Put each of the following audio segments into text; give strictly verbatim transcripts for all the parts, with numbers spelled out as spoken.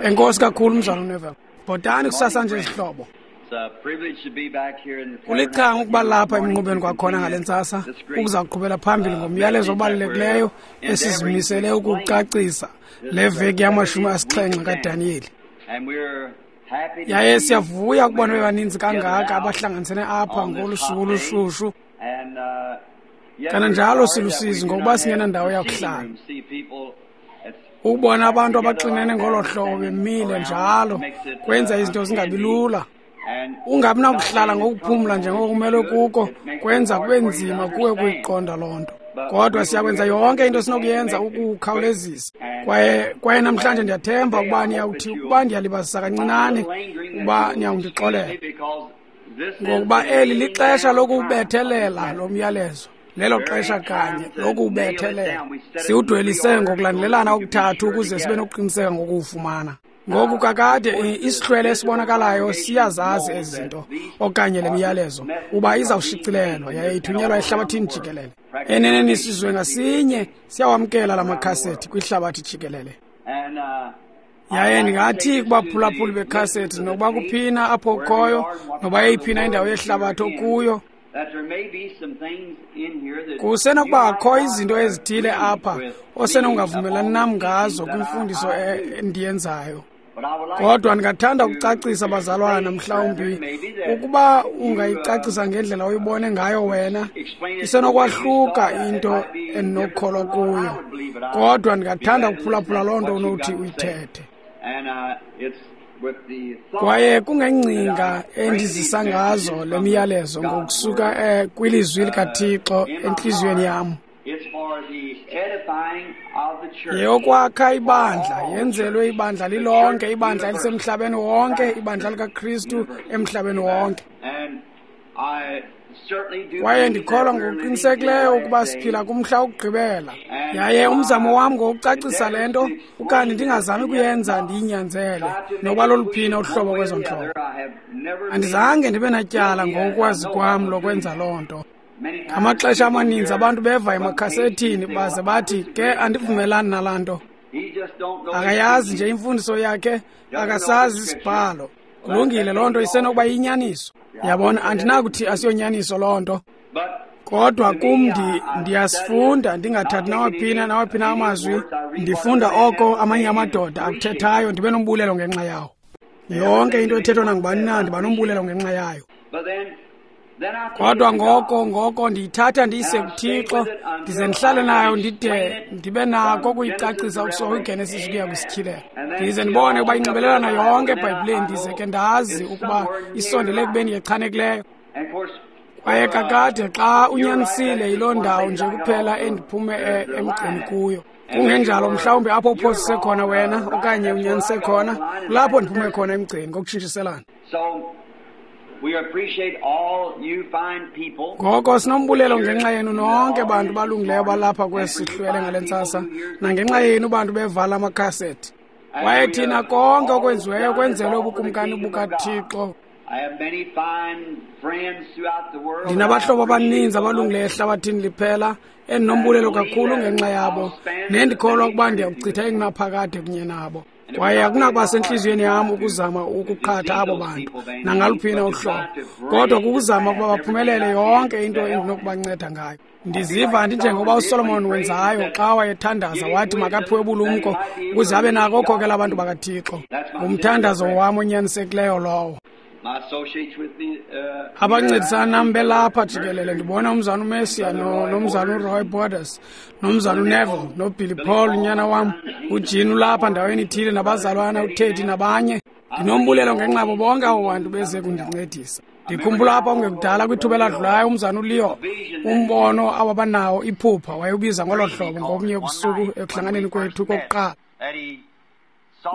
Enkosi kakhulu, mzalwana uNeville. Bhotani kusasa nje, zihlobo. Kulichanga ukuba lapha emnqubeni kwakhona ngale ntsasa ukuza kuqhubela phambili ngomyalezo obalulekileyo esizimisele ukuwucacisa le veki yamashumi asixhenxe kaDaniyeli. Yaye siyavuya ukubona bebaninzi kangaka abahlanganisene apha ngolu suku lushushu. Kananjalo silusizi ngokuba singenandawo yakuhlala. Ukubona abantu abaxinene ngolo hlobo bemile njalo kwenza izinto zingabi lula. Ungabi nakuhlala ngokuphumla njengoko kumelwe kuko kwenza kube nzima kuwe ukuyiqonda loo nto. Kodwa siyakwenza yonke into esinokuyenza ukukhawulezisa. Kwaye kwaye namhlanje ndiyathemba ukuba niyawuthi ukuba ndiyalibazisa kancinane ukuba niyawundixolela. Ngokuba eli lixesha lokuwubethelela lo myalezo. Lelo xesha kanye lokuwubethelela. Siwudwelise ngokulandelelana okuthathu ukuze sibe nokuqiniseka ngokuwufumana. Ngoku kakade isihlwele esibonakalayo siyazazi ezi zinto okanye le miyalezo uba izawushicilelwa yaye ithunyelwa ehlabathini jikelele. Eneneni isizwe ngasinye siyawamkela la makhasethi kwihlabathi jikelele. Yaye ndingathi kubaphulaphuli bekhasethi nokuba kuphina apho ukhoyo noba yeyiphina indawo yehlabathi okuyo, kusenokubakho izinto ezithile apha osenokungavumelani nam ngazo kwimfundiso endiyenzayo. Kodwa ndingathanda ukucacisa, bazalwana, mhlawumbi ukuba ungayicacisa ngendlela oyibone ngayo wena, isenokwahluka into endinokukholwa kuyo. Kodwa ndingathanda ukuphulaphula loo nto unothi uyithethe. Kwaye kungengcinga endizisa ngazo le miyalezo ngokusuka eh, kwilizwi likaThixo entliziyweni yam. Yeyokwakha ibandla, yenzelwe ibandla lilonke, ibandla elisemhlabeni wonke, ibandla likaKristu emhlabeni wonke. Kwaye ndikholwa ngokuqinisekileyo ukuba siphila kumhla wokugqibela. Yaye umzamo wam ngokucacisa le nto, ukanti ndingazami kuyenza ndiyinyanzele, nokuba loluphina uhlobo kwezo ntlobo. Andizange ndibe natyala ngokwazi kwam lokwenza loo nto. Ngamaxesha amaninzi abantu beva emakhasethini baze bathi, ke andivumelani nalaa nto. Akayazi nje imfundiso yakhe, akasazi isibhalo. Kulungile, loo nto isenokuba yinyaniso. Yabona, andinakuthi asiyonyaniso loo nto. Kodwa kum ndiyasifunda, ndingathathi nawaphina nawaphina amazwi, ndifunda oko amanye amadoda akuthethayo, ndibe nombulelo ngenxa yawo. Yonke into ethethwa nangubani na ndiba nombulelo ngenxa yayo. Kodwa ngoko ngoko ndiyithatha ndiyise kuThixo, ndize ndihlale nayo ndide ndibe nako ukuyicacisa ukusuka kwiGenesis ukuya kwisiTyhilelo. Ndize ndibone ukuba inxibelelana yonke eBhayibhileni, ndize ke ndazi ukuba isondele ekubeni yechanekileyo. Kwaye kakade xa unyanisile yiloo ndawo nje kuphela endiphume emgceni kuyo. Kungenjalo mhlawumbi apho uphosise khona wena okanye unyanise khona, kulapho ndiphume khona emgceni ngokutshintshiselana. Ngoko sinombulelo ngenxa yenu nonke bantu balungileyo balapha kwesihlwele ngale ntsasa, nangenxa yenu bantu bevala amakhasethi. Kwaye thina konke okwenziweyo kwenzelwe ubukumkani bukaThixo. Ndinabahlobo abaninzi abalungileyo ehlabathini liphela, endinombulelo kakhulu ngenxa yabo, nendikholwa ukuba ndiyakuchitha ingunaphakade kunye nabo. Kwaye akunakuba sentliziyweni yam ukuzama ukuqhatha abo bantu nangaluphina uhlobo, kodwa kukuzama ukuba baphumelele yonke into endinokubanceda ngayo. Ndiziva ndinjengoba uSolomon wenzayo xa wayethandaza wathi makaphiwe ubulumko ukuze abe nako ukhokela abantu bakaThixo. Ngumthandazo wam onyanisekileyo lowo. Abancedisana nam belapha jikelele, ndibona umzana uMessia nomzana uRoy Borders nomzana uNeville noBilly Paul unyana wam, uJean ulapha ndaweni ithile, nabazalwana uTeddy nabanye. Ndinombulelo ngenxa yabo bonke abo bantu beze kundincedisa. Ndikhumbula apha kungekudala kwithuba eladlulayo umzana uLeo, umbono awabanawo, iphupha wayewubiza ngolo hlobo ngomnye ubusuku ekuhlanganeni kwethu kokuqala,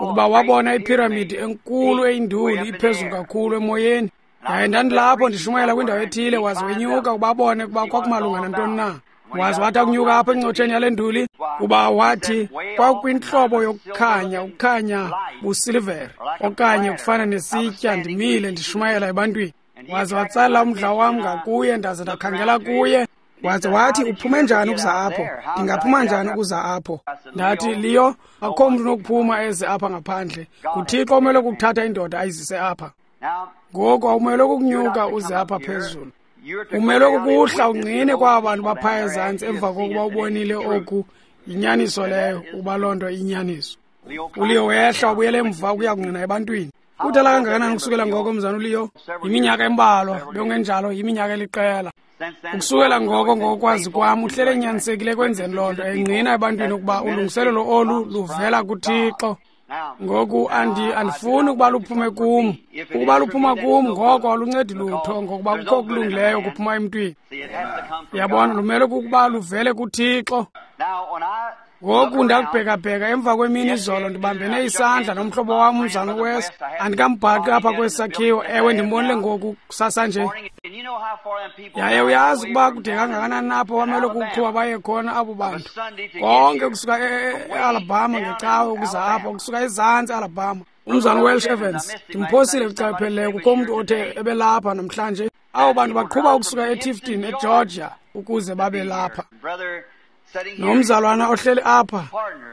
ukuba wabona iphiramidi enkulu eyinduli iphezulu kakhulu emoyeni. Yaye ndandilapho ndishumayela kwindawo ethile, waze wenyuka ukuba abone ukuba kwakumalunga nantoni na. Waze wathi akunyuka apho encotsheni yale nduli, kuba wathi kwakukwintlobo yokukhanya, ukukhanya busilivere okanye kufana nesitya, ndimile ndishumayela ebantwini. Waze watsala umdla wam ngakuye, ndaze ndakhangela kuye. Waze wathi, uphume njani ukuza apho? Ndingaphuma njani ukuza apho? Ndathi, Leo, akukho mntu unokuphuma eze apha ngaphandle. NguThixo omele ukuthatha indoda ayizise apha. Ngoku awumelwe kukunyuka uze apha phezulu. Umelwe kukuhla ungqine kwaba bantu baphaya ezantsi emva kokuba ubonile oku yinyaniso leyo, uba loo nto iyinyaniso. ULeo wehla wabuyela emva ukuya kungqina ebantwini. Kudala kangakanani ukusukela ngoko, mzana uLeo? Yiminyaka embalwa, bekungenjalo, yiminyaka eliqela. Ukusukela ngoko, ngokwazi kwam, uhlele enyanisekile ekwenzeni loo nto, engqina ebantwini ukuba ulungiselelo olu luvela kuThixo. Ngoku andi andifuni ukuba luphume kum. Ukuba luphuma kum, ngoko aluncedi lutho, ngokuba kukho okulungileyo kuphuma emntwini. Uyabona, lumele kukuba luvele kuThixo. Ngoku ndakubhekabheka emva kwemini izolo, ndibambene isandla nomhlobo wam umzana uWest. Andikambhaqi apha kwesi sakhiwo. Ewe, ndimbonile ngoku kusasa nje. Yaye uyazi ukuba kude kangakanani apho bamele kuqhuba baye khona abo bantu. Konke kusuka e-Alabama ngecawe ukuza apha, kusuka ezantsi e-Alabama. Umzana uWelsh Evans, ndimphosile kwicawe ephelileyo, kukho umntu othe ebelapha namhlanje. Abo bantu baqhuba ukusuka eTifton, eGeorgia, ukuze babe lapha. Nomzalwana ohleli apha,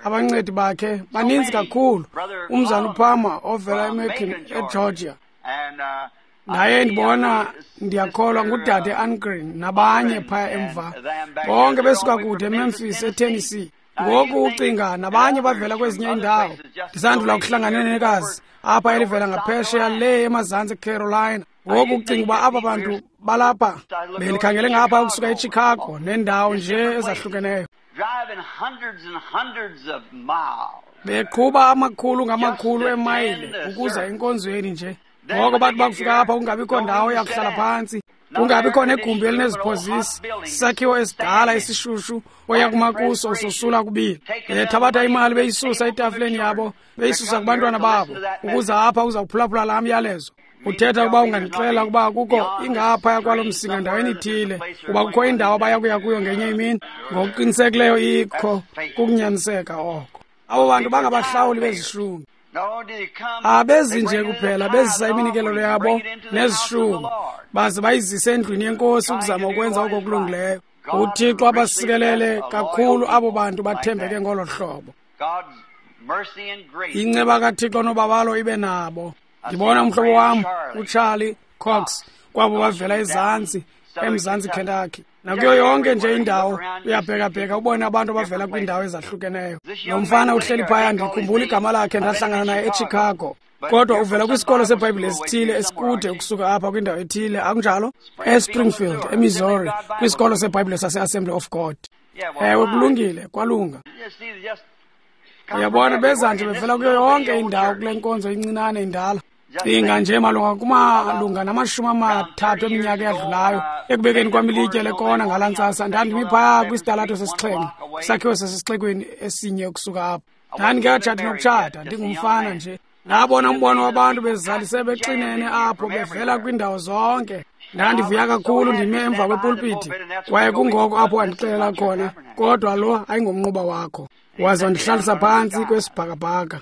abancedi bakhe baninzi kakhulu. Umzana uPalmer ovela eMacon, eGeorgia. Ndaye ndibona, ndiyakholwa ngudade Ann nabanye phaya emva. Bonke besuka kude eMemphis, eTennessee. Ngoku ucinga nabanye bavela kwezinye iindawo. Ndisandula ukuhlangana nenekazi apha elivela ngaphesheya le emazantsi eCarolina. Ngoku ucinga uba aba bantu balapha bendikhangele ngapha ukusuka eChicago nendawo nje ezahlukeneyo. Beqhuba amakhulu ngamakhulu emayile ukuza enkonzweni nje. Ngoko bathi bakufika apha kungabikho ndawo yakuhlala phantsi, kungabikho negumbi elineziphozisi, isakhiwo esidala esishushu oya kuma kuso usosula kubili. Bethabatha imali beyisusa etafileni yabo, beyisusa kubantwana babo, ukuza apha uza kuphulaphula laa myalezo. Uthetha ukuba ungandixelela ukuba kukho ingaphaya kwalo msinga ndaweni ithile, kuba kukho indawo abaya kuya kuyo ngenye imini. Ngokuqinisekileyo ikho, kukunyaniseka oko. Abo bantu bangabahlawuli bezishumi. Abezi nje kuphela, bezisa iminikelo yabo nezishumi, baze bayizise endlwini yenkosi ukuzama ukwenza oko kulungileyo. UThixo abasikelele kakhulu abo bantu bathembeke ngolo hlobo. Inceba kaThixo nobabalo ibe nabo. Ndibona umhlobo wam uCharlie Cox kwabo bavela ezantsi eMzantsi Kentucky. Nakuyo yonke nje indawo uyabhekabheka ubone abantu abavela kwiindawo ezahlukeneyo. Lo mfana uhleli phaya, ndikhumbula igama lakhe, ndahlangana naye eChicago. Kodwa uvela kwisikolo seBhayibhile esithile esikude ukusuka apha kwindawo ethile, akunjalo? eSpringfield, eMissouri, kwisikolo seBhayibhile sase-Assembly of God. Ewe, kulungile, kwalunga. Uyabona, beza nje bevela kuyo yonke indawo kule nkonzo incinane indala. Cinga nje malunga kumalunga namashumi amathathu eminyaka eyadlulayo, ekubekeni kwam ilitye lekona ngalaa ntsasa, ndandimi phaya kwisitalato sesixhenxe, kwisakhiwo sasesixekweni esinye ukusuka apho. Ndandingekatshati nokutshata, ndingumfana nje. Ndabona umbono wabantu bezalise bexinene apho bevela kwiindawo zonke. Ndandivuya kakhulu ndime emva kwepulpiti, kwaye kungoko apho wandixelela khona, kodwa lo ayingomnquba wakho. Waze wandihlalisa phantsi kwesibhakabhaka.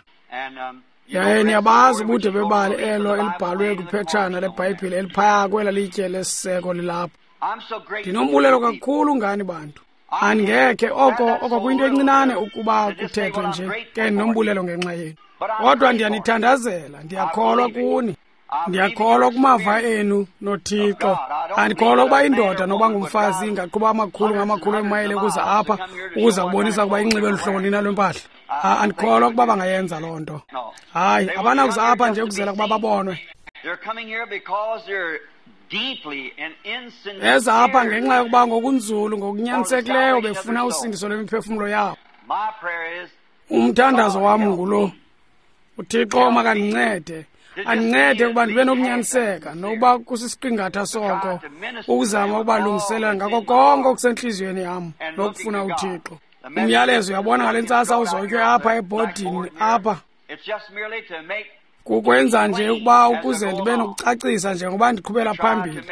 Yaye niyabazi ubude bebali elo elibhalwe kwiphetshana leBhayibhile eliphaya kwela litye lesiseko lilapho. Ndinombulelo kakhulu ngani bantu. Andingekhe oko oko kuyinto encinane ukuba kuthethwe nje, ke ndinombulelo ngenxa yenu. Kodwa ndiyanithandazela, ndiyakholwa kuni. Ndiyakholwa kumava enu noThixo. Andikholwa ukuba indoda noba ngumfazi ingaqhuba amakhulu ngamakhulu emayile ukuza apha ukuza kubonisa ukuba inxibe luhlobo lina lwempahla. Andikholwa ukuba bangayenza loo nto. Hayi, abanakuza apha nje ukuzela ukuba babonwe. Beza apha ngenxa yokuba ngokunzulu, ngokunyanisekileyo befuna usindiso lwemiphefumlo yabo. Umthandazo wam ngulo: uThixo makandincede, andincede ukuba ndibe nokunyaniseka nokuba kusisiqingatha soko, ukuzama ukubalungiselela ngako konke okusentliziyweni yam nokufuna uThixo. Umyalezo uyabona ngale ntsasa uzotywe apha ebhodini apha. Kukwenza nje ukuba ukuze ndibe nokucacisa njengoba ndiqhubela phambili,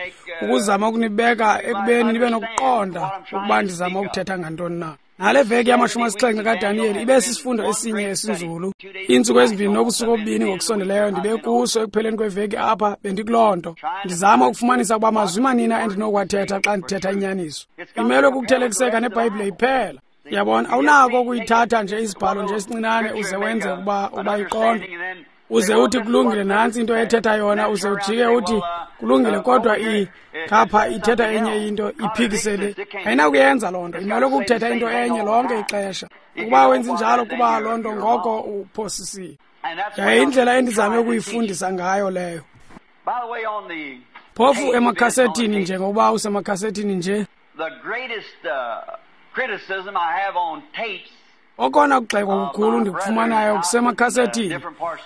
ukuzama ukunibeka ekubeni nibe nokuqonda ukuba ndizama ukuthetha ngantoni na. Nale veki yamashumi asixhenxe kaDaniyeli ibe sisifundo esinye esinzulu. Iintsuku ezimbini nobusuku obubini ngokusondeleyo ndibe kuso ekupheleni kweveki apha bendikuloo nto. Ndizama ukufumanisa ukuba mazwi manina endinokuwathetha xa ndithetha inyaniso. Imelwe kukuthelekiseka neBhayibhile iphela. Uyabona, awunako ukuyithatha nje isibhalo nje esincinane uze wenze ukuba uba iqonde. Uze uthi kulungile nantsi into ethetha yona, uze ujike uthi kulungile kodwa i ngapha ithetha enye into iphikisele. Ayinakuyenza loo nto, imelwe kukuthetha into enye lonke ixesha. Ukuba wenza njalo kuba loo nto ngoko uphosisile. Yaye indlela endizame ukuyifundisa ngayo leyo. Phofu emakhasetini njengokuba usemakhasethini nje, okona kugxekwa kukhulu ndikufumanayo kusemakhasetini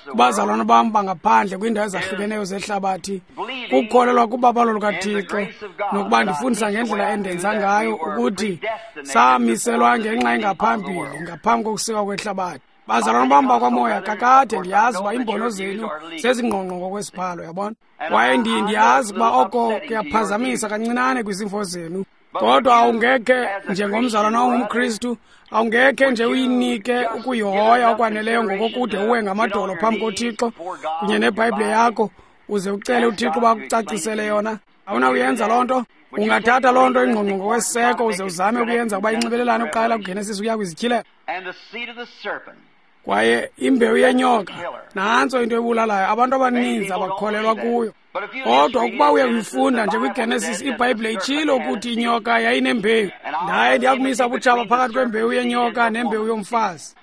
kubazalwana bam bangaphandle kwiindawo ezahlukeneyo zehlabathi kukukholelwa kubabalo lukaThixo nokuba ndifundisa ngendlela endenza ngayo ukuthi samiselwa ngenxa engaphambili ngaphambi kokusikwa kwehlabathi. Bazalwana bam bakwamoya, kakade ndiyazi uba iimbono zenu zezingqongqo ngokwesibhalo, yabona. Kwaye ndiyazi ukuba oko kuyaphazamisa kancinane kwizimvo zenu. Kodwa awungekhe njengomzalwana ongumKristu, awungekhe nje uyinike ukuyihoya okwaneleyo ngokokude uwe ngamadolo phambi koThixo kunye neBhayibhile yakho uze ucele uThixo uba akucacisele yona. Awunakuyenza loo nto. Ungathatha loo nto ingqongqo ngokwesiseko uze uzame ukuyenza ukuba inxibelelane uqala kuGenesis ukuya kwizityhilelo. Kwaye imbewu yenyoka, nantso into ebulalayo, abantu abaninzi abakholelwa kuyo. Kodwa ukuba uyakuyifunda nje kwiGenesis, iBhayibhile itshilo ukuthi inyoka yayinembewu. Ndaye ndiyakumisa ubutshaba phakathi kwembewu yenyoka nembewu yomfazi.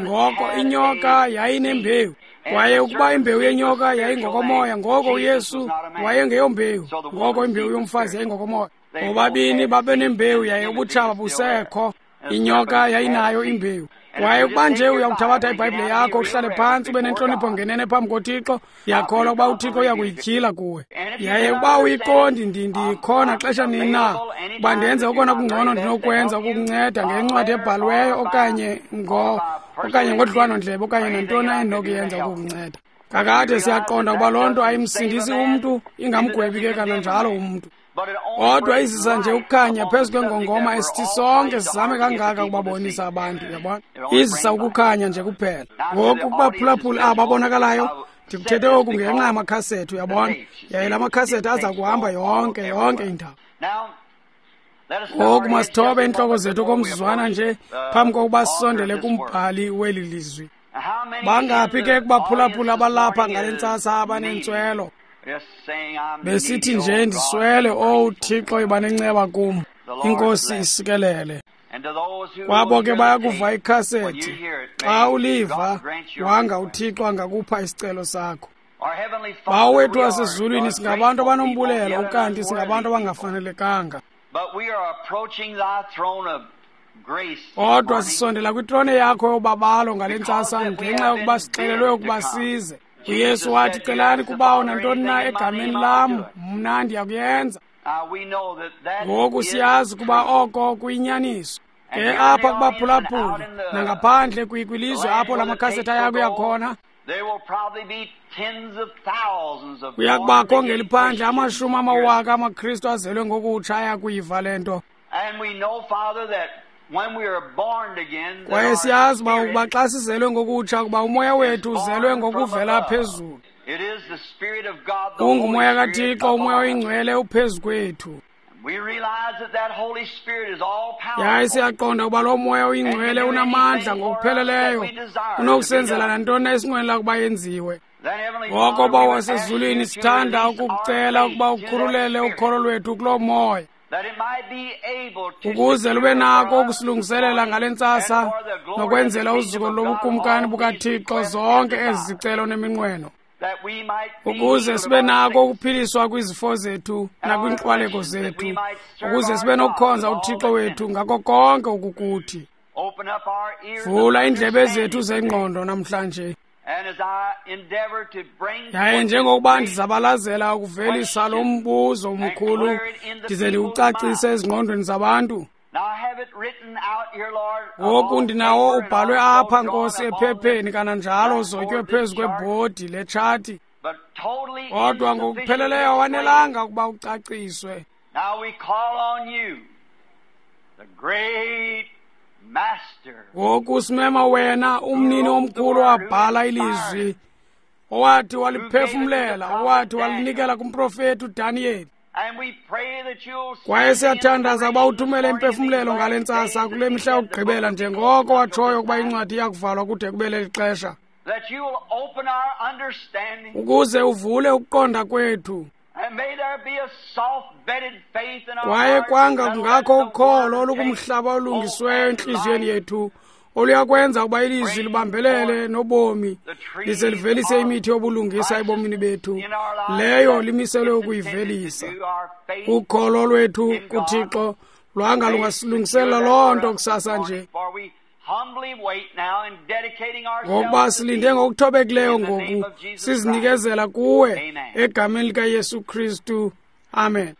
Ngoko inyoka yayinembewu. Kwaye ukuba imbewu yenyoka yayingokomoya, ngoko uYesu wayengeyombewu, ngoko imbewu yomfazi yayingokomoya. Bobabini babenembewu yaye ubutshaba busekho. Inyoka yayinayo imbewu. Kwaye ukuba nje uyakuthabatha iBhayibhile yakho uhlale phantsi ube nentlonipho ngenene phambi koThixo, ndiyakholwa ukuba uThixo uyakuyityhila kuwe. Yaye ukuba uyiqondi ndikhona xesha nini na ukuba ndenze okona kungcono ndinokwenza ukukunceda ngencwadi ebhaliweyo okanye ngo okanye ngodliwano-ndlebe okanye nantoni endinokuyenza ukukunceda. Kakade siyaqonda ukuba loo nto ayimsindisi umntu, ingamgwebi ke kananjalo umntu. Kodwa izisa nje ukukhanya phezu kwengongoma esithi sonke sizame kangaka ukubabonisa abantu, uyabona. Izisa ukukhanya nje kuphela. Ngoku kubaphulaphuli aba babonakalayo, ndikuthethe oku ngenxa yamakhasethi, uyabona. Yaye la makhasethi aza kuhamba yonke yonke indawo. Ngoku masithobe iintloko zethu komzuzwana nje phambi kokuba sisondele kumbhali weli lizwi. Bangaphi ke kubaphulaphula abalapha ngale ntsasa abanentswelo? Besithi nje ndiswele, owu Thixo, yiba nenceba kum. INkosi isikelele. Kwabo ke bayakuva ikhasethi. Xa uliva, wanga uThixo angakupha isicelo sakho. Bawo wethu wasezulwini, singabantu abanombulelo ukanti singabantu abangafanelekanga. Kodwa sisondela kwitrone yakho yobabalo ngale ntsasa ngenxa yokuba sixelelwe ukuba size. uYesu wathi, celani kubawo nantoni na egameni lam, mna ndiyakuyenza. Ngoku siyazi ukuba oko kuyinyaniso. Ke apha kubaphulaphuli nangaphandle kwilizwe apho la makhasethi ayakuya khona, kuya kubakho ngeliphandle amashumi amawaka amaKristu azelwe ngokutsha ayakuyiva le nto. Kwaye siyazi uba ukuba xa sizelwe ngokutsha ukuba umoya wethu uzelwe ngokuvela phezulu. Ungumoya kaThixo, umoya oyingcwele uphezu kwethu. Yaye siyaqonda ukuba lo moya oyingcwele unamandla ngokupheleleyo, unokusenzela nantoni esinqwenela ukuba yenziwe. Ngoko Bawo wasezulwini, sithanda ukukucela ukuba ukhululele ukholo lwethu kuloo moya, ukuze lube nako ukusilungiselela ngale ntsasa nokwenzela uzuko lobukumkani bukaThixo zonke ezi zicelo neminqweno, ukuze sibe nako ukuphiliswa kwizifo zethu nakwiinxwaleko zethu, ukuze sibe nokukhonza uThixo wethu ngako konke okukuthi. Vula iindlebe zethu zengqondo namhlanje. Yaye njengokuba ndizabalazela ukuvelisa lo mbuzo mkhulu ndize ndiwucacise ezingqondweni zabantu, ngoku ndinawo ubhalwe apha, Nkosi, ephepheni kananjalo uzotywe phezu kwebhodi letshati, kodwa ngokupheleleyo awanelanga ukuba ucaciswe. Now we call on you, the great Ngoku simema wena umnini omkhulu wabhala ilizwi, owathi waliphefumlela, owathi walinikela kumprofeti uDaniyeli. Kwaye siyathandaza uba uthumele imphefumlelo ngale ntsasa kule mihla yokugqibela, njengoko watshoyo ukuba incwadi iyakuvalwa kude kube leli xesha, ukuze uvule ukuqonda kwethu. Kwaye kwanga kungakho ukholo olukumhlaba olungisiweyo entliziyweni yethu, oluyakwenza ukuba ilizwi libambelele nobomi, lize livelise imithi yobulungisa ebomini bethu, leyo limiselwe ukuyivelisa. Ukholo lwethu kuThixo lwanga lungasilungisela loo nto kusasa nje, ngokuba silinde ngokuthobekileyo ngoku sizinikezela kuwe egameni likaYesu Kristu. Amen.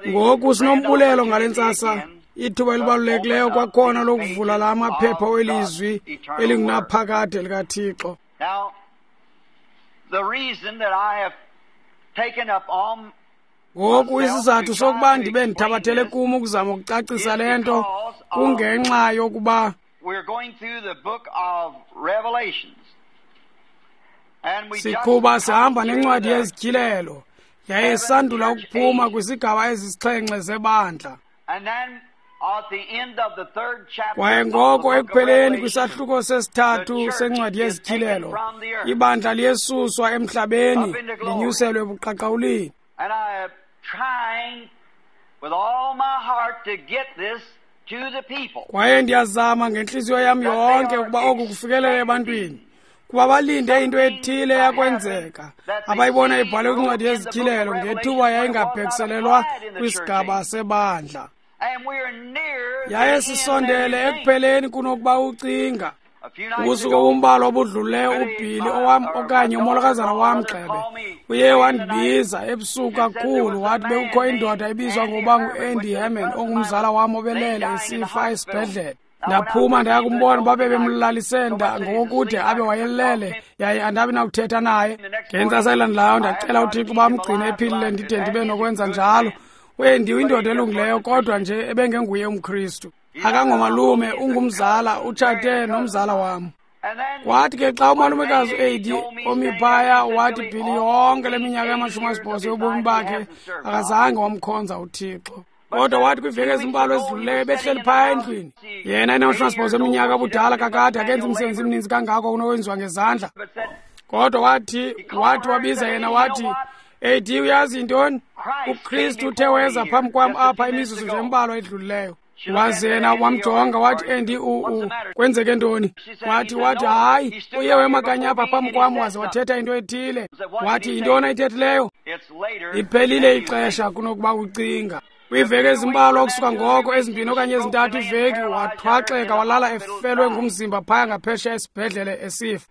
Ngoku sinombulelo ngale ntsasa, ithuba elibalulekileyo kwakhona lokuvula la maphepha welizwi elingunaphakade likaThixo. Ngoku isizathu sokuba ndibe ndithabathele kum ukuzama ukucacisa le nto kungenxa yokuba siqhuba sihamba nencwadi yezityhilelo, yaye sandula ukuphuma kwisigaba ezisixhenxe zebandla. Kwaye ngoko ekupheleni kwisahluko sesithathu sencwadi yezityhilelo, ibandla liyesuswa emhlabeni linyuselwe ebuqaqawulini. Kwaye ndiyazama ngentliziyo yam yonke ukuba oku kufikelele ebantwini, kuba balinde into ethile yakwenzeka abayibona ibhalwe kwincwadi yezityhilelo ngethuba yayingabhekiselelwa kwisigaba sebandla. Yaye sisondele ekupheleni kunokuba ucinga. Ubusuku obumbalwa obudlulileyo uBhili owam okanye umolokazana wam gxebe uye wandibiza ebusuku kakhulu, wathi bekukho indoda ebizwa ngokuba ngu-Andy Herman ongumzala wam obelele esifa esibhedlele. Ndaphuma ndaya kumbona, babe bemlalise ngokokude abe wayelele, yaye andabi nakuthetha naye. Ngentsasa elandelayo ndacela uThixo uba amgcine ephilile ndide ndibe nokwenza njalo. UAndy uyindoda elungileyo, kodwa nje ebengenguye umKristu. Akangomalume, ungumzala, utshate nomzala wam. Wathi ke xa umalumekazi uAdy omi phaya, wathi Bhili yonke le minyaka yamashumi asibhozo yobomi bakhe akazange wamkhonza uThixo. Kodwa wathi kwiiveki ezimbalwa ezidlulileyo behleli phaya endlwini, yena enamashumi asibhozo eminyaka obudala kakade, akenzi imisebenzi emininzi kangako kunokwenziwa ngezandla. Kodwa wathi wathi wabiza yena wathi, Ady, uyazi yintoni? uKristu uthe weza phambi kwam apha imizuzu nje embalwa edlulileyo. Waze yena wamjonga wathi, Andy, u kwenzeke ntoni? Wathi wathi hayi, uye wema kanye apha phambi kwam waze wathetha into ethile. Wathi yintoni ayithethileyo? Liphelile ixesha kunokuba ucinga. Kwiiveki ezimbalwa ukusuka ngoko, ezimbini okanye ezintathu iveki, wathwaxeka walala efelwe ngumzimba phaya ngaphesheya esibhedlele esifa.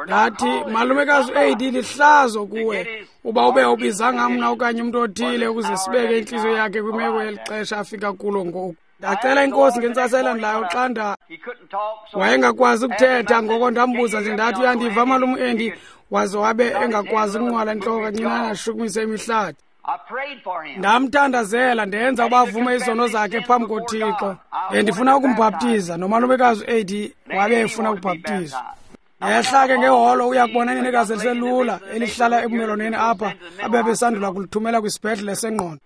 Ndathi, malumekazi uAdy, lihlazo kuwe uba ube ubizanga mna okanye umntu othile ukuze sibeke intliziyo yakhe kwimeko yeli xesha afika kulo ngoku. Ndacela inkosi ngentsasa elandelayo xa nda wayengakwazi ukuthetha, ngoko ndambuza nje ndathi, uyandiva malume uAndy? Waze wabe engakwazi ukunqwala intloko kancinane ashukumise imihlathi. Ndamthandazela, ndenza uba avume izono zakhe phambi koThixo. Bendifuna ukumbhaptiza, nomalumekazi uAdy wabe efuna ukubhaptizwa. Yehla ke ngeholo uya kubona inenekazi eliselula elihlala ebumelwaneni apha abebesandula kulithumela kwisibhedlele sengqondo.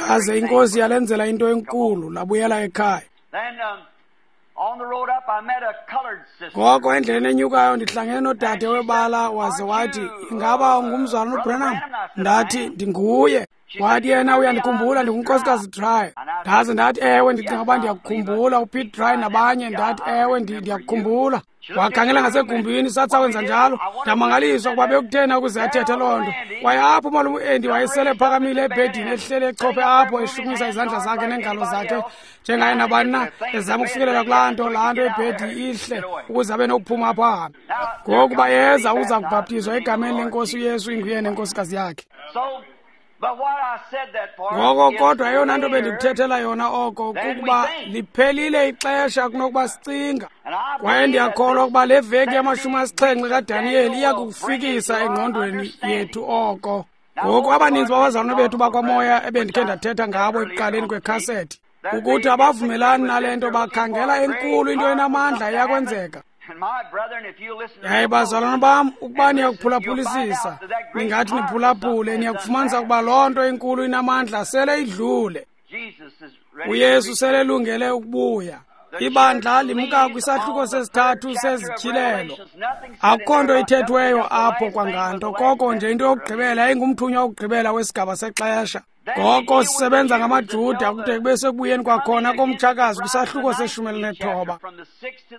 Yaze inkosi yalenzela into enkulu, labuyela ekhaya. Ngoko endleleni enyukayo ndihlangene nodade webala, waze wathi, ingaba ungumzalwana uBranham? Ndathi, ndinguye. Wathi yena, uyandikhumbula, ndingunkosikazi Dry. Ndaze ndathi, ewe, ndicinga uba ndiyakukhumbula, uPete Dry nabanye. Ndathi, ewe, ndiyakukhumbula. Wakhangela ngasegumbini, sathi sawenza njalo. Ndamangaliswa ukuba bekutheni ukuze athethe loo nto. Kwaye apho umalume uAndy wayesele phakamile ebhedini, ehleli echophe apho, eshukumisa izandla zakhe neengalo zakhe njengaye nabani na, ezama ukufikelela kulaa nto, laa nto ebhedi ihle, ukuze abe nokuphuma apho ahambe. Ngoku bayeza uza kubhaptizwa egameni lenkosi uYesu, inguye nenkosikazi yakhe. Ngoko kodwa eyona nto bendikuthethela yona oko kukuba liphelile ixesha kunokuba sicinga. Kwaye ndiyakholwa ukuba le veki yamashumi asixhenxe kaDaniyeli iya kukufikisa engqondweni yethu oko. Ngoku abaninzi babazalwana bethu bakwamoya ebendikhe ndathetha ngabo ekuqaleni kwekhasethi, ukuthi abavumelani nale nto, bakhangela enkulu into enamandla eyakwenzeka. Yaye bazalwana bam, ukuba niyakuphulaphulisisa, ningathi niphulaphule, niyakufumanisa ukuba loo nto enkulu inamandla sele idlule. UYesu selelungele ukubuya. Ibandla limka kwisahluko sesithathu sezityhilelo. Akukho nto ithethweyo apho kwanganto, koko nje into yokugqibela yayingumthunywa wokugqibela wesigaba sexesha. Ngoko sisebenza ngamaJuda kude kube sekubuyeni kwakhona komtshakazi kwisahluko seshumi elinethoba.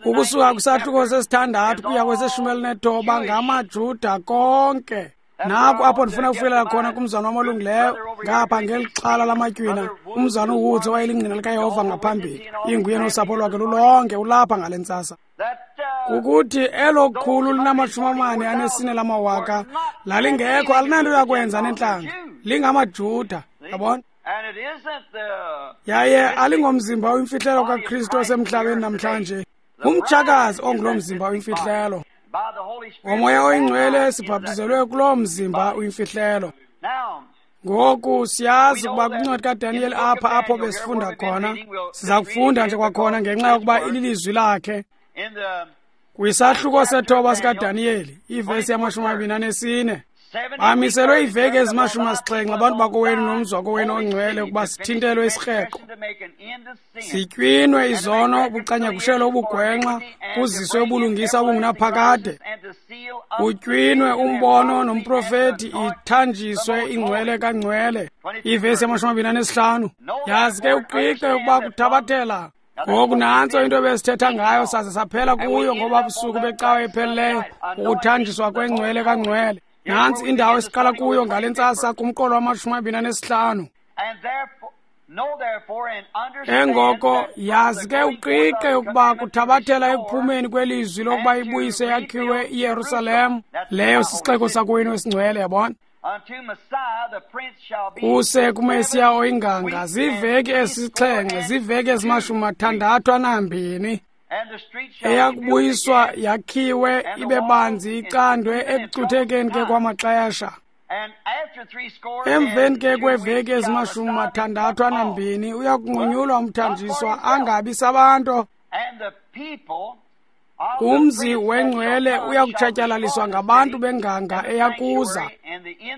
Ukusuka kwisahluko sesithandathu kuya kweseshumi elinethoba ngamaJuda konke. Naku apho ndifuna ukufikelela khona kumzana wam olungileyo ngapha ngeli xhala lamatywina, umzana uWoods owayelingqina likaYehova ngaphambili, inguye nosapho lwakhe lulonke ulapha ngale ntsasa. Kukuthi elo khulu linamashumi amane anesine lamawaka lalingekho, alinanto yakwenza nentlanga, lingamaJuda, yabona? Yaye alingomzimba oyimfihlelo kaKristu osemhlabeni namhlanje, ngumtshakazi ongulo mzimba oyimfihlelo. Ngomoya oyingcwele sibhaptizelwe kuloo mzimba uyimfihlelo. Ngoku siyazi ukuba kwincwadi kaDaniyeli apha apho besifunda khona, siza kufunda nje kwakhona ngenxa yokuba ililizwi lakhe. Kwisahluko sethoba sikaDaniyeli, ivesi yamashumi amabini anesine, bamiselwe iiveki ezimashumi asixhenxe abantu bakowenu nomzi wakowenu ongcwele ukuba sithintelwe isirheqo, sitywinwe izono, bucanyagushelwe ubugwenxa, kuziswe ubulungisa obungunaphakade, utywinwe umbono nomprofeti, ithanjiswe ingcwele kangcwele. Ivesi yamashumi amabini anesihlanu. Yazi ke uqiqe ukuba kuthabathela. Ngoku nantso into ebesithetha ngayo saze saphela kuyo ngoba busuku becawa ephelileyo, ukuthanjiswa kwengcwele kangcwele. Nantsi indawo esiqala kuyo ngale ntsasa kumqolo wamashumi amabini anesihlanu. Engoko yazi ke uqiqe ukuba kuthabathela ekuphumeni kwelizwi lokuba ibuyise yakhiwe iYerusalem, leyo sisixeko sakowenu esingcwele, yabona? Kuse kuMesiya oyinganga ziiveki ezisixhenxe, ziiveki ezimashumi mathandathu anambini, eyakubuyiswa yakhiwe ibe banzi icandwe ekucuthekeni ke kwamaxesha. Emveni ke kweeveki ezimashumi mathandathu anambini uyakunqunyulwa umthanjiswa angabi sabantu. Umzi wengcwele uyakutshatyalaliswa ngabantu benganga eyakuza.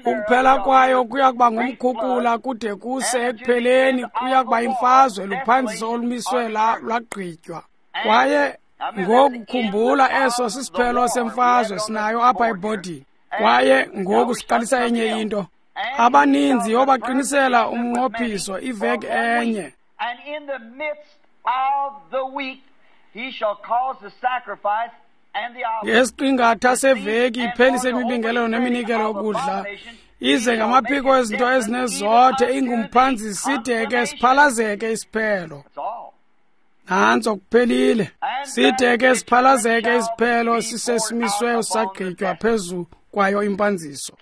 Ukuphela kwayo kuya kuba ngumkhukula kude kuse ekupheleni, kuya kuba imfazwe luphanziso olumiswe lwagqitywa. Kwaye ngoku khumbula, eso sisiphelo semfazwe sinayo apha ebhodini. Kwaye ngoku siqalisa enye into. Abaninzi yobaqinisela umnqophiso iveki enye. Ngesiqingatha seveki iphelise imibingelelo neminikelo yokudla, ize ngamaphiko ezinto ezinezothe ingumphanzi side ke siphalazeke isiphelo. Nantso kuphelile. Side ke siphalazeke isiphelo sisesimiswe sagqitywa phezu kwayo impanziso.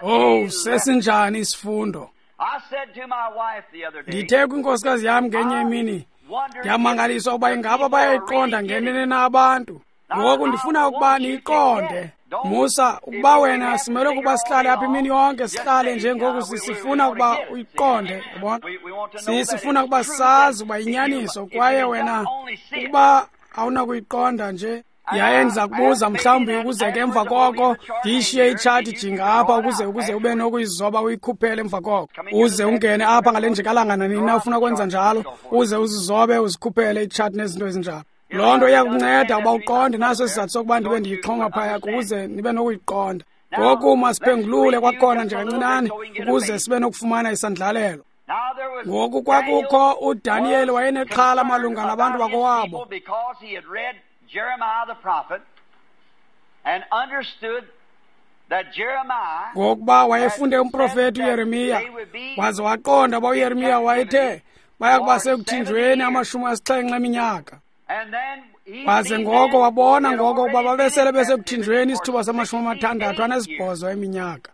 Oh, sesinjani isifundo? Ndithe kwinkosikazi yam ngenye imini, ndiyamangaliswa ukuba ingaba bayayiqonda ngenene na abantu. Ngoku ndifuna ukuba niyiqonde. Musa, ukuba wena simele ukuba sihlale apha imini yonke, sihlale nje ngoku sifuna ukuba uyiqonde, yabona? Sifuna ukuba sazi ukuba yinyaniso, kwaye wena ukuba awunakuyiqonda nje, yaye ndiza kubuza mhlawumbi ukuze ke emva koko ndiyishiye itshati ijinga apha ukuze ukuze ube nokuyizoba uyikhuphele emva koko. Uze ungene apha ngale njikalanga nanini na ufuna kwenza njalo, uze uzizobe uzikhuphele itshati nezinto ezinjalo. Loo nto iyakunceda ukuba uqonde, naso isizathu sokuba ndibe ndiyixhonga phaya ukuze nibe nokuyiqonda. Ngoku masiphengulule kwakhona nje kancinane ukuze sibe nokufumana isandlalelo. Ngoku kwakukho uDaniyeli wayenexhala malunga nabantu bakowabo. Ngokuba wayefunde umprofeti uYeremiya, waze waqonda uba uYeremiya wayethe baya kuba sekuthinjweni amashumi asixhenxe eminyaka. Waze ngoko wabona ngoko ukuba babesele besekuthinjweni isithuba samashumi amathandathu anesibhozo eminyaka.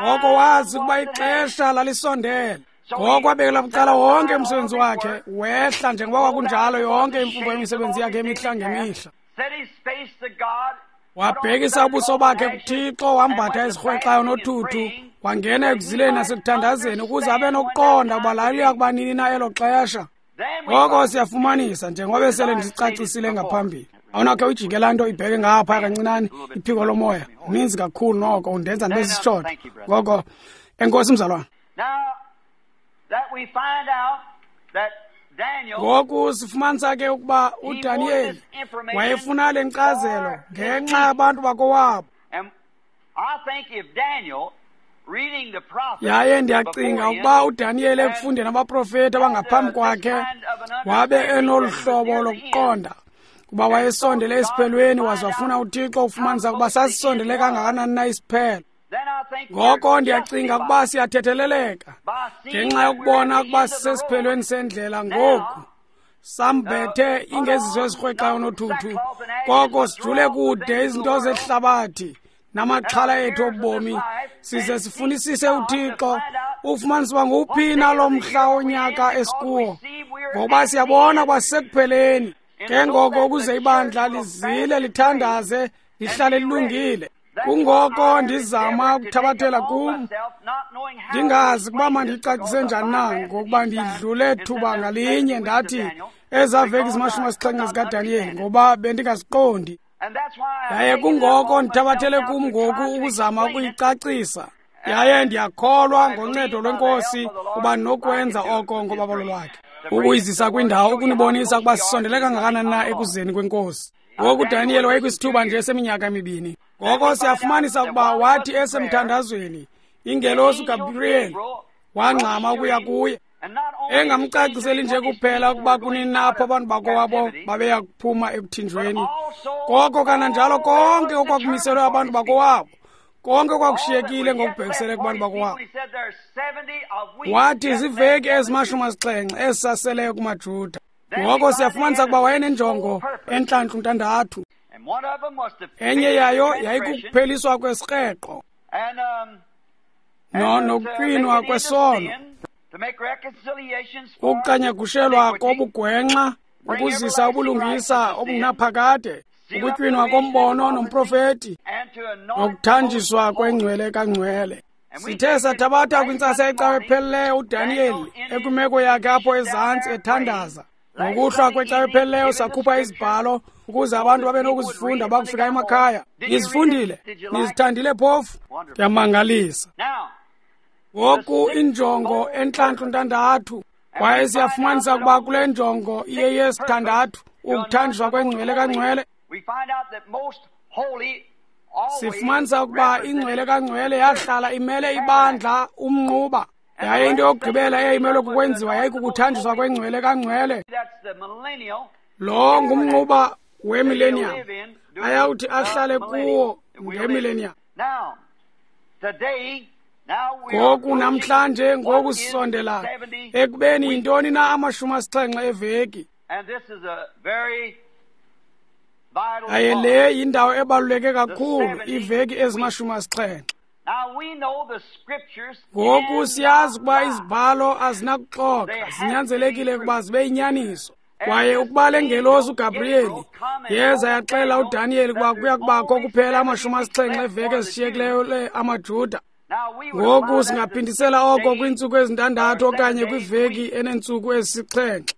Ngoko wazi ukuba ixesha lalisondele. Ngoko wabekela bucala wonke umsebenzi wakhe, wehla njengoba kwakunjalo yonke imfumba yemisebenzi yakhe emihla ngemihla. Wabhekisa ubuso bakhe kuThixo, wambatha ezirhwexayo nothuthu, wangena ekuzileni nasekuthandazeni ukuze abe nokuqonda ukuba laliya kuba nini na elo xesha. Ngoko siyafumanisa, njengoba sele ndicacisile ngaphambili. Awunakhe uyijike laa nto ibheke ngapha kancinane, iphiko lomoya mninzi kakhulu noko undenza ndibe sisishotho. Ngoko enkosi mzalwana. Ngoku sifumanisa ke ukuba uDaniyeli wayefuna le nkcazelo ngenxa yabantu bakowabo. Yaye ndiyacinga ukuba uDaniyeli ekufundeni abaprofeti abangaphambi kwakhe wabe enolu hlobo lokuqonda kuba wayesondele esiphelweni, waze wafuna uThixo ufumanisa ukuba sasisondele kangakanani na isiphelo. Ngoko ndiyacinga ukuba siyathetheleleka ngenxa yokubona ukuba sisesiphelweni sendlela ngoku. Sambethe ingezizo ezirhwexayo nothuthu, koko sijule kude izinto zehlabathi namaxhala ethu obomi, size sifunisise uThixo ufumanisa uba nguwuphi na lo mhla wonyaka esikuwo, ngokuba siyabona ukuba sisekupheleni. Ke ngoko ukuze ibandla lizile, lithandaze, lihlale lilungile. Kungoko ndizama ukuthabathela kum, ndingazi ukuba mandiyicacise njani na, ngokuba ndidlule thuba ngalinye ndathi ezaa veki zimashumi asixhenxe zikaDaniyeli, ngoba bendingaziqondi. Yaye kungoko ndithabathele kum ngoku ukuzama ukuyicacisa. Yaye ndiyakholwa ngoncedo lweNkosi uba ndinokwenza oko ngobabalo lwakhe, ukuyizisa kwindawo ukunibonisa ukuba sisondele kangakanani na ekuzeni kweNkosi. Ngoku uDaniyeli wayekwisithuba nje seminyaka emibini. Ngoko siyafumanisa ukuba wathi esemthandazweni, ingelosi uGabriel wangxama ukuya kuye, engamcaciseli nje kuphela ukuba kunini apho abantu bakowabo babeya kuphuma ekuthinjweni, koko kananjalo konke okwakumiselwe abantu bakowabo, konke okwakushiyekile ngokubhekisele kubantu bakowabo. Wathi ziveki ezimashumi asixhenxe ezisaseleyo kumaJuda. Ngoko siyafumanisa ukuba wayenenjongo entlantlu ntandathu. Enye yayo yayikukupheliswa kwesikreqo no nokutywinwa kwesono, ukucanyagushelwa kobugwenxa, ukuzisa ubulungisa obungunaphakade, ukutywinwa kombono nomprofeti, nokuthanjiswa kwengcwele kangcwele. Sithe sathabatha kwintsasa yecawe epheleleyo uDaniyeli ekwimeko yakhe apho ezantsi ethandaza. Ngokuhlwa kwecawe epheleleyo sakhupha izibhalo ukuze abantu babe nokuzifunda bakufika emakhaya. Nizifundile? Nizithandile phofu? Kuyamangalisa. Ngoku injongo entlantlu ntandathu, kwaye siyafumanisa ukuba kule njongo iyeyesithandathu, ukuthanjiswa kwengcwele kangcwele. Sifumanisa ukuba ingcwele kangcwele yahlala imele ibandla umnquba. Yaye into yokugqibela eyayimelwe kukwenziwa yayikukuthanjiswa kwengcwele kangcwele. Lo ngumnquba wemillennium ayawuthi ahlale kuwo ngemillennium. Ngoku namhlanje ngoku sisondela ekubeni yintoni na amashumi asixhenxe eveki. Yaye le yindawo ebaluleke kakhulu, iveki ezimashumi asixhenxe. Ngoku siyazi ukuba izibhalo azinakuxoka, zinyanzelekile ukuba zibe yinyaniso. Kwaye ukuba le ngelosi uGabrieli yeza yaxela uDaniyeli ukuba kuya kubakho kuphela amashumi asixhenxe eveki ezishiyekileyo le amaJuda. Ngoku singaphindisela oko kwiintsuku ezintandathu okanye kwiveki eneentsuku ezisixhenxe.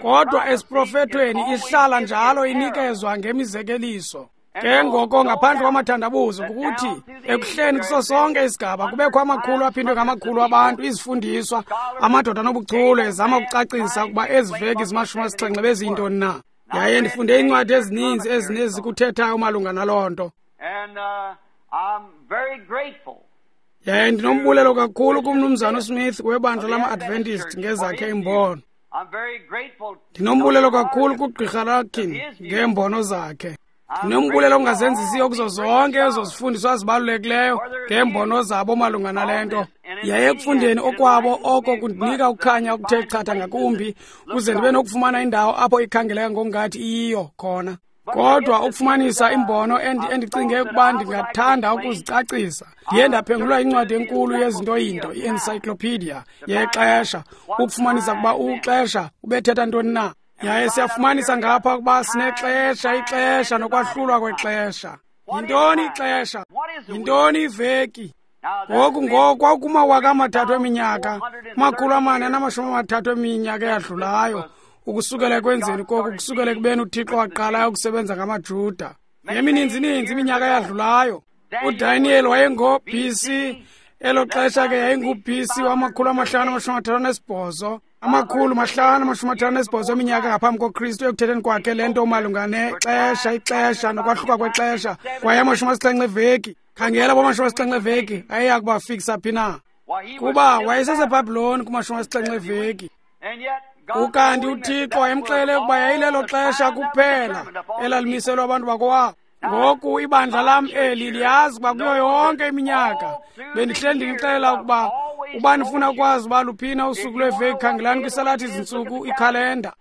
Kodwa esiprofetweni ihlala njalo inikezwa ngemizekeliso. Ke ngoko ngaphandle kwamathandabuzo kukuthi ekuhleni kuso sonke isigaba kubekho amakhulu aphindwe ngamakhulu abantu, izifundiswa, amadoda anobuchule ezama ukucacisa ukuba ezi veki zimashumi asixhenxe beziyintoni na. Yaye ndifunde iincwadi ezininzi ezinezikuthethayo malunga naloo nto. Yaye ndinombulelo kakhulu kumnumzana uSmith webandla lama-Adventist ngezakhe iimbono. Ndinombulelo kakhulu kugqirha Larkin ngeembono zakhe. Ndinombulelo ongazenzisiyo kuzo zonke ezo zifundiswa zibalulekileyo ngeembono zabo malunga nale nto. Yaye ekufundeni okwabo oko kundinika ukukhanya okuthe chatha ngakumbi ukuze ndibe nokufumana indawo apho ikhangeleka ngokungathi iyiyo khona. Kodwa ukufumanisa imbono endicinge ukuba ndingathanda ukuzicacisa, ndiye ndaphengulula incwadi enkulu yezinto yinto, i-encyclopedia yexesha, ukufumanisa ukuba uxesha ubethetha ntoni na. Yaye siyafumanisa ngapha ukuba sinexesha, ixesha nokwahlulwa kwexesha. Yintoni ixesha? Yintoni iveki? Ngoku ngoku kwakumawaka amathathu eminyaka, amakhulu amane anamashumi amathathu eminyaka eyadlulayo, ukusukela ekwenzeni koku, ukusukela ekubeni uThixo waqalayo ukusebenza ngamaJuda. Yemininzi-ninzi iminyaka eyadlulayo. UDaniel wayengo-B C, elo xesha ke yayingu-B C wamakhulu amahlanu amashumi amathathu anesibhozo, amakhulu mahlanu amashumi amathathu anesibhozo eminyaka ngaphambi koKristu ekuthetheni kwakhe le nto malunga nexesha, ixesha nokwahluka kwexesha, kwaye amashumi asixhenxe eveki. Khangela bomashumi asixhenxe eveki ayeya kubafikisa phi na, kuba wayeseseBhabhiloni kumashumi asixhenxe eveki. Ukanti uThixo wayemxelele ukuba yayilelo xesha kuphela elalimiselwe abantu bakowabo. Ngoku ibandla lam eli liyazi ukuba kuyo yonke iminyaka bendihleli ndinixelela ukuba uba nifuna ukwazi uba luphina usuku lweveki, khangelani kwisalathi izinsuku, ikhalenda.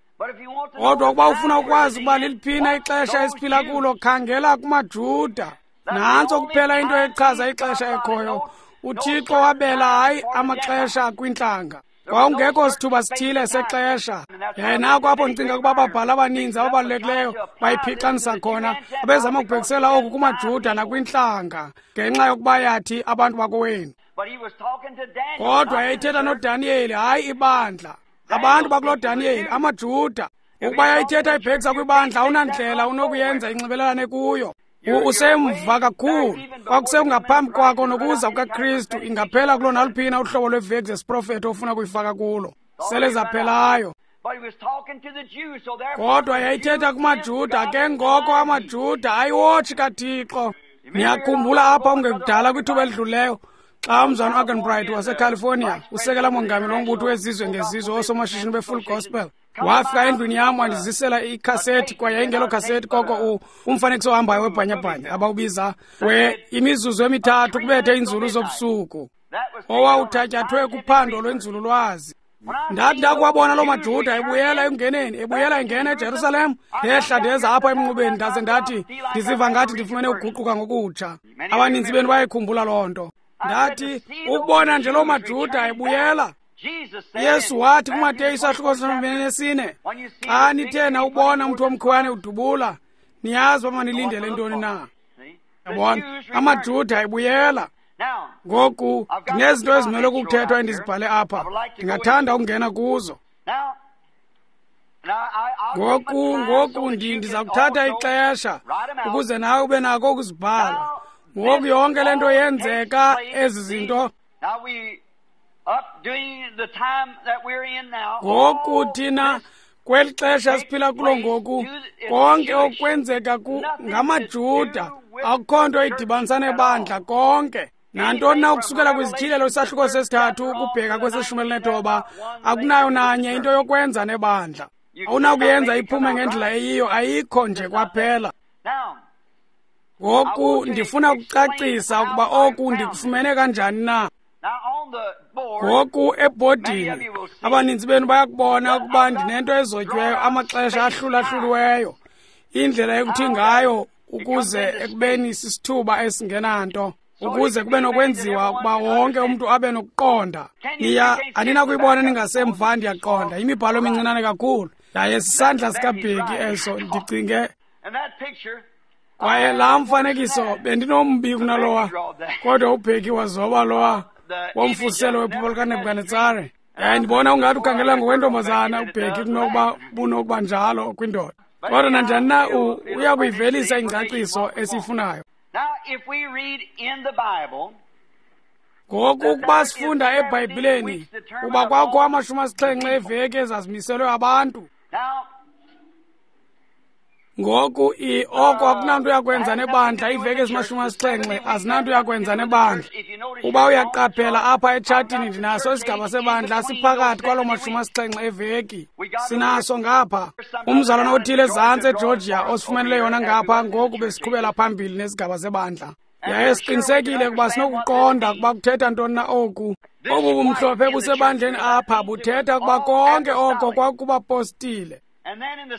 Kodwa ukuba ufuna ukwazi ukuba liliphina ixesha esiphila kulo, khangela kumaJuda. Nantso kuphela into echaza ixesha ekhoyo. UThixo wabela hayi amaxesha kwintlanga. Kwawungekho sithuba sithile sexesha. Yaye nako apho ndicinga ukuba ababhali abaninzi ababalulekileyo bayiphixanisa khona, abezama ukubhekisela oku kumaJuda nakwintlanga ngenxa yokuba yathi abantu bakowenu. Kodwa yayithetha noDaniyeli, hayi ibandla. Abantu bakuloDaniyeli, amaJuda. Ukuba yayithetha ibhekisa kwibandla, awunandlela unokuyenza inxibelelane kuyo. Usemva kakhulu. Kwakusekungaphambi kwakho nokuza kukaKristu, ingaphela kulo naluphina uhlobo lweveki zesiprofeto ofuna kuyifaka kulo. Sele zaphelayo. Kodwa yayithetha kumaJuda, ke ngoko amaJuda ayiwotshi kaThixo. Niyakhumbula apha ungekudala kwithuba elidluleyo, xa umzwana Arganbright waseCalifornia, usekela mongameli wombutho wezizwe ngezizwe oosomashishini be-Full Gospel, wafika endlwini yam wandizisela ikhasethi, kwaye yayingelo khasethi koko umfanekiso ohambayo webhanyabhanya abawubiza we imizuzu emithathu kubethe inzulu zobusuku, owawuthatyathwe kuphando lwenzululwazi. Ndathi ndakuwabona loo maJuda ebuyela ekungeneni, ebuyela engena eJerusalem, ndehla ndeza apha emnqubeni, ndaze ndathi ndiziva ngathi ndifumene ukuguquka ngokutsha. Abaninzi benu bayayikhumbula loo nto. Ndathi ukubona nje loo maJuda ebuyela. Yesu wathi kuMateyu isahluko sesine, xa nithe nawubona umthi womkhiwane udubula, niyazi uba manilindele ntoni na. Yabona, amaJuda ebuyela. Ngoku ndinezinto ezimele ukuthethwa endizibhale apha, ndingathanda ukungena kuzo. Ngoku ngoku ndiza kuthatha ixesha ukuze nawe ube nako ukuzibhala. Ngoku yonke le nto yenzeka, ezi zinto. Ngoku thina kweli xesha siphila kulo ngoku, konke okwenzeka ngamaJuda, akukho nto idibanisa nebandla konke. Nantoni na ukusukela kwizityhilelo isahluko sesithathu ukubheka kweseshumi elinethoba, akunayo nanye into yokwenza nebandla. Awunakuyenza iphume ngendlela eyiyo, ayikho nje kwaphela. Ngoku ndifuna ukucacisa ukuba oku ndikufumene kanjani na. Ngoku ebhodini, abaninzi benu bayakubona ukuba ndinento ezotyiweyo, amaxesha ahlulahluliweyo, indlela ekuthi ngayo ukuze ekubeni sisithuba esingenanto, ukuze kube nokwenziwa ukuba wonke umntu abe nokuqonda. Niya, aninakuyibona ningasemva, ndiyaqonda. Imibhalo emincinane kakhulu. Yaye sisandla sikaBheki eso, ndicinge. Kwaye laa mfanekiso bendinombi kunalowa, kodwa uBheki wazoba lowa womfuziselo wephupha likaNebukadnetsare. Yaye ndibona ungathi ukhangela ngokwentombazana uBheki kunokuba bunokuba njalo kwindoda. Kodwa nanjani na uya kuyivelisa ingcaciso esiyifunayo. Ngoku ukuba sifunda eBhayibhileni uba kwakho amashumi asixhenxe eveki ezazimiselwe abantu. Ngoku oko akunanto yakwenza nebandla, iiveki ezimashumi asixhenxe azinanto yakwenza nebandla. Uba uyaqaphela apha etshatini, ndinaso isigaba sebandla siphakathi kwaloo mashumi asixhenxe eveki. Sinaso ngapha. Umzalwana othile ezantsi eGeorgia osifumenele yona ngapha, ngoku besiqhubela phambili nezigaba zebandla. Yaye siqinisekile ukuba sinokuqonda ukuba kuthetha ntoni na oku. Obu bumhlophe busebandleni apha buthetha ukuba konke oko kwakubapostile.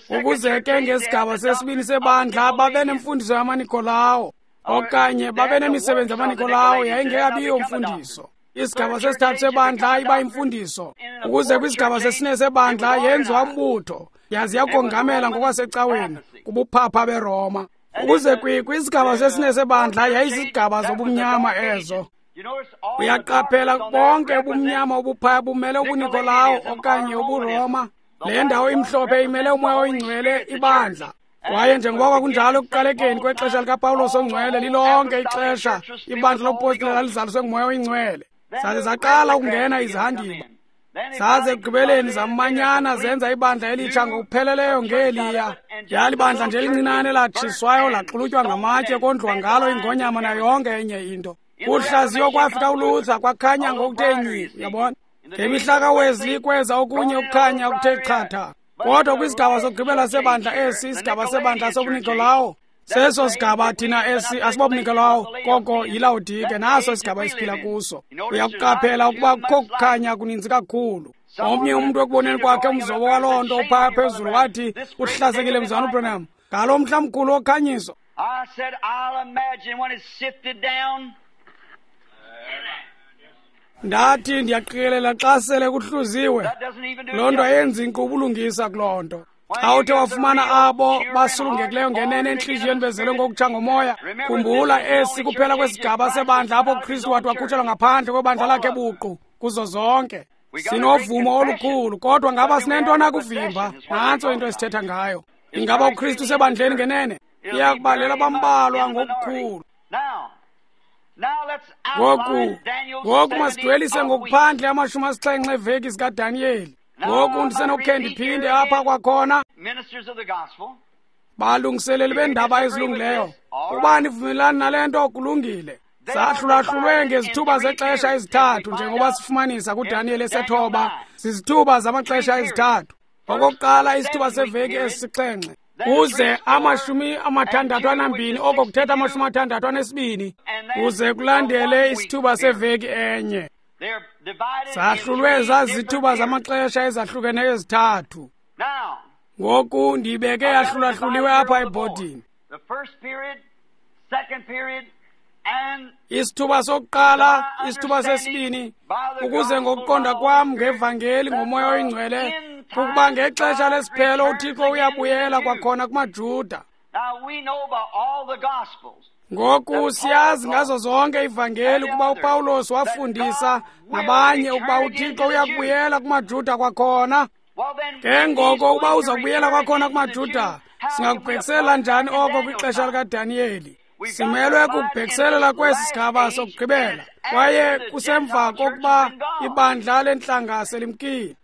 Ukuze ke ngesigaba sesibini sebandla babe nemfundiso yamaNikolawo, okanye babe nemisebenzi yamaNikolawo, yayingekabiyo mfundiso. Isigaba sesithathu sebandla iba yimfundiso, ukuze kwisigaba sesine sebandla yenziwa umbutho. Yaze yakongamela ngokwasecaweni kubuphapha beRoma. Ukuze kwisigaba sesine sebandla yayizigaba zobumnyama ezo. Uyaqaphela bonke ubumnyama obuphaya bumele ubuNikolawo okanye ubuRoma. Le ndawo imhlophe imele uMoya oyiNgcwele, ibandla. Kwaye njengoba kwakunjalo ekuqalekeni kwexesha likaPawulos ongcwele, lilonke ixesha ibandla lobupostile lalizaliswe nguMoya oyiNgcwele. Zaze zaqala ukungena izihandiba. Zaze ekugqibeleni zamanyana zenza ibandla elitsha ngokupheleleyo ngeliya. Yalibandla nje elincinane latshiswayo laxulutywa ngamatye kondliwa ngalo ingonyama nayo yonke enye into. Kuhlaziyo kwafika uLuther kwakhanya ngokuthe nywi, uyabona. Ngemihla kaWesley kweza okunye ukukhanya okuthe chatha. Kodwa kwisigaba sokugqibela sebandla esi, isigaba sebandla sobuNikolawo, seso sigaba thina esi asibobunikolwawo, koko yiLawodike, naso isigaba esiphila kuso. Uyakuqaphela ukuba kukho kukhanya kuninzi kakhulu. Omnye umntu ekuboneni kwakhe umzobo waloo nto uphaya phezulu wathi, uhlasekile mzana uBranham, ngalo mhla mkhulu wokhanyiso. Ndathi ndiyaqikelela xa sele kuhluziwe. Loo nto ayenzi inkqubo kuloo nto. Xa uthe wafumana abo basulungekileyo ngenene entliziyweni bezelwe ngokutsha ngomoya, khumbula esi kuphela kwesigaba sebandla apho uKristu wathi wakhutshelwa ngaphandle kwebandla lakhe buqu kuzo zonke. Sinovumo olukhulu, kodwa ngaba sinento nakuvimba? Nantso into esithetha ngayo. Ingaba uKristu sebandleni ngenene? Iyakubalela bambalwa ngokukhulu. Ngoku, ngoku masidwelise ngokuphandle amashumi asixhenxe eveki zikaDaniyeli. Ngoku ndisenokukhe ndiphinde apha kwakhona. Balungiseleli beendaba ezilungileyo, uba nivumelani nale nto kulungile. Zahlulahlulwe ngezithuba zexesha ezithathu njengoba sifumanisa kuDaniyeli esethoba, zizithuba zamaxesha ezithathu. Okokuqala isithuba seveki esisixhenxe, kuze amashumi amathandathu anambini, oko kuthetha amashumi amathandathu anesibini, kuze kulandele isithuba seveki enye. Zahlulwe zazithuba zamaxesha ezahlukeneyo ezithathu. Ngoku ndibeke yahlulahluliwe apha ebhodini. Isithuba sokuqala, isithuba sesibini, ukuze ngokuqonda kwam ngevangeli ngoMoya oyiNgcwele, kukuba ngexesha lesiphelo uThixo uyabuyela kwakhona kumaJuda. Ngoku siyazi ngazo zonke ivangeli ukuba uPawulos wafundisa nabanye ukuba uThixo uyakubuyela kumaJuda kwakhona. Ke ngoko ukuba uza kubuyela kwakhona kumaJuda, singakubhekisela njani oko kwixesha likaDaniyeli? Simelwe kukubhekiselela kwesi sigaba sokugqibela, kwaye kusemva kokuba ibandla lentlanga selimkile.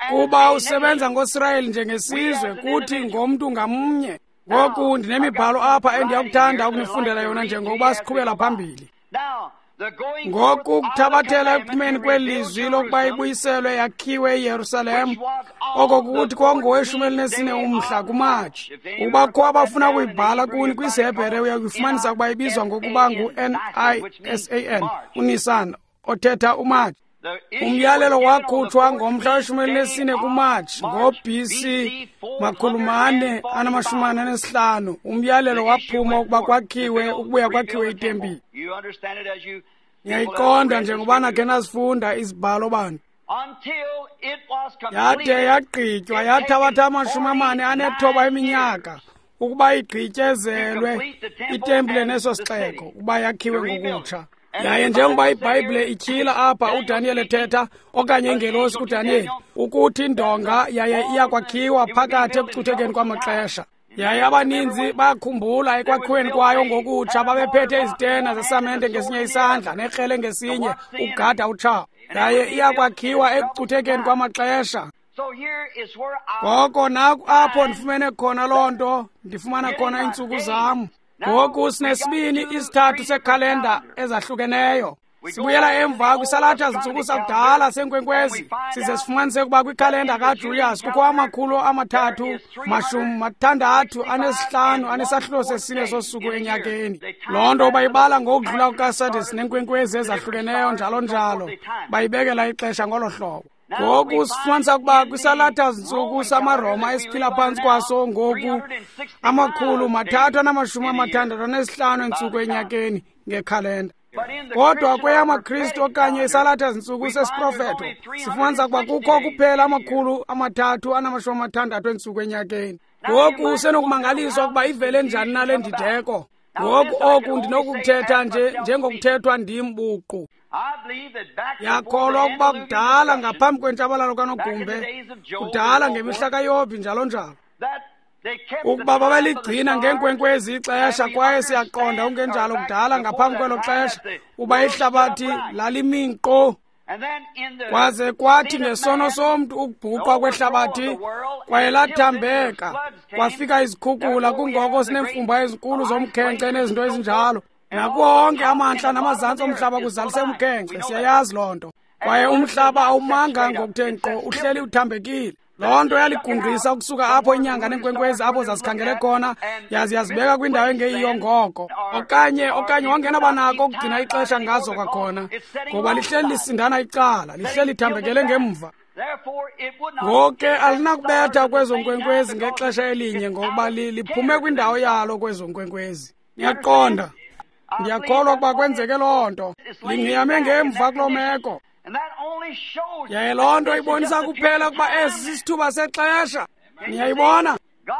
Kuba usebenza ngoSirayeli njengesizwe, kuthi ngomntu ngamnye. Ngoku ndinemibhalo apha endiyakuthanda ukunifundela yona njengokuba siqhubela phambili. Ngoku kuthabathela ekuphumeni kwelizwi lokuba ibuyiselwe yakhiwe iYerusalem, oko kukuthi kongoweshumi elinesine umhla kuMatshi. Ukuba kukho abafuna ukuyibhala kuni kwisiHebhere, uyakuyifumanisa ukuba ibizwa ngokuba ngu-N I S A N, uNisan, othetha uMatshi. Umyalelo wakhutshwa ngomhla weshumi elinesine kuMatshi ngo-B C makhulu mane anamashumi mane anesihlanu. Umyalelo waphuma ukuba kwakhiwe, ukubuya kwakhiwe itempile. Niyayiqonda njengoba nakhe nazifunda izibhalo bantu. Yade yagqitywa yathabatha amashumi amane anethoba eminyaka ukuba igqityezelwe itempile neso sixeko ukuba yakhiwe ngokutsha. Yaye njengoba iBhayibhile ityhila apha uDaniyeli ethetha okanye ingelosi kuDaniyeli ukuthi indonga yaye iyakwakhiwa phakathi ekucuthekeni kwamaxesha. Yaye abaninzi bayakhumbula ekwakhiweni kwayo ngokutsha babephethe izitena zesamente ngesinye isandla nekrele ngesinye ukugada utshaba. Yaye iyakwakhiwa ekucuthekeni kwamaxesha. Ngoko naku apho ndifumene khona loo nto, ndifumana khona iintsuku zam. Ngoku sinesibini isithathu sekhalenda ezahlukeneyo. Sibuyela emva kwisalatha zintsuku sakudala senkwenkwezi, size sifumanise ukuba kwikhalenda kaJulius kukho amakhulu amathathu mashumi mathandathu anesihlanu anesahlulo sesine sosuku enyakeni. Loo nto bayibala ngokudlula kukaSardis neenkwenkwezi ezahlukeneyo njalo njalo, bayibekela ixesha ngolo hlobo. Ngoku sifumanisa ukuba kwisalatha zintsuku samaRoma esiphila phantsi kwaso ngoku amakhulu mathathu anamashumi amathandathu anesihlanu entsuku enyakeni ngekhalenda. Kodwa kweyamaKristu okanye isalatha zintsuku sesiprofeto, sifumanisa ukuba kukho kuphela amakhulu amathathu anamashumi amathandathu eentsuku enyakeni. Ngoku usenokumangaliswa ukuba ivele njani nale ndideko. Ngoku oku ndinokukuthetha nje njengokuthethwa ndim buqu. Yakholwa ukuba kudala ngaphambi kwentshabalalo kaNogumbe, kudala ngemihla kaYobhi njalo njalo, ukuba babeligcina ngeenkwenkwezi ixesha, kwaye siyaqonda ungenjalo kudala ngaphambi kwelo xesha uba ihlabathi lalimi nkqo. Kwaze kwathi ngesono somntu ukubhuqwa kwehlabathi kwaye lathambeka, kwafika izikhukula, kungoko sineemfumba ezinkulu zomkhenkce nezinto ezinjalo. Nakuwo onke amantla namazantsi omhlaba kuzalise umkhenkce, siyayazi loo nto. Kwaye umhlaba awumanga ngokuthe nkqo, uhleli uthambekile. Loo nto yaligungqisa ukusuka apho inyanga neenkwenkwezi apho zazikhangele khona, yaze yazibeka kwindawo engeyiyo ngoko. Okanye okanye wangena banako ukugcina ixesha ngazo kwakhona, ngoba lihleli lisindana icala, lihleli lithambekele ngemva. Ngoku ke alinakubetha kwezo nkwenkwezi ngexesha elinye, ngokuba liphume kwindawo yalo kwezo nkwenkwezi. Niyaqonda? Ndiyakholwa ukuba kwenzeke loo nto. Lingqiyame ngemva kuloo meko. Yaye loo nto ibonisa kuphela ukuba esi sisithuba sexesha. Niyayibona?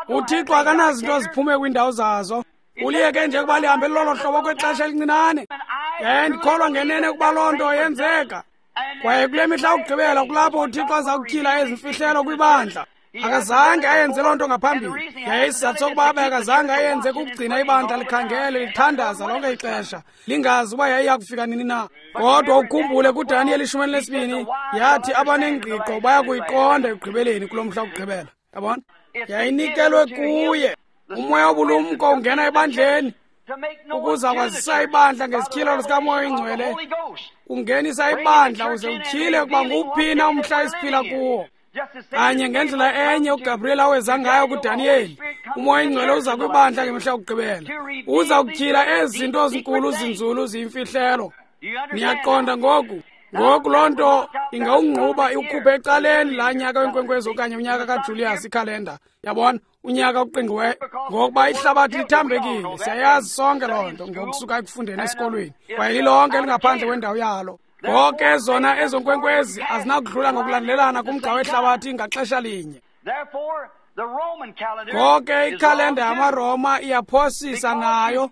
UThixo akanazinto ziphume kwiindawo zazo. Uliyeke nje ukuba lihambe lolo hlobo kwexesha elincinane. Yaye ndikholwa ngenene ukuba loo nto yenzeka. Kwaye kule mihla yokugqibela kulapho uThixo aza kutyhila ezi mfihlelo kwibandla. Akazange ayenze loo nto ngaphambili. Yaye isizathu sokuba abe akazange ayenze kukugcina ibandla likhangele lithandaza lonke ixesha, lingazi uba yayiya kufika nini na. Kodwa ukhumbule kuDaniyeli ishumi elinesibini yathi abanengqiqo baya kuyiqonda ekugqibeleni kulo mhla wokugqibela. Yabona? Yayinikelwe kuye. Umoya wobulumko ungena ebandleni ukuza kwazisa ibandla ngesityhilelo sikaMoya oyiNgcwele. Ungenisa ibandla uze utyhile ukuba nguwuphi na umhla esiphila kuwo. Kanye ngendlela enye uGabriel aweza ngayo kuDaniyeli, uMoya oyiNgcwele uza kwibandla ngemihla yokugqibela. Uza kutyhila ezi zinto zinkulu zinzulu ziyimfihlelo. Niyaqonda ngoku? Ngoku loo nto ingawungquba iwukhuphe ecaleni laa nyaka wenkwenkwezi okanye unyaka kaJulius ikhalenda. Yabona? Unyaka oqingqiweyo. Ngokuba ihlabathi lithambekile, siyayazi sonke loo nto ngokusuka ekufundeni esikolweni. Kwaye lilonke lingaphandle kwendawo yalo. Ngoke zona ezo nkwenkwezi azinakudlula ngokulandelelana kumgca wehlabathi ngaxesha linye. Ngoke ikhalenda yamaRoma iyaphosisa nayo,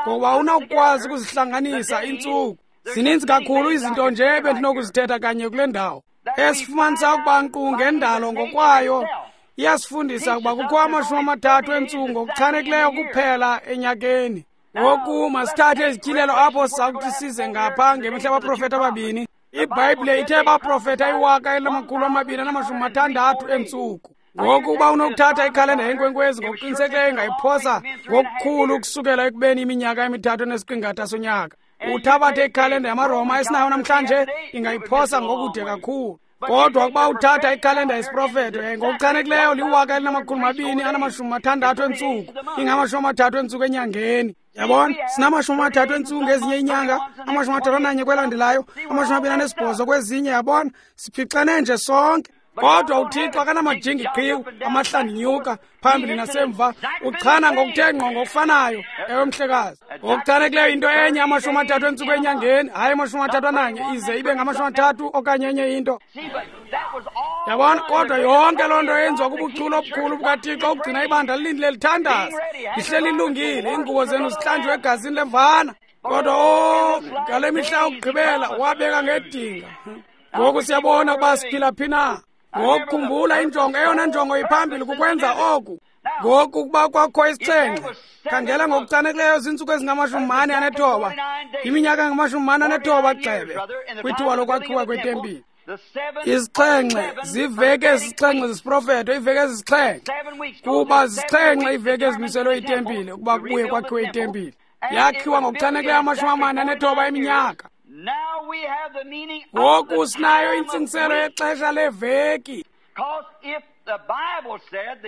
ngoba unawukwazi ukuzihlanganisa iintsuku. Zininzi kakhulu izinto nje ebendinokuzithetha kanye kule ndawo. Esifumanisa ukuba nkqu ngendalo ngokwayo iyasifundisa ukuba kukho amashumi amathathu eentsuku ngokuchanekileyo kuphela enyakeni. Ngoku masithathe izityhilelo apho siza kuthi size ngapha ngemihla yabaprofeti ababini. IBhayibhile ithe baprofeta iwaka elinamakhulu amabini anamashumi mathandathu eentsuku. Ngoku uba unokuthatha ikhalenda yenkwenkwezi ngokuqinisekileyo ingayiphosa ngokukhulu ukusukela ekubeni iminyaka emithathu enesiqingatha sonyaka. Uthabathe ikhalenda yamaRoma esinayo namhlanje ingayiphosa ngokude kakhulu. Kodwa ukuba uthatha ikhalenda yesiprofeto, yaye ngokuchanekileyo liwaka elinamakhulu mabini anamashumi mathandathu eentsuku, ingamashumi amathathu eentsuku enyangeni. Yabona? Sinamashumi amathathu eentsuku ngezinye iinyanga, amashumi amathathu ananye kwelandelayo, amashumi amabini anesibhozo kwezinye, yabona? Siphixene nje sonke. Kodwa uThixo akanamajingi qhiwu, amahlandinyuka, phambili nasemva, uchana ngokuthe ngqo ngokufanayo. Ewe mhlekazi. Ngokuchanekileyo into enye amashumi amathathu eentsuku enyangeni, hayi amashumi amathathu ananye, ize ibe ngamashumi amathathu okanye enye into. Yabona? Kodwa yonke loo nto yenziwa kubuchule obukhulu bukaThixo ukugcina ibandla lilindile lithandaza, lihleli lilungile, iingubo zenu zihlanjwe egazini lemvana. Kodwa o ngale mihla yokugqibela wabeka ngedinga. Ngoku siyabona ukuba siphila phi na. Ngokukhumbula injongo, eyona njongo iphambili kukwenza oku. Ngoku ukuba kwakho isixhenxe, khangela ngokuchanekileyo ziintsuku ezingamashumi mane anethoba, iminyaka engamashumi mane anethoba gxebe kwithuba lokwakhiwa kwetempile. Izixhenxe ziiveki ezisixhenxe zesiprofeto, iiveki ezisixhenxe, kuba zisixhenxe iiveki ezimiselwe itempile ukuba kubuye kwakhiwe itempile. Yakhiwa ngokuchanekileyo amashumi amane anethoba eminyaka. Ngoku sinayo intsingiselo yexesha leveki.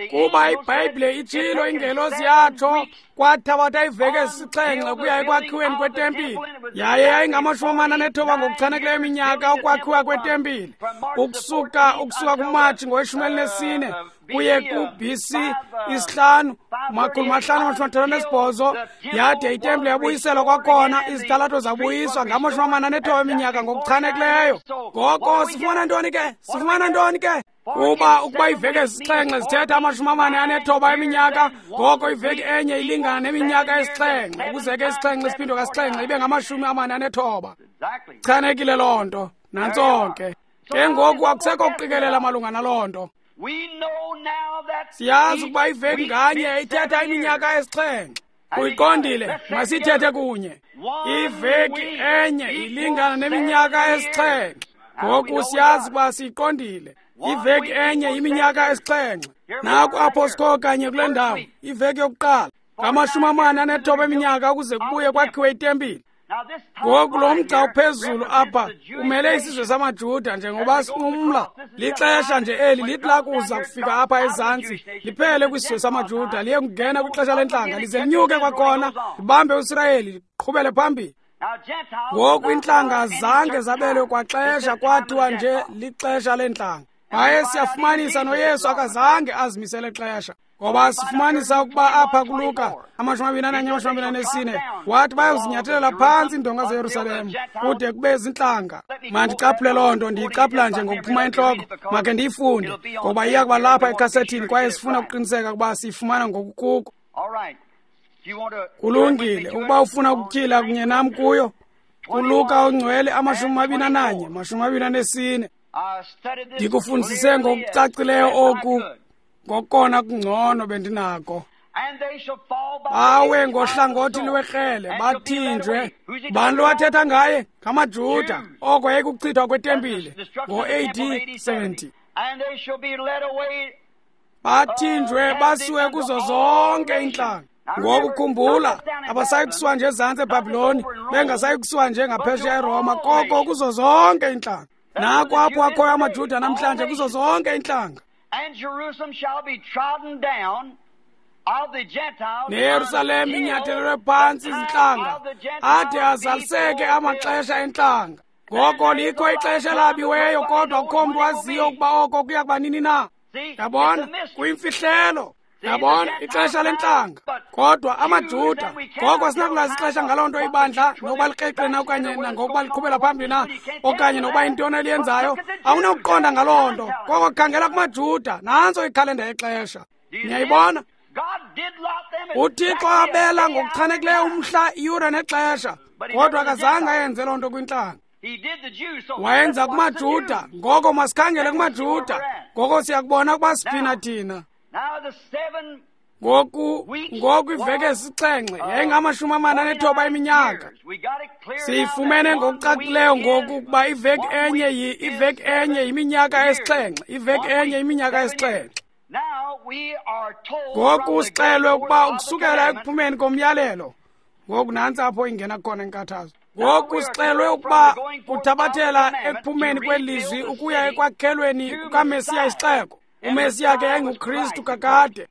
Kuba iBhayibhile itshilo, ingelosi yatsho, kwathabatha iveki ezisixhenxe ukuya ekwakhiweni kwetempile. Yaye yayingamashumi amane anethoba ngokuchanekileyo iminyaka ukwakhiwa kwetempile, ukusuka ukusuka kuMatshi ngoweshumi elinesine kuye ku-B C isihlanu makhulu mahlanu amashumi amathathu anesibhozo, yade itempile yabuyiselwa kwakhona, izitalato zabuyiswa ngamashumi amane anethoba eminyaka ngokuchanekileyo. Ngoko sifumana ntoni ke? Sifumana ntoni ke? Kuba ukuba iveki ezisixhenxe zithetha amashumi amane anethoba eminyaka, ngoko iveki enye ilingana neminyaka esixhenxe, ukuze ke isixhenxe siphindwe kasixhenxe ibe ngamashumi amane anethoba. Chanekile loo nto, nantso ke. Ke ngoku akusekho kuqikelela malunga naloo nto. Siyazi ukuba iveki nganye ithetha iminyaka esixhenxe. Uyiqondile? Masithethe kunye. Iveki enye ilingana neminyaka esixhenxe. Ngoku siyazi ukuba siyiqondile. Iveki enye iminyaka esixhenxe. Naku apho sikho kanye kule ndawo, iveki yokuqala ngamashumi amane anethoba eminyaka ukuze kubuye kwakhiwe itempile. Ngoku lo mgca uphezulu apha umele isizwe samaJuda njengoba sinqumla. Lixesha nje eli lithi lakuza kufika apha ezantsi liphele kwisizwe samaJuda, liye kungena kwixesha lentlanga, lize linyuke kwakhona libambe uSirayeli liqhubele phambili. Ngoku iintlanga zange zabelwe kwaxesha, kwathiwa nje lixesha lentlanga. Kwaye siyafumanisa noYesu akazange azimisele xesha, ngoba sifumanisa ukuba apha kuLuka amashumi amabini ananye amashumi amabini anesine wathi bayozinyathelela phantsi iindonga zeYerusalem kude kube zintlanga. Mandicaphule loo nto, ndiyicaphula nje ngokuphuma entloko, makhe ndiyifunde ngoba iya kuba lapha ekhasethini kwaye sifuna ukuqiniseka ukuba siyifumana ngokukuko. Kulungile, ukuba ufuna ukutyhila kunye nam kuyo, kuLuka ongcwele amashumi amabini ananye amashumi amabini anesine. Ndikufundisise ngokucacileyo oku ngokona kungcono bendinako. Bawe ngohlangothi lwekrele bathinjwe. Bani lo wathetha ngaye? NgamaJuda. Oko yayikuchithwa kwetempile ngo-A D seventy. Bathinjwe basiwe kuzo zonke iintlanga. Ngoku khumbula, abasayi kusiwa nje ezantsi eBhabhiloni, bengasayi kusiwa nje ngaphesheya eRoma, koko kuzo zonke iintlanga. Naku apho akhoyo amaJuda namhlanje kuzo zonke iintlanga. NeYerusalem inyathelelwe phantsi izintlanga, ade azaliseke amaxesha entlanga. Ngoko likho ixesha elabiweyo, kodwa akukho mntu waziyo ukuba oko kuya kuba nini na. Yabona, kuyimfihlelo. Yabona, ixesha lentlanga. Kodwa amaJuda, ngoko sinakulazi ixesha ngaloo nto ibandla, nokuba likreqe na okanye nangokuba liqhubela phambili na, okanye nokuba yintoni eliyenzayo, awunakuqonda ngaloo nto. Koko khangela kumaJuda, nantso ikhalenda yexesha. Niyayibona? UThixo abela ngokuchanekileyo umhla, iyure nexesha, kodwa akazange ayenze loo nto kwintlanga. Wayenza kumaJuda, ngoko masikhangele kumaJuda. Ngoko siyakubona ukuba siphina thina. Ngoku ngoku iveki esixhenxe yayingamashumi amane anethoba eminyaka. Siyifumene ngokucacileyo ngoku ukuba iveki enye iveki enye yiminyaka esixhenxe, iveki enye yiminyaka esixhenxe. Ngoku sixelwe ukuba ukusukela ekuphumeni komyalelo, ngoku nantsi apho ingena khona inkathazo. Ngoku sixelwe ukuba kuthabathela ekuphumeni kwelizwi ukuya ekwakhelweni kukaMesiya isixeko. uMesiya ke yayinguKristu kakade.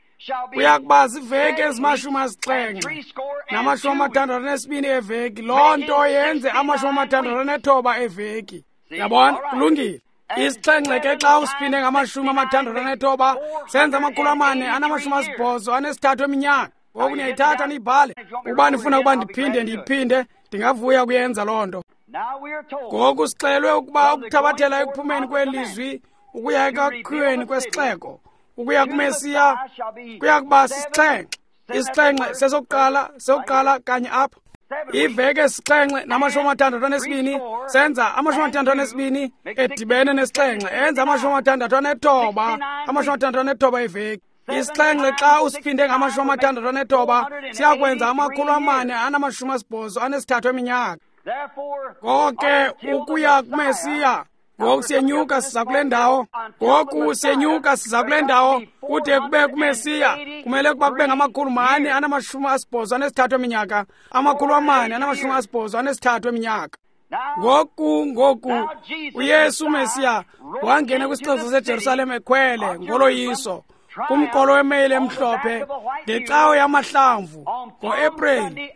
Uya kuba ziveki ezimashumi asixhenxe namashumi amathandathu anesibini eveki. Loo nto yenze amashumi amathandathu anethoba eveki. Yabona, kulungile. Isixhenxe ke xa usiphinde ngamashumi amathandathu anethoba senza amakhulu amane anamashumi asibhozo anesithathu eminyaka. Ngoku niyayithatha niyibhale. Ukuba nifuna ukuba ndiphinde ndiyiphinde, ndingavuya kuyenza loo nto. Ngoku sixelwe ukuba ukuthabathela ekuphumeni kwelizwi ukuya ekwakhiweni kwesixeko ukuya kuMesiya kuya kuba sisixhenxe. Isixhenxe sesokuqala, sesokuqala kanye apha. Iveki esixhenxe namashumi amathandathu anesibini senza amashumi amathandathu anesibini edibene nesixhenxe enza amashumi amathandathu anethoba, amashumi amathandathu anethoba iveki. Isixhenxe xa usiphinde ngamashumi amathandathu anethoba siyakwenza amakhulu amane anamashumi asibhozo anesithathu eminyaka. Ngoko ke ukuya kuMesiya, ngoku siyenyuka siza kule ndawo, ngoku siyenyuka siza kule ndawo kude kube kuMesiya kumele ukuba kube ngamakhulu mane anamashumi asibhozo anesithathu eminyaka, amakhulu amane anamashumi asibhozo anesithathu eminyaka. Ngoku ngoku uYesu Mesiya wangena kwisixeko saseJerusalem ekhwele ngoloyiso kumqolo wemeyile emhlophe ngecawe yamahlamvu ngo-Aprili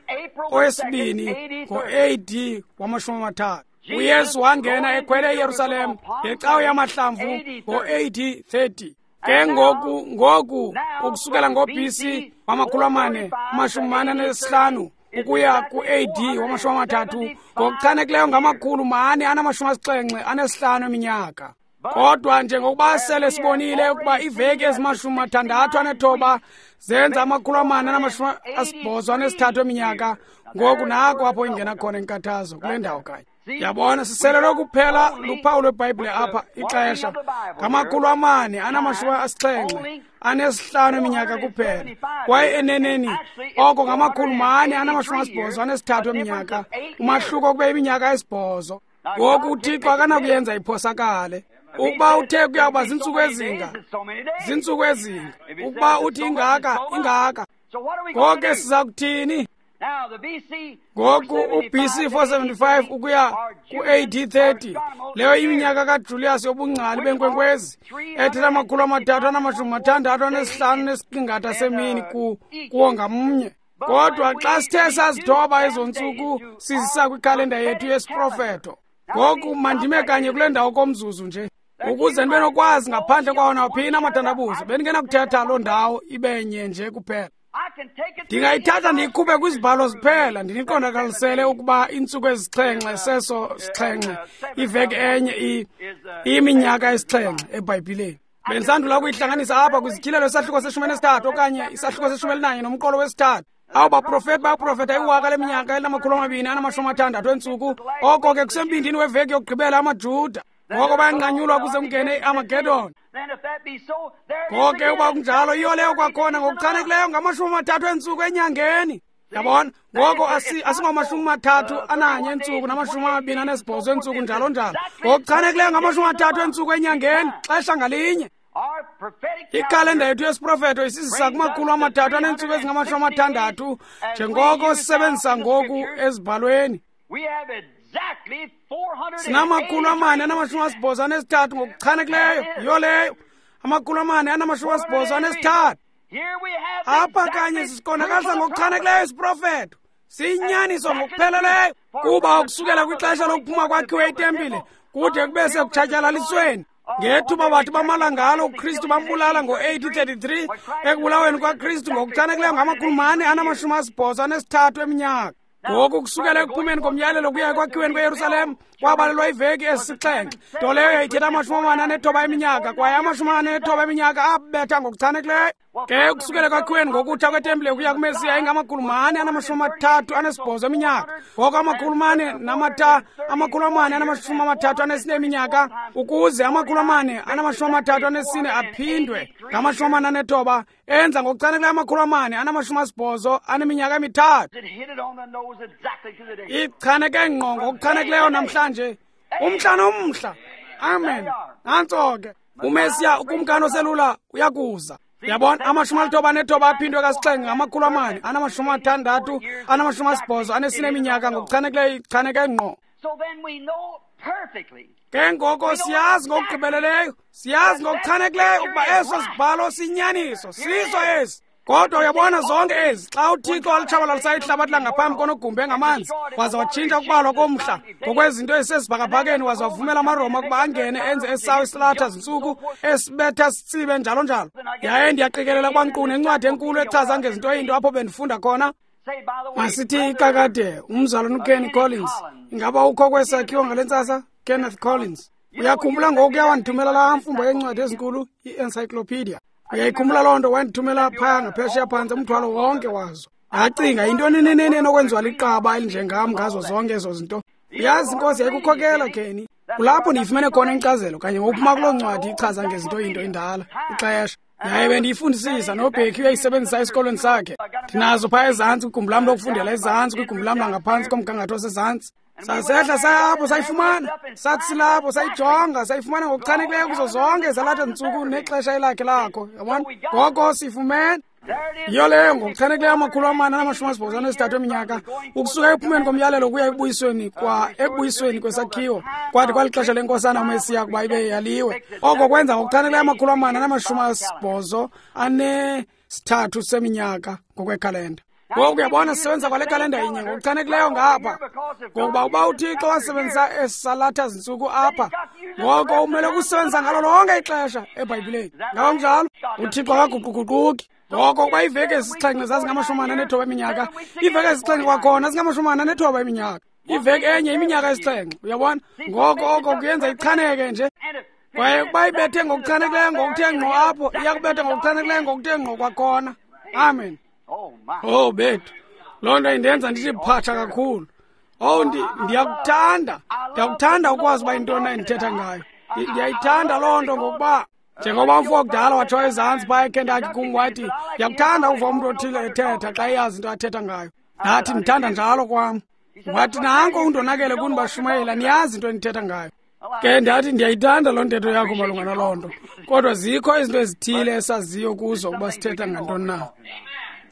owesibini ngo-A D wamashumi amathathu. uYesu wangena ekhwele eYerusalem ngecawe yamahlamvu ngo-A D thirty. Ke ngoku ngoku ukusukela ngo-B C wamakhulu amane amashumi mane anesihlanu ukuya ku-A D wamashumi amathathu, ngokuchanekileyo ngamakhulu mane anamashumi asixhenxe anesihlanu eminyaka. Kodwa njengokuba sele sibonile ukuba iveki ezimashumi mathandathu anethoba zenza amakhulu amane anamashumi asibhozo anesithathu eminyaka, ngoku nako apho ingena khona inkathazo kule ndawo kanye. Yabona, sisele lokuphela luphawu lweBhayibhile apha ixesha ngamakhulu amane anamashumi asixhenxe anesihlanu eminyaka kuphela, kwaye eneneni oko ngamakhulu mane anamashumi asibhozo anesithathu eminyaka, umahluko kube iminyaka esibhozo. Ngoku uThixo akanakuyenza iphosakale. Ukuba uthe kuyawuba zintsuku ezinga, zintsuku ezinga. Ukuba uthi ingaka, ingaka. Ngoku siza kuthini? Ngoku u-B C four seventy-five ukuya ku-A D thirty, leyo iminyaka kaJulius yobungcali benkwenkwezi ethetha amakhulu amathathu anamashumi mathandathu anesihlanu nesiqingatha semini ku kuwo ngamnye. Kodwa xa sithe sazithoba ezo ntsuku sizisa kwikhalenda yethu yesiprofeto. Ngoku mandime kanye kule ndawo komzuzu nje, ukuze ndibe nokwazi ngaphandle kwawo nawuphina amathandabuzo. Bendingenakuthetha loo ndawo ibenye nje kuphela. Ndingayithatha ndiyikhuphe kwizibhalo ziphela, ndiniqondakalisele ukuba iintsuku ezisixhenxe seso sixhenxe, iveki enye iyiminyaka esixhenxe eBhayibhileni. Bendisandula ukuyihlanganisa apha kwizityhilelo isahluko seshumi elinesithathu okanye isahluko seshumi elinanye nomqolo wesithathu. Abo baprofeti baprofeta iwaka leminyaka elinamakhulu amabini anamashumi amathandathu entsuku, oko ke kusembindini weveki yokugqibela amaJuda. Ngoko bayanqanyulwa ukuze kungene iArmageddon. Ngoko ke uba kunjalo, yiyo leyo kwakhona ngokuchanekileyo ngamashumi amathathu entsuku enyangeni. Yabona? Ngoko asingamashumi amathathu ananye entsuku namashumi amabini anesibhozo entsuku njalo njalo. Ngokuchanekileyo ngamashumi amathathu entsuku enyangeni, xesha ngalinye. Ikhalenda yethu yesiprofeto isizisa kumakhulu amathathu aneentsuku ezingamashumi amathandathu njengoko sisebenzisa ngoku ezibhalweni. Sinamakhulu amane anamashumi asibhozo anesithathu ngokuchanekileyo, yiyo leyo. Amakhulu amane anamashumi asibhozo anesithathu. Apha kanye sisiqondakalisa ngokuchanekileyo isiprofeto, siyinyaniso ngokupheleleyo, kuba ukusukela kwixesha lokuphuma kwakhiwe itempile kude kube sekutshatyalalisweni. Ngethuba bathi bamala ngalo uKristu bambulala ngo-A D thirty-three, ekubulaweni kwaKristu ngokuchanekileyo ngamakhulu mane anamashumi asibhozo anesithathu eminyaka. Ngoku kusukela ekuphumeni komyalelo kuya ekwakhiweni kweYerusalem kwabalelwa iveki esixhenxe, nto leyo yayithetha amashumi amane anethoba eminyaka, kwaye amashumi amane anethoba eminyaka abetha ngokuchanekileyo. Ke ukusukela ekwakhiweni ngokutsha kwetempile kuya kuMesiya ingamakhulu mane anamashumi amathathu anesibhozo eminyaka. Ngoko amakhulu mane namatha amakhulu amane anamashumi amathathu anesine eminyaka, ukuze amakhulu amane anamashumi amathathu anesine aphindwe ngamashumi amane anethoba, enza ngokuchanekileyo amakhulu amane anamashumi asibhozo aneminyaka emithathu. Ichaneke ngqo ngokuchanekileyo namhlanje, umhla nomhla. Amen. Nantso ke uMesiya ukumkani oselula uyakuza. Yabona, amashumi alithoba anethoba aphindwe kasixhenxe ngamakhulu amane anamashumi amathandathu anamashumi asibhozo anesine eminyaka, ngokuchanekileyo ichaneke ngqo. Ke ngoko siyazi ngokugqibeleleyo, siyazi ngokuchanekileyo ukuba eso sibhalo siyinyaniso, siso esi. Kodwa uyabona zonke ezi, xa uThixo alitshabalalisa ihlabathi langaphambi konogumbe ngamanzi, waza watshintsha ukubalwa komhla ngokwezinto ezisesibhakabhakeni, waza wavumela amaRoma ukuba angene enze esawo isilatha zintsuku esibetha sitsibe njalo njalo. Yaye ndiyaqikelela ukuba nkqu nencwadi enkulu echaza ngezinto into apho bendifunda khona. Masithi ikakade umzalwane uKenny Collins, ingaba ukho kwesakhiwo ngale ntsasa? Kenneth Collins. Uyakhumbula ngoku uyawandithumela laa mfumbo yencwadi ezinkulu, i-encyclopedia. Uyayikhumbula loo nto, wandithumela phaya ngaphesheya phantsi umthwalo wonke wazo. Ndacinga yintoni nenene enokwenziwa liqaba elinjengam ngazo zonke ezo zinto. Uyazi inkosi yayikukhokela, Kenny. Kulapho ndiyifumene khona inkcazelo kanye ngokuphuma kuloo ncwadi ichaza ngezinto into indala, ixesha. Yaye bendiyifundisisa noBheki uyayisebenzisa esikolweni sakhe. Ndinazo phaya ezantsi kwigumbi lam lokufundela ezantsi, kwigumbi lam langaphantsi komgangatho osezantsi. Sasehla saya apho sayifumana, sathi silapho sayijonga, sayifumana ngokuchanekileyo kuzo zonke zalatha ntsuku nexesha elakhe lakho. Yabona? Ngoko siyifumene. Yiyo leyo ngokuchanekileyo amakhulu amane anamashumi asibhozo anesithathu eminyaka ukusuka ekuphumeni komyalelo kuya ekubuyisweni kwa ekubuyisweni kwesakhiwo, kwathi kwalixesha lenkosana uMesiya kuba ibe yaliwe. Oko kwenza ngokuchanekileyo amakhulu amane anamashumi asibhozo anesithathu seminyaka ngokwekhalenda. Ngoku uyabona sisebenza kwale kalenda inye ngokuchanekileyo ngapha, ngokuba uba uThixo wasebenzisa esisalatha zintsuku apha, ngoko umele ukusebenza ngalo lonke ixesha eBhayibhileni. Ngaba kunjalo? UThixo akaguquguquki. Ngoko ukuba iiveki ezisixhenxe zazingamashumi amane anethoba eminyaka, iiveki ezisixhenxe kwakhona zingamashumi amane anethoba eminyaka, iveki enye iminyaka esixhenxe. Uyabona? Ngoko oko kuyenza ichaneke nje. Kwaye ukuba ibethe ngokuchanekileyo ngokuthe ngqo apho, iyakubetha ngokuchanekileyo ngokuthe ngqo kwakhona. Amen. Oh bethu, loo nto indenza ndithi phatsha kakhulu. Oh, ndiyakuthanda, ndiyakuthanda ukwazi uba yintoni endithetha ngayo. Ndiyayithanda loo nto ngokuba njengoba umfo wakudala watsho ezantsi phaya eKentucky kum wathi, ndiyakuthanda uva umntu othile ethetha xa eyazi into athetha ngayo. Ndathi ndithanda njalo kwam. Wathi nanko undonakele kuni bashumayela, niyazi into endithetha ngayo. Ke ndathi ndiyayithanda loo ntetho yakho malunga naloo nto, kodwa zikho izinto ezithile esaziyo kuzo ukuba sithetha ngantoni na.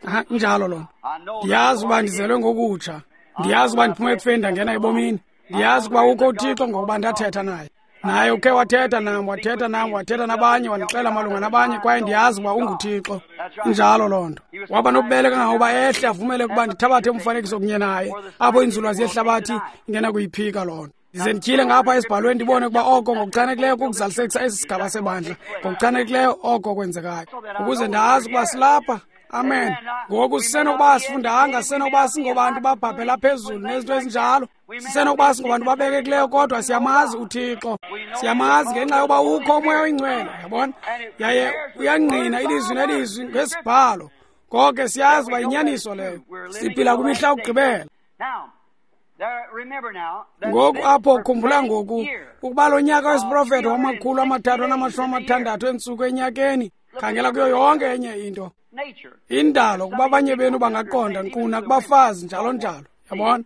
Aha, injalo loo nto. Ndiyazi uba ndizelwe ngokutsha, ndiyazi uba ndiphume ekufeni ndangena ebomini, ndiyazi ukuba ukho uThixo ngokuba ndathetha naye. Naye ukhe wathetha nam, wathetha nam, wathetha nabanye, wandixela malunga nabanye, kwaye ndiyazi uba unguThixo. Injalo loo nto. Waba nobubele kangangokuba ehle avumele ukuba ndithabathe umfanekiso kunye naye, apho inzulwazi yehlabathi ingena kuyiphika loo nto. Ndize ndityhile ngapha esibhalweni ndibone ukuba oko ngokuchanekileyo kukuzalisekisa esi sigaba sebandla, ngokuchanekileyo oko kwenzekayo, ukuze ndazi ukuba silapha. Amen. Ngoku sisenokuba sifundanga, sisenokuba singobantu babhabhela phezulu nezinto ezinjalo, sisenokuba singobantu babekekileyo, kodwa siyamazi uThixo. Siyamazi ngenxa yokuba ukho uMoya oyiNgcwele, yabona? Yaye uyangqina ilizwi nelizwi ngesibhalo. Ngoko siyazi uba yinyaniso leyo. Siphila kwimihla yokugqibela. Ngoku apho khumbula ngoku ukuba lo nyaka wesiprofeto wamakhulu amathathu anamashumi amathandathu eentsuku enyakeni, khangela kuyo yonke enye into. Indalo, kuba abanye benu bangaqonda, nkqu nakubafazi njalo njalo, yabona?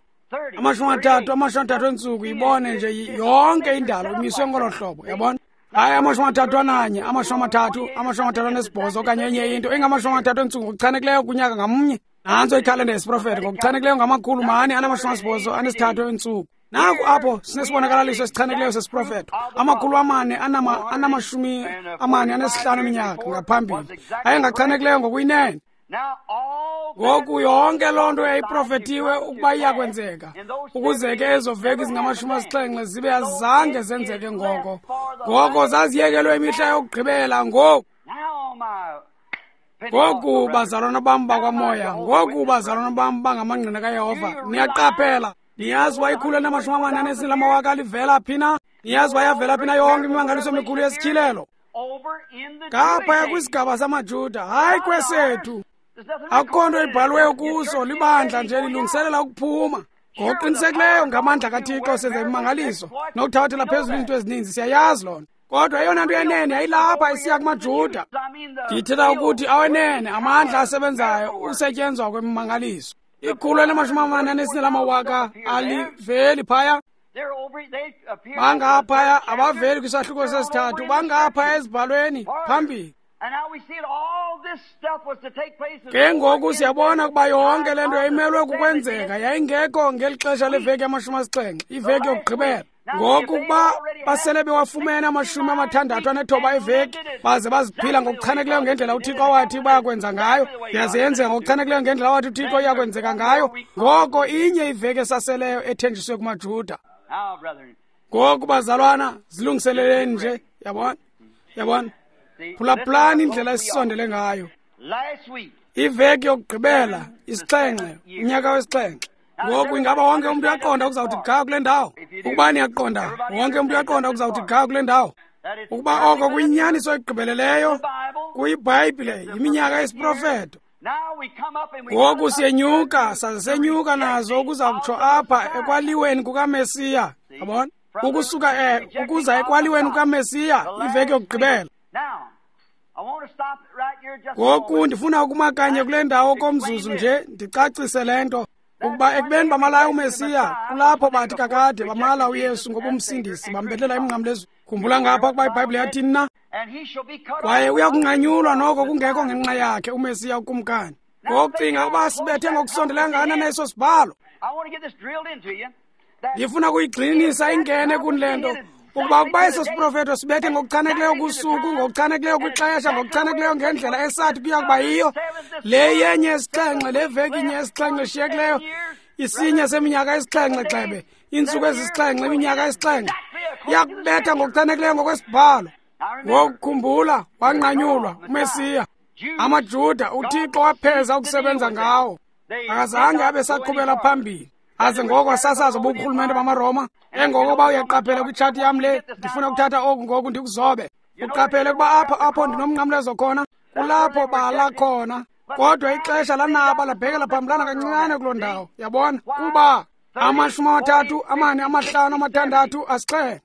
Amashumi amathathu, amashumi amathathu eentsuku, ibone nje yonke indalo imiswe ngolo hlobo, yabona? Hayi amashumi amathathu ananye, amashumi amathathu, amashumi amathathu anesibhozo okanye enye into engamashumi amathathu eentsuku ngokuchanekileyo kunyaka ngamnye. Nantso ikhalenda yesiprofeto ngokuchanekileyo ngamakhulu mane anamashumi asibhozo anesithathu eentsuku. Naku apho sinesibonakalaliso esichanekileyo sesiprofeto, amakhulu amane anama anamashumi amane anesihlanu eminyaka ngaphambili, ayengachanekileyo ngokuyinene. Ngoku yonke loo nto yayiprofetiwe ukuba iyakwenzeka, ukuze ke ezo veki zingamashumi asixhenxe zibe azange zenzeke ngoko. Ngoko zaziyekelwe imihla yokugqibela ngoku. Ngoku bazalwana bam bakwamoya, ngoku bazalwana bam bangamangqina kaYehova, niyaqaphela. Niyazi uba ikhulu elinamashumi amane anesine lamawaka livela phi na? Niyazi uba yavela phi na yonke imimangaliso emikhulu yesityhilelo? Ngaphaya kwisigaba samaJuda, hayi kwesethu. Akukho nto ibhaliweyo kuso, libandla nje lilungiselela ukuphuma. Ngokuqinisekileyo ngamandla kaThixo senza imimangaliso nokuthabathela phezulu izinto ezininzi, siyayazi loo nto. Kodwa eyona nto yenene yayilapha isiya kumaJuda. Ndithetha ukuthi awenene amandla asebenzayo ukusetyenzwa kwemimangaliso. Ikhulu elinamashumi amane anesine lamawaka aliveli phaya. Bangaphaya abaveli kwisahluko sesithathu, bangaphaya ezibhalweni phambili. Ke ngoku siyabona ukuba yonke le nto yayimelwe kukwenzeka, yayingekho ngeli xesha leveki yamashumi asixhenxe, iveki yokugqibela. Ngoku ukuba basele bewafumene amashumi amathandathu anethoba eveki, baze baziphila ngokuchanekileyo ngendlela uThixo wathi bayakwenza ngayo, yaze yenzeka ngokuchanekileyo ngendlela wathi uThixo iyakwenzeka ngayo, ngoko inye iveki esaseleyo ethenjiswe kumaJuda. Ngoku bazalwana, zilungiseleleni nje, yabona? Yabona? Phulaphulani indlela esisondele ngayo. Iveki yokugqibela, isixhenxe, unyaka wesixhenxe. Ngoku ingaba wonke umntu uyaqonda ukuzawuthi ga kule ndawo? Ukuba niyaqonda, wonke umntu uyaqonda ukuzawuthi ga kule ndawo. Ukuba oko kuyinyaniso egqibeleleyo, kuyiBhayibhile, yiminyaka yesiprofeto. Ngoku siyenyuka, saze senyuka nazo ukuza kutsho apha ekwaliweni kukaMesiya, yabona? Ukusuka eh, ukuza ekwaliweni kukaMesiya, iveki yokugqibela. Ngoku ndifuna ukuma kanye kule ndawo komzuzu nje ndicacise le nto. Ukuba ekubeni bamalayo uMesiya, kulapho bathi kakade bamala uYesu ngobumsindisi, bambethela emnqamlezweni. Khumbula ngapha ukuba iBhayibhile yathini na? Kwaye uyakunqanyulwa noko kungekho ngenxa yakhe uMesiya ukumkani. Ngokucinga ukuba sibethe ngokusondela kangakanani eso sibhalo. Ndifuna kuyigxininisa ingene kuni le nto, Ukuba ukuba eso siprofeto sibethe ngokuchanekileyo kusuku, ngokuchanekileyo kwixesha, ngokuchanekileyo ngendlela esathi kuya kuba yiyo, le yenye esixhenxe, le veki inye esixhenxe eshiyekileyo, isinye seminyaka esixhenxe gxebe, iintsuku ezisixhenxe, iminyaka esixhenxe, iyakubetha ngokuchanekileyo ngokwesibhalo. Ngokukhumbula, wanqanyulwa uMesiya. AmaJuda, uThixo wapheza ukusebenza ngawo. Akazange abe saqhubela phambili. Aze ngoko asasaza uburhulumente bamaRoma. Engokoba uyaqaphela kwitshati yam le, ndifuna ukuthatha oku ngoku ndikuzobe. Uqaphele ukuba apha apho ndinomnqamlezo khona, kulapho bala khona. Kodwa ixesha lanaba labhekela phambilana kancinane kuloo ndawo. Yabona? Kuba amashumi amathathu, amane, amahlanu, amathandathu, asixhenxe.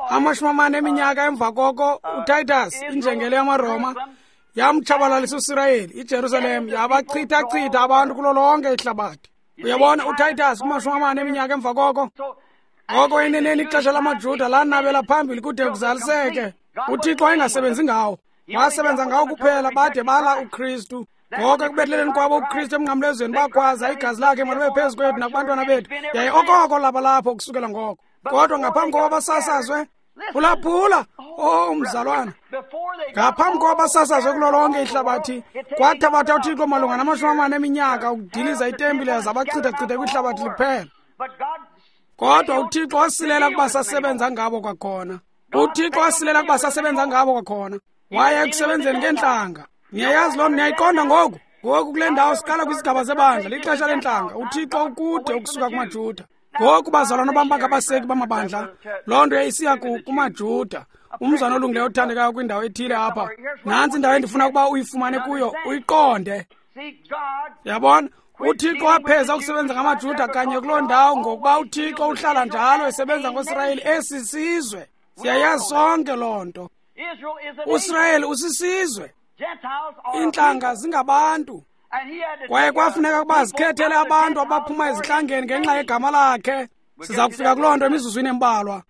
Amashumi amane eminyaka emva koko, uTitus, injengele yamaRoma, yamtshabalalisa uSirayeli, iJerusalem, yabachithachitha abantu kulo lonke ihlabathi. Uyabona, uTitus kumashumi amane eminyaka emva koko. Ngoko eneneni ixesha lamaJuda lanabela phambili kude kuzaliseke. UThixo wayengasebenzi ngawo. Wasebenza ngawo kuphela bade bala uKristu. Ngoko ekubetheleleni kwabo uKristu emnqamlezweni bakhwaza igazi lakhe malibe phezu kwethu nakubantwana bethu. Yaye okoko laba lapho kusukela ngoko. Kodwa ngaphambi kokuba basasazwe, phulaphula, oh mzalwana, ngaphambi kokuba basasazwe kulo lonke ihlabathi, kwathabatha uThixo malunga namashumi amane eminyaka ukudiliza itempile yaze abachithachithe kwihlabathi liphela. Kodwa uThixo wasilela ukuba sasebenza ngabo kwakhona. UThixo wasilela ukuba sasebenza ngabo kwakhona. Waye ekusebenzeni ngeentlanga. Niyayazi loo nto, niyayiqonda ngoku. Ngoku kule ndawo siqala kwisigaba sebandla, lixesha lentlanga. UThixo ukude ukusuka kumaJuda. Ngoku bazalwana bam bangabaseki bamabandla, loo nto yayisiya kumaJuda. Umzana olungileyo othandekayo kwindawo ethile apha. Nantsi indawo endifuna ukuba uyifumane kuyo, uyiqonde. Yabona? UThixo wapheza ukusebenza ngamaJuda kanye kuloo ndawo, ngokuba uThixo uhlala njalo esebenza ngoSirayeli esi sizwe. Siyayazi sonke loo nto. USirayeli usisizwe. Iintlanga zingabantu. Kwaye kwafuneka ukuba zikhethele abantu abaphuma ezintlangeni ngenxa yegama lakhe. Siza kufika kuloo nto emizuzwini embalwa.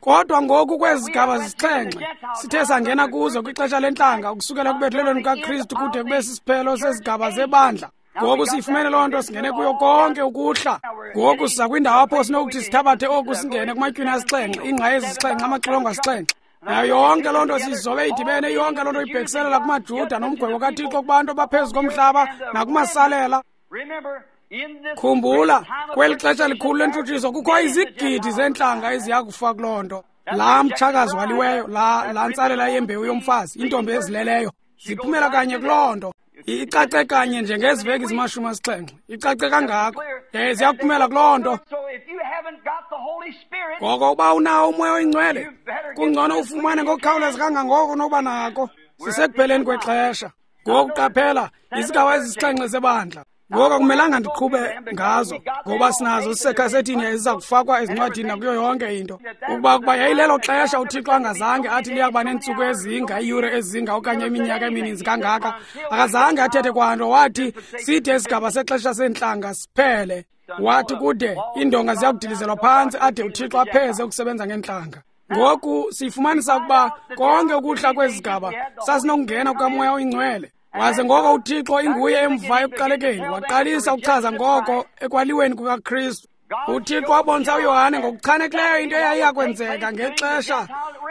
Kodwa ngoku kwezi zigaba zisixhenxe sithe sangena kuzo kwixesha lentlanga, ukusukela ekubethelelweni kukaKristu kude kube sisiphelo sezigaba zebandla. Ngoku siyifumene loo nto, singene kuyo konke ukuhla. Ngoku siza kwindawo apho sinokuthi sithabathe oku singene kumatywina asixhenxe, iingqayi ezisixhenxe, amaxilongo asixhenxe. Nayo yonke loo nto siyizobe idibene, yonke loo nto ibhekiselela kumaJuda nomgwebo kaThixo kubantu abaphezu komhlaba nakumasalela. Khumbula, kweli xesha likhulu lentshutshiso kukho izigidi zeentlanga eziya kufa kuloo nto. Laa mtshakazi waliweyo, laa laa ntsalela yembewu yomfazi, intombi ezileleyo, ziphumela kanye kuloo nto. Icace kanye njengeziveki zimashumi asixhenxe, icace kangako. Yaye ziyakuphumela kuloo nto. Ngoko uba unawo uMoya oyiNgcwele, kungcono ufumane ngokukhawuleza kangangoko nokuba nako. Sisekupheleni kwexesha. Ngoku qaphela, izigaba ezisixhenxe zebandla. Ngoku akumelanga ndiqhube ngazo, ngoba sinazo zisekhasetini yaye ziza kufakwa ezincwadini nakuyo yonke into. Ukuba ukuba yayilelo xesha uThixo angazange athi liya kuba neentsuku ezinga, iiyure ezinga okanye iminyaka emininzi kangaka, akazange athethe kwanto. Wathi side isigaba sexesha seentlanga siphele. Wathi kude iindonga ziya kudilizelwa phantsi ade uThixo apheze ukusebenza ngeentlanga. Ngoku siyifumanisa ukuba konke ukuhla kwezi zigaba sasinokungena kukaMoya oyiNgcwele. Waze ngoko uThixo inguye emva ekuqalekeni waqalisa ukuchaza ngoko ekwaliweni kukaKristu. UThixo wabonisa uYohane ngokuchanekileyo into eyayiya kwenzeka ngexesha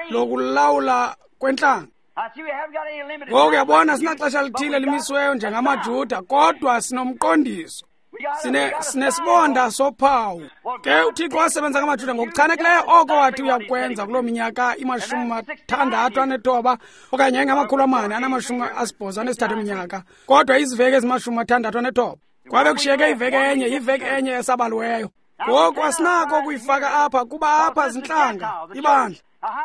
lokulawula kwentlanga. Ngoku uyabona, sinaxesha lithile limisiweyo njengamaJuda, kodwa sinomqondiso. Sine sinesibonda sophawu. Ke uThixo wasebenza ngamaJuda ngokuchanekileyo oko wathi uyakwenza kuloo minyaka imashumi mathandathu anethoba okanye engamakhulu amane anamashumi asibhozo anesithathu eminyaka, kodwa iziveki ezimashumi mathandathu anethoba. Kwabe kushiyeke iveki enye, iveki enye esabaliweyo. Ngoku asinako ukuyifaka apha kuba apha zintlanga ibandla.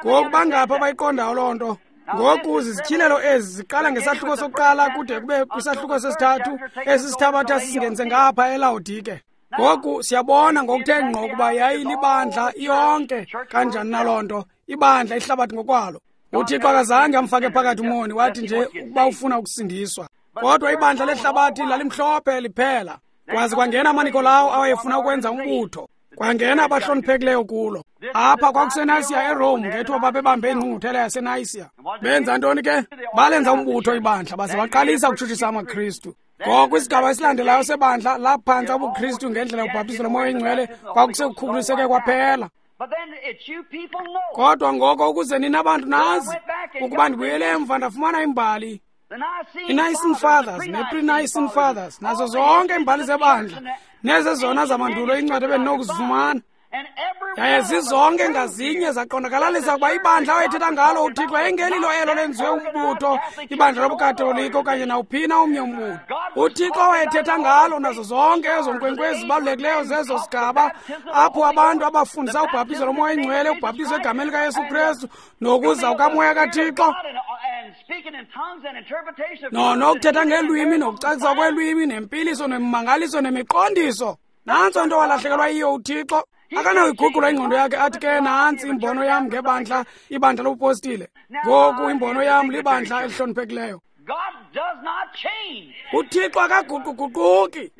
Ngoku bangaphi abayiqondayo loo nto? Ngoku zizityhilelo ezi ziqala ngesahluko sokuqala kude kube kwisahluko sesithathu esisithabatha sisingenise ngapha eLawodike. Ngoku siyabona ngokuthe ngqo ukuba yayilibandla iyonke kanjani na loo nto, ibandla ihlabathi ngokwalo. UThixo akazange amfake phakathi umoni, wathi nje ukuba ufuna ukusindiswa. Kodwa ibandla lehlabathi lalimhlophe liphela. Kwaze kwangena amaNikolawo awayefuna ukwenza umbutho. Kwangena abahloniphekileyo kulo. Apha kwakuseNayisiya eRome, ngethuba babebambe ingqungquthela yaseNayisiya. Benza ntoni ke? Balenza umbutho ibandla, baze baqalisa ukutshutshisa amaKristu. Ngoko isigaba esilandelayo sebandla laphantsa ubuKristu ngendlela yobhaptizo lomoya oyingcwele kwakusekukhukuliseke kwaphela. Kodwa ngoko ukuze nina bantu nazi ukuba ndibuyele emva ndafumana imbali, i-Nicene Fathers ne-Pre-Nicene Fathers nazo zonke iimbali zebandla nezezona zamandulo iincwadi ebendinokuzifumana. Yaye zizonke ngazinye zaqondakalalisa ukuba ibandla awayethetha ngalo uThixo yayingelilo elo lenziwe umbutho, ibandla lobuKatolika okanye nawuphina omnye umbutho. UThixo awayethetha ngalo nazo zonke ezo nkwenkwezi zibalulekileyo zezo sigaba apho abantu abafundisa ubhaptizo lomoya oyingcwele, ubhaptizo egameni likaYesu Kristu nokuza kukaMoya kaThixo, no nokuthetha ngeelwimi nokucacisa kweelwimi nempiliso nemimangaliso nemiqondiso. Nantso into walahlekelwa yiyo uThixo. Akanawuyiguqula ingqondo yakhe athi ke nantsi imbono yam ngebandla, ibandla lobupostile. Ngoku imbono yam libandla elihloniphekileyo. UThixo akaguquguquki,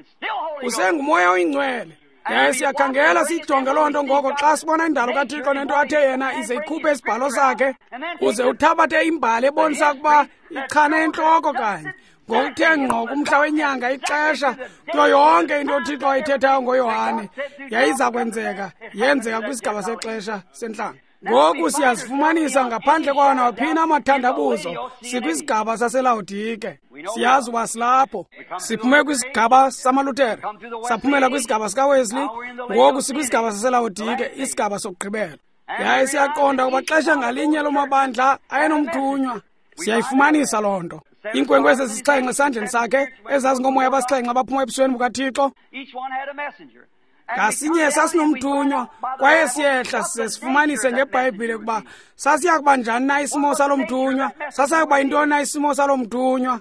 usenguMoya oyingcwele. Yaye siyakhangela siyijonge loo nto ngoko xa sibona indalo kaThixo nento athe yena ize ikhuphe isibhalo sakhe, uze uthabathe imbali ebonisa ukuba ichane entloko kanye ngokuthe ngqo kumhla wenyanga ixesha kuyo yonke into uThixo ayithethayo ngoYohane yayiza kwenzeka, yenzeka kwisigaba sexesha sentlanga. Ngoku siyazifumanisa ngaphandle kwawo nawaphina amathandabuzo sikwisigaba saseLawodike. Siyazi uba silapho. Siphume kwisigaba samaLuthere, saphumela kwisigaba sikaWesley, ngoku sikwisigaba saseLawodike, isigaba sokugqibela. Yaye siyaqonda ukuba xesha ngalinye lomabandla ayenomthunywa. Siyayifumanisa loo nto. Iinkwenkwezi ezisixhenxe esandleni sakhe ezazingomoya abasixhenxe abaphuma ebusweni bukaThixo, ngasinye sasinomthunywa. Kwaye siyehla size sifumanise ngeBhayibhile ukuba sasiya kuba njani na isimo salo mthunywa, sasiya kuba yintoni na isimo salo mthunywa.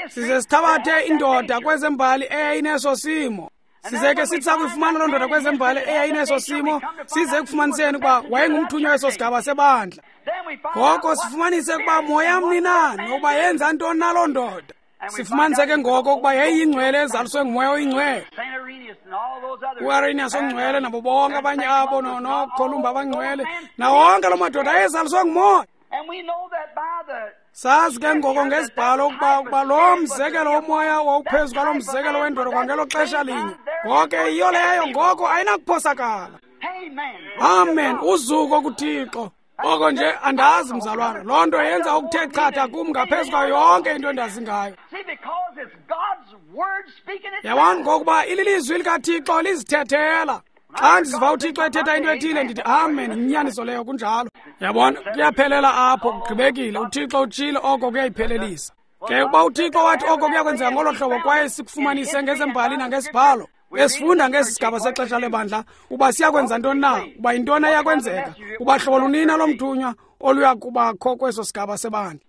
Size sithabathe indoda kwezembali eyayineso simo. Size ke sithi sakuyifumana loo ndoda kwezembali eyayineso simo, size ekufumaniseni ukuba wayengumthunywa weso sigaba sebandla. Ngoko sifumanise ukuba moya mni na nokuba yenza ntoni na loo ndoda. Sifumanise ke ngoko ukuba yayiyingcwele ezaliswe nguMoya oyingcwele. U-Irenaeus ongcwele nabo bonke abanye abo noColumba abangcwele nawo wonke loo madoda ayezaliswe nguMoya. Sazi ke ngoko ngezibhalo ukuba ukuba lo mzekelo womoya wawuphezu kwalo mzekelo wendoda kwangelo xesha linye. Ngoko yiyo leyo, ngoko ayinakuphosakala. Amen. Uzuko kuThixo. Oko nje andazi mzalwana, loo nto yenza okuthe chatha kum ngaphezu kwayo yonke into endazi ngayo. Yabona, ngokuba ililizwi likaThixo lizithethela. Xa ndiziva uThixo ethetha into ethile ndithi amen, inyaniso leyo, kunjalo. Yabona, kuyaphelela apho, kugqibekile. uThixo utshilo, oko kuyayiphelelisa. Ke ukuba uThixo wathi oko kuyakwenzeka ngolo hlobo kwaye sikufumanise ngezembali nangesibhalo, esifunda ngesi sigaba sexesha lebandla uba siyakwenza ntoni na, uba yintoni eyakwenzeka, uba hlobo lunina lomthunywa oluya kubakho kweso sigaba sebandla.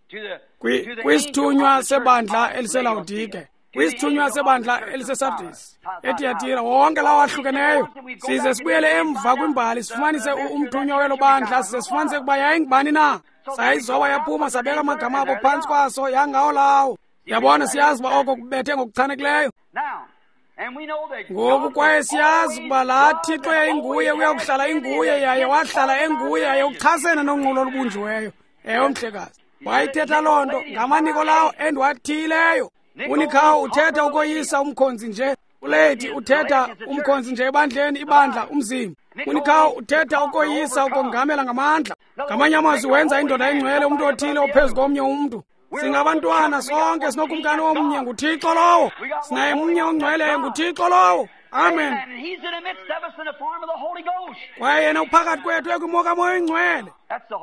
Kwisithunywa sebandla eliseLawodike, kwisithunywa sebandla eliseSardis, eTiyatira, wonke lawo ahlukeneyo. Size sibuyele emva kwimbali sifumanise umthunywa welo bandla, size sifumanise ukuba yayingubani na. Sayizoba yaphuma, sabeka amagama abo phantsi kwaso, yangawo lawo. Yabona, siyazi uba oko kubethe ngokuchanekileyo. Ngoku kwaye siyazi ukuba laa Thixo yayinguye uyakuhlala inguye, yaye wahlala enguye, yaye uchasene nonqulo olubunjiweyo. Ewe, mhlekazi, wayithetha loo nto ngamaniko lawo endiwathiyileyo. UNikhawo uthetha ukoyisa umkhonzi nje, uLady uthetha umkhonzi nje ebandleni, ibandla, umzimba. UNikhawo uthetha ukoyisa, ukongamela ngamandla. Ngamanye amazwi wenza indoda engcwele umntu othile ophezu komnye umntu. Singabantwana sonke, sinokumkani omnye, nguThixo lowo. Sinaye mnye ongcwele, nguThixo lowo. Amen. Kwaye yena uphakathi kwethu ekwimo kaMoya oyingcwele,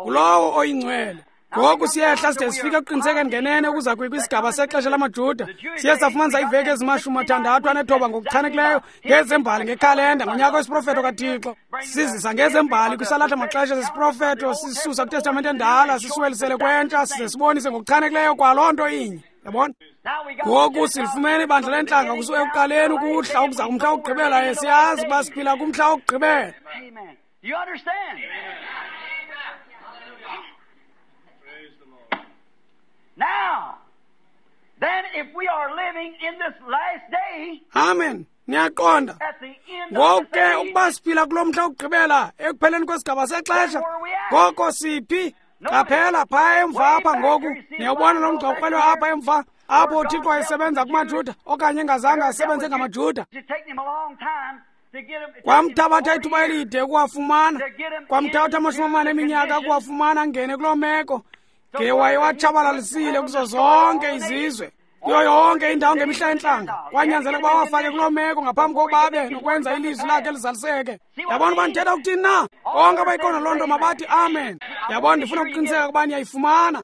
ngulowo oyingcwele. Ngoku siyehla side sifike ekuqinisekeni ngenene ukuza kwisigaba sexesha lamaJuda. Siye safumanisa iiveki ezimashumi mathandathu anethoba ngokuchanekileyo ngezembali ngekhalenda ngonyaka wesiprofeto kaThixo. Sizisa ngezembali kwisalatha maxesha sesiprofeto, sisisusa kwiTestamente endala sisiwelisele kwentsha, size sibonise ngokuchanekileyo kwaloo nto inye. Yabona? Ngoku silifumene ibandla lentlanga kusuka ekuqaleni ukuhla ukuza kumhla wokugqibela. Siyazi ukuba siphila kumhla wokugqibela. Now, then if we are living in this last day, amen. Niyaqonda. Ngoku ke ukuba siphila kulo mhla wokugqibela ekupheleni kwesigaba sexesha, ngoko siphi? Qaphela phaa emva apha ngoku, niyawubona lo mgca ukrwelwe apha emva. Apho uThixo wayesebenza kumaJuda okanye engazange asebenze ngamaJuda. Kwamthabatha ithuba elide ukuwafumana, kwamthatha amashumi amane eminyaka ukuwafumana angene kuloo meko. Ke wayewatshabalalisile kuzo zonke izizwe, kuyo yonke indawo ngemihla yentlanga. Kwanyanzeleka ukuba awafake kuloo meko ngaphambi kokuba abe nokwenza ilizwi lakhe lizaliseke. Yabona uba ndithetha ukuthini na? Bonke abayiqonda loo nto mabathi amen. Yabona, ndifuna ukuqiniseka ukuba niyayifumana.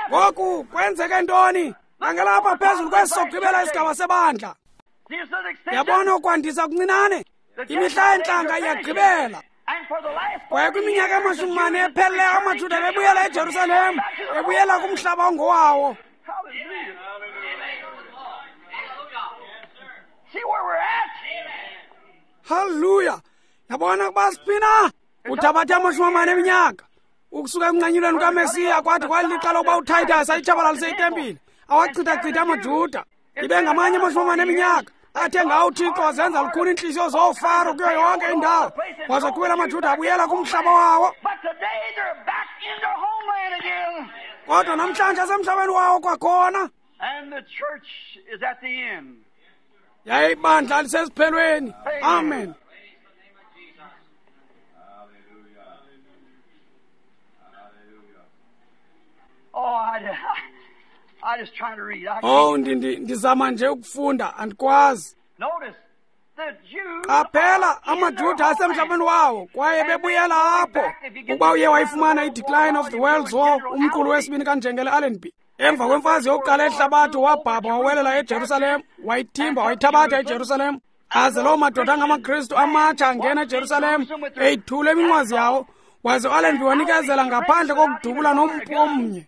Ngoku kwenzeke ntoni? Khangela apha phezulu kwesi sokugqibela isigaba sebandla. Yabona ukwandisa kuncinane? Imihla yentlanga iyagqibela. Kwaye kwiminyaka emashumi mane ephelileyo amaJuda ebebuyela eJerusalem, ebuyela kumhlaba ongowawo. Haleluya! Yabona ukuba siphi na? Uthabathe amashumi amane eminyaka ukusuka ekunqanyulweni kukaMesiya kwathi kwalilixa lokuba uTitus ayitshabalalise itempile, awachithachitha amaJuda. Ibe ngamanye amashumi amane eminyaka athe ngawo uThixo wazenza lukhuni iintliziyo zoofaro kuyo yonke indawo, wazoqhubela amaJuda abuyela kumhlaba wawo. Kodwa namhlanje asemhlabeni wawo kwakhona. Yaye ibandla lisesiphelweni. Amen. Oh, ndizama nje ukufunda, andikwazi. Qaphela, amaJuda asemhlabeni wawo kwaye bebuyela apho. Ukuba uye wayifumana i-Decline of the World's War, umqulu wesibini kaNjengele Allenby. Emva kwemfazwe yokuqala ehlabathi wabhabha wawelela eJerusalem, wayithimba wayithabatha eJerusalem. Aze loo madoda angamaKristu amatsha angena eJerusalem eyithule iminqwazi yawo, waze uAllenby wanikezela ngaphandle kokudubula nompu omnye.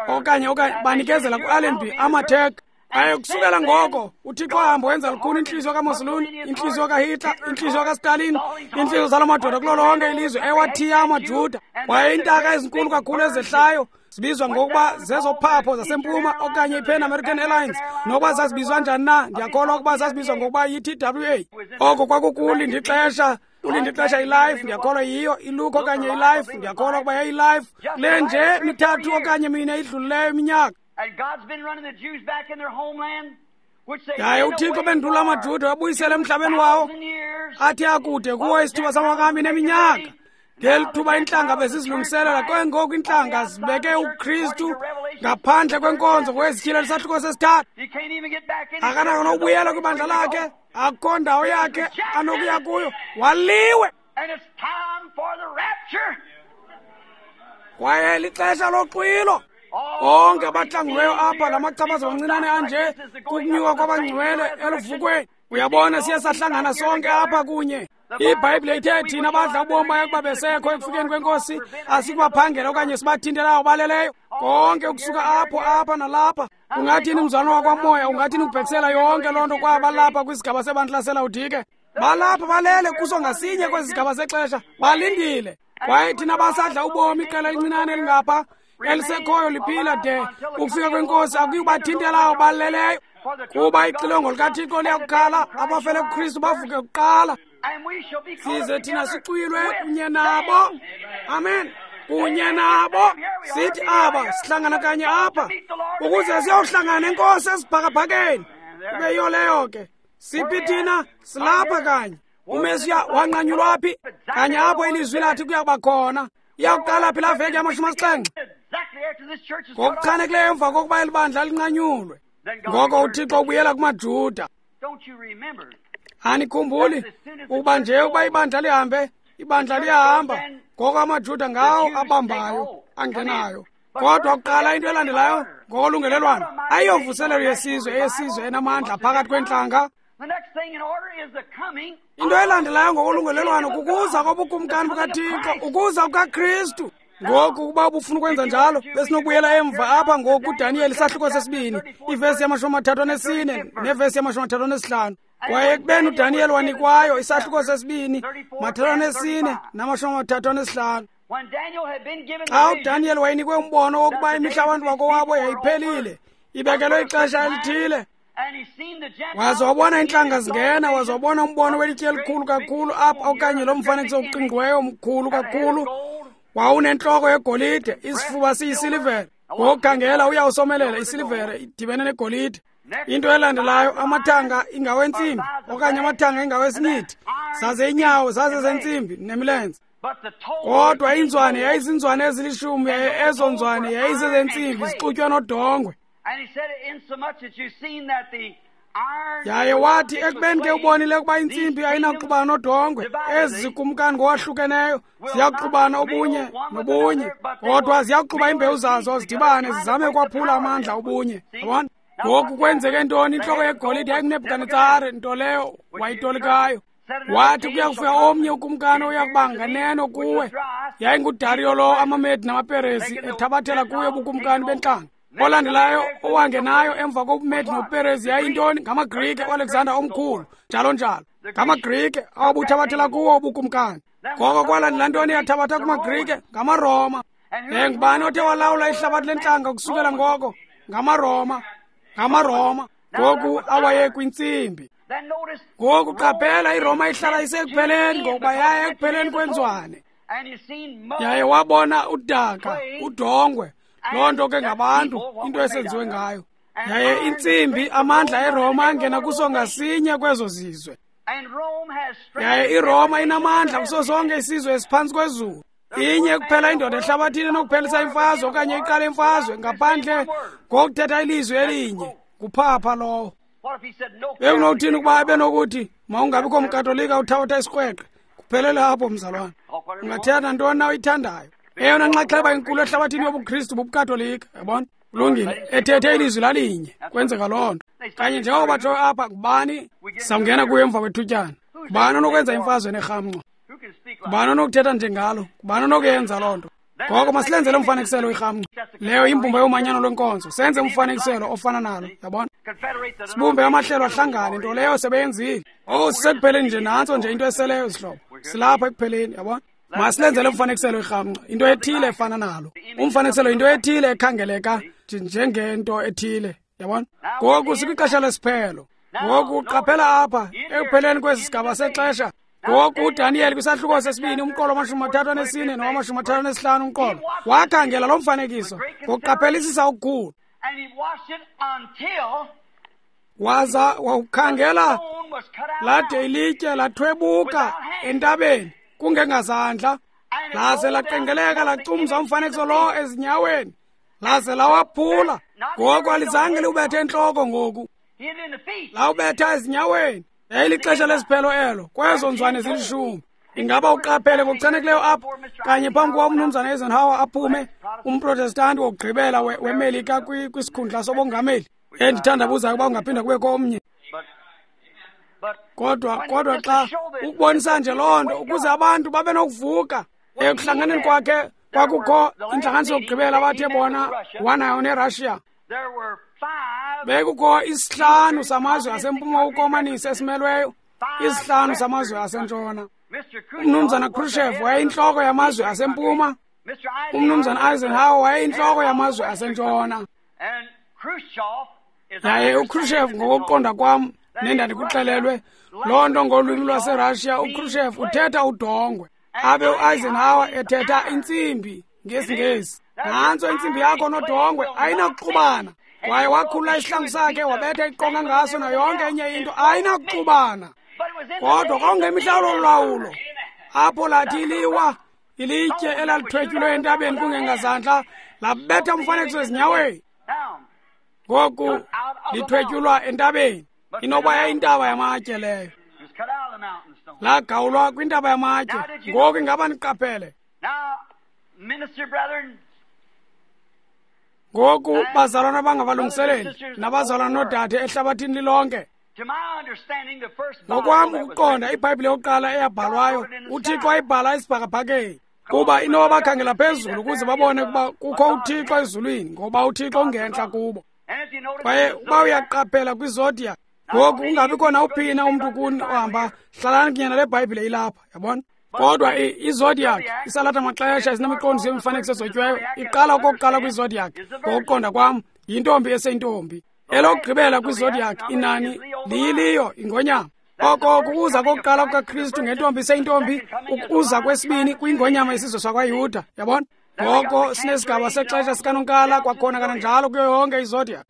Okanye okanye banikezela kuAllenby amathek. Kwaye kusukela ngoko uThixo wahamba wenza lukhuni intliziyo kaMussolini, intliziyo kaHitler, intliziyo kaStalin, intliziyo zaloo madoda kulo lonke ilizwe ewathiya amaJuda. Kwaye iintaka ezinkulu kakhulu ezehlayo zibizwa ngokuba zezophapho zasempuma okanye iPan American Airlines, nokuba zazibizwa njani na, ndiyakholwa ukuba zazibizwa ngokuba yi-T W A. Oko kwakukulinda ixesha, ulinda ixesha iLife, ndiyakholwa yiyo, iLook okanye iLife, ndiyakholwa ukuba yayiLife. Le nje mithathu okanye mine idlulileyo iminyaka. Yaye uThixo bendula amaJuda wabuyisela emhlabeni wawo, athi akude kuwo isithuba samawaka neminyaka. Ngeli thuba iintlanga bezizilungiselela, kwaye ngoku iintlanga zibeke uKristu ngaphandle kwenkonzo ngokwesityhilelo isahluko sesithathu. Akanako nokubuyela kwibandla lakhe, akukho ndawo yakhe anokuya kuyo, waliwe. Kwaye lixesha loxwilo. Bonke abahlanguleyo apha, la machaphaza mancinane anje kukunyuka kwabangcwele eluvukweni. Uyabona, siye sahlangana sonke apha kunye. IBhayibhile ithe thina badla ubomi bayakuba besekho ekufikeni kweNkosi, asikubaphangela okanye sibathintelayo baleleyo. Konke ukusuka apho, apha nalapha. Ungathini mzalwana wakwamoya, ungathini ukubhekisela yonke loo nto kwaba balapha kwisigaba sebandla laseLawodike? Balapha balele kuso ngasinye kwezi sigaba sexesha, balindile. Kwaye thina basadla ubomi, iqela elincinane elingapha elisekhoyo liphila de ukufika kweNkosi akuyubathintelayo baleleyo. Kuba ixilongo likaThixo liyakukhala, abafele kuKristu bavuke kuqala, size thina sicwilwe kunye nabo. Amen. Kunye nabo sithi aba sihlangana kanye apha ukuze siyohlangana nenkosi esibhakabhakeni. Kube yiyo leyo ke. Siphi thina? Silapha kanye. UMesiya wanqanyulwa phi? Kanye apho ilizwi lathi kuyakuba khona. Iyakuqala phi laa veki yamashumi asixhenxe? Ngokuchanekileyo emva kokuba eli bandla linqanyulwe. Ngoko uThixo ubuyela kumaJuda. Anikhumbuli ukuba nje ukuba ibandla lihambe, ibandla liyahamba. Ngoko amaJuda ngawo abambayo, angenayo. Kodwa kuqala into elandelayo ngokolungelelwano ayiyomvuselelo yesizwe eyesizwe enamandla phakathi kweentlanga. Into elandelayo ngokolungelelwano kukuza kobukumkani bukaThixo, ukuza kukaKristu. Ngoku ukuba ubufuna ukwenza njalo, besinokubuyela emva apha ngoku kuDaniyeli isahluko sesibini, ivesi yamashumi amathathu anesine nevesi yamashumi amathathu anesihlanu. Kwaye ekubeni uDaniyeli wanikwayo isahluko sesibini, mathathu anesine namashumi amathathu anesihlanu. Xa uDaniyeli wayenikwe umbono wokuba imihla abantu bakowabo yayiphelile, ibekelwe ixesha elithile, waze wabona iintlanga zingena, waze wabona umbono welitye elikhulu kakhulu apha, okanye lo mfanekiso uqingqiweyo mkhulu kakhulu, wawunentloko yegolide, isifuba siyisilivere, Ngokukhangela uyawusomelela isilivere idibene negolide. Into elandelayo amathanga ingawentsimbi okanye amathanga ingawesinyithi, zaze inyawo zaze zentsimbi nemilenze. Kodwa inzwane yayizinzwane ezilishumi, yaye ezo nzwane yayizezentsimbi zixutywe nodongwe. Yaye wathi ekubeni ke ubonile ukuba intsimbi ayinakuxubana nodongwe, ezi zikumkani ngokwahlukeneyo ziyakuxubana obunye nobunye, kodwa ziyakuxuba iimbewu zazo zidibane zizame ukwaphula amandla obunye. Yabona? Ngoku kwenzeke ntoni? Intloko yegolide yayinguNebhukanetsare, nto leyo wayitolikayo. Wathi kuya kufika omnye ukumkani oya kuba nganeno kuwe, yayinguDariyo lo, amaMedi namaPeresi ethabathela kuye ubukumkani bentlanga. Olandelayo owangenayo emva kobuMedi nobuPeresi yayintoni? NgamaGrike, uAlexander omkhulu, njalo njalo. NgamaGrike awabuthabathela kuwo ubukumkani. Ngoko kwalandela ntoni yathabatha kumaGrike? NgamaRoma. Yaye ngubani othe walawula ihlabathi lentlanga kusukela ngoko? NgamaRoma. NgamaRoma ngoku awaye kwintsimbi. Ngoku qaphela, iRoma ihlala isekupheleni ngokuba yaye ekupheleni kwenzwane. Yaye wabona udaka, udongwe, loo nto ke ngabantu, into esenziwe ngayo. Yaye intsimbi, amandla eRoma angena kuso ngasinye kwezo zizwe. Yaye iRoma inamandla kuso sonke isizwe esiphantsi kwezulu. Inye kuphela indoda ehlabathini enokuphelisa imfazwe okanye iqale imfazwe ngaphandle ngokuthetha ilizwi elinye, nguphapha lowo. Bekunokuthini ukuba ebenokuthi mawungabikho mKatolika uthabatha isikrweqe? Kuphelele apho, mzalwana. Ungathetha nantoni na oyithandayo. Eyona nxaxheba inkulu ehlabathini yobuKristu bubuKatolika, yabona? Kulungile, ethethe ilizwi lalinye, kwenzeka loo nto. Kanye njengoba batsho apha, ngubani? Sawungena kuyo emva kwethutyana. Ngubani onokwenza imfazwe nerhamncwa? Ngubani onokuthetha njengalo? Ngubani onokuyenza loo nto? Ngoko masilenzele umfanekiselo irhamncwa. Leyo imbumba yomanyano lwenkonzo. Senze umfanekiselo ofana nalo, yabona? Sibumbe amahlelo ahlangane, nto leyo sebeyenzile. Oh, sisekupheleni nje, nantso nje into eseleyo, zihlobo. Silapha ekupheleni, yabona? Masilenzele umfanekiselo irhamncwa, into ethile efana nalo. Umfanekiselo yinto ethile ekhangeleka njengento ethile, yabona? Ngoku sikwixesha lesiphelo. Ngoku qaphela apha ekupheleni kwesi sigaba sexesha. Ngoku uDaniyeli kwisahluko sesibini umqolo wamashumi mathathu anesine nowamashumi mathathu anesihlanu umqolo wakhangela lo mfanekiso ngokuqaphelisisa okukhulu. Waza wawukhangela lade ilitye lathwebuka entabeni kungengazandla, laze laqengeleka lacumza umfanekiso lo ezinyaweni, laze lawaphula. Ngoku alizange liwubethe entloko, ngoku lawubetha ezinyaweni. Yayilixesha lesiphelo elo kwezo nzwane zilishumi. Ingaba uqaphele ngokuchanekileyo apho kanye phambi kuba umnumzana Eisenhower aphume, umprotestanti wokugqibela weMelika kwisikhundla sobongameli? Endithandabuzayo ukuba ungaphinda kubekho omnye. Kodwa kodwa xa ukubonisa nje loo nto ukuze abantu babe nokuvuka. Ekuhlanganeni kwakhe kwakukho intlanganiso yokugqibela abathe bona wanayo neRussia. Bekukho isihlanu samazwe asempuma ukomanisi esimelweyo, isihlanu samazwe asentshona. Umnumzana Khrushchev wayeyintloko yamazwe asempuma, umnumzana Eisenhower wayeyintloko yamazwe asentshona. Yaye uKhrushchev, ngokokuqonda kwam nendandikuxelelwe loo nto ngolwimi lwaseRussia, uKhrushchev uthetha udongwe, abe uEisenhower ethetha intsimbi ngesiNgesi. Nantso intsimbi yakho nodongwe ayinakuxubana. Kwaye wakhulula isihlangu sakhe wabetha iqonga ngaso nayo yonke enye into, ayinakuxubana. Kodwa kwakungemihla yolawulo apho lathi iliwa ilitye elalithwetyulwe entabeni kungengazandla labetha umfanekiso ezinyaweni. Ngoku lithwetyulwa entabeni, inoba yayintaba yamatye leyo, lagawulwa kwintaba yamatye. Ngoku ingaba niqaphele? Ngoku bazalwana abangabalungiseleli nabazalwana noodade ehlabathini lilonke, ngokwam ukuqonda, iBhayibhile yokuqala eyabhalwayo uThixo wayibhala esibhakabhakeni, kuba inoba bakhangela phezulu ukuze babone ukuba kukho uThixo ezulwini, ngoba uThixo ungentla kubo. Kwaye uba uyaqaphela kwizodiac, ngoku ungabikho nawuphina umntu kuni ohamba, hlalani kunye nale Bhayibhile ilapha, yabona? Kodwa izodiac isalatha maxesha esinemiqondiso yemifanekiso ezotyweyo iqala okokuqala kwizodiac. Ngokuqonda kwam, yintombi eseyintombi. Elokugqibela kwizodiac inani liyiliyo ingonyama. Oko kukuza kokuqala kukaKristu ngentombi iseyintombi, ukuza kwesibini kwingonyama yesizwe sakwaYuda, yabona? Ngoko sinesigaba sexesha sikanonkala kwakhona kananjalo kuyo yonke izodiac.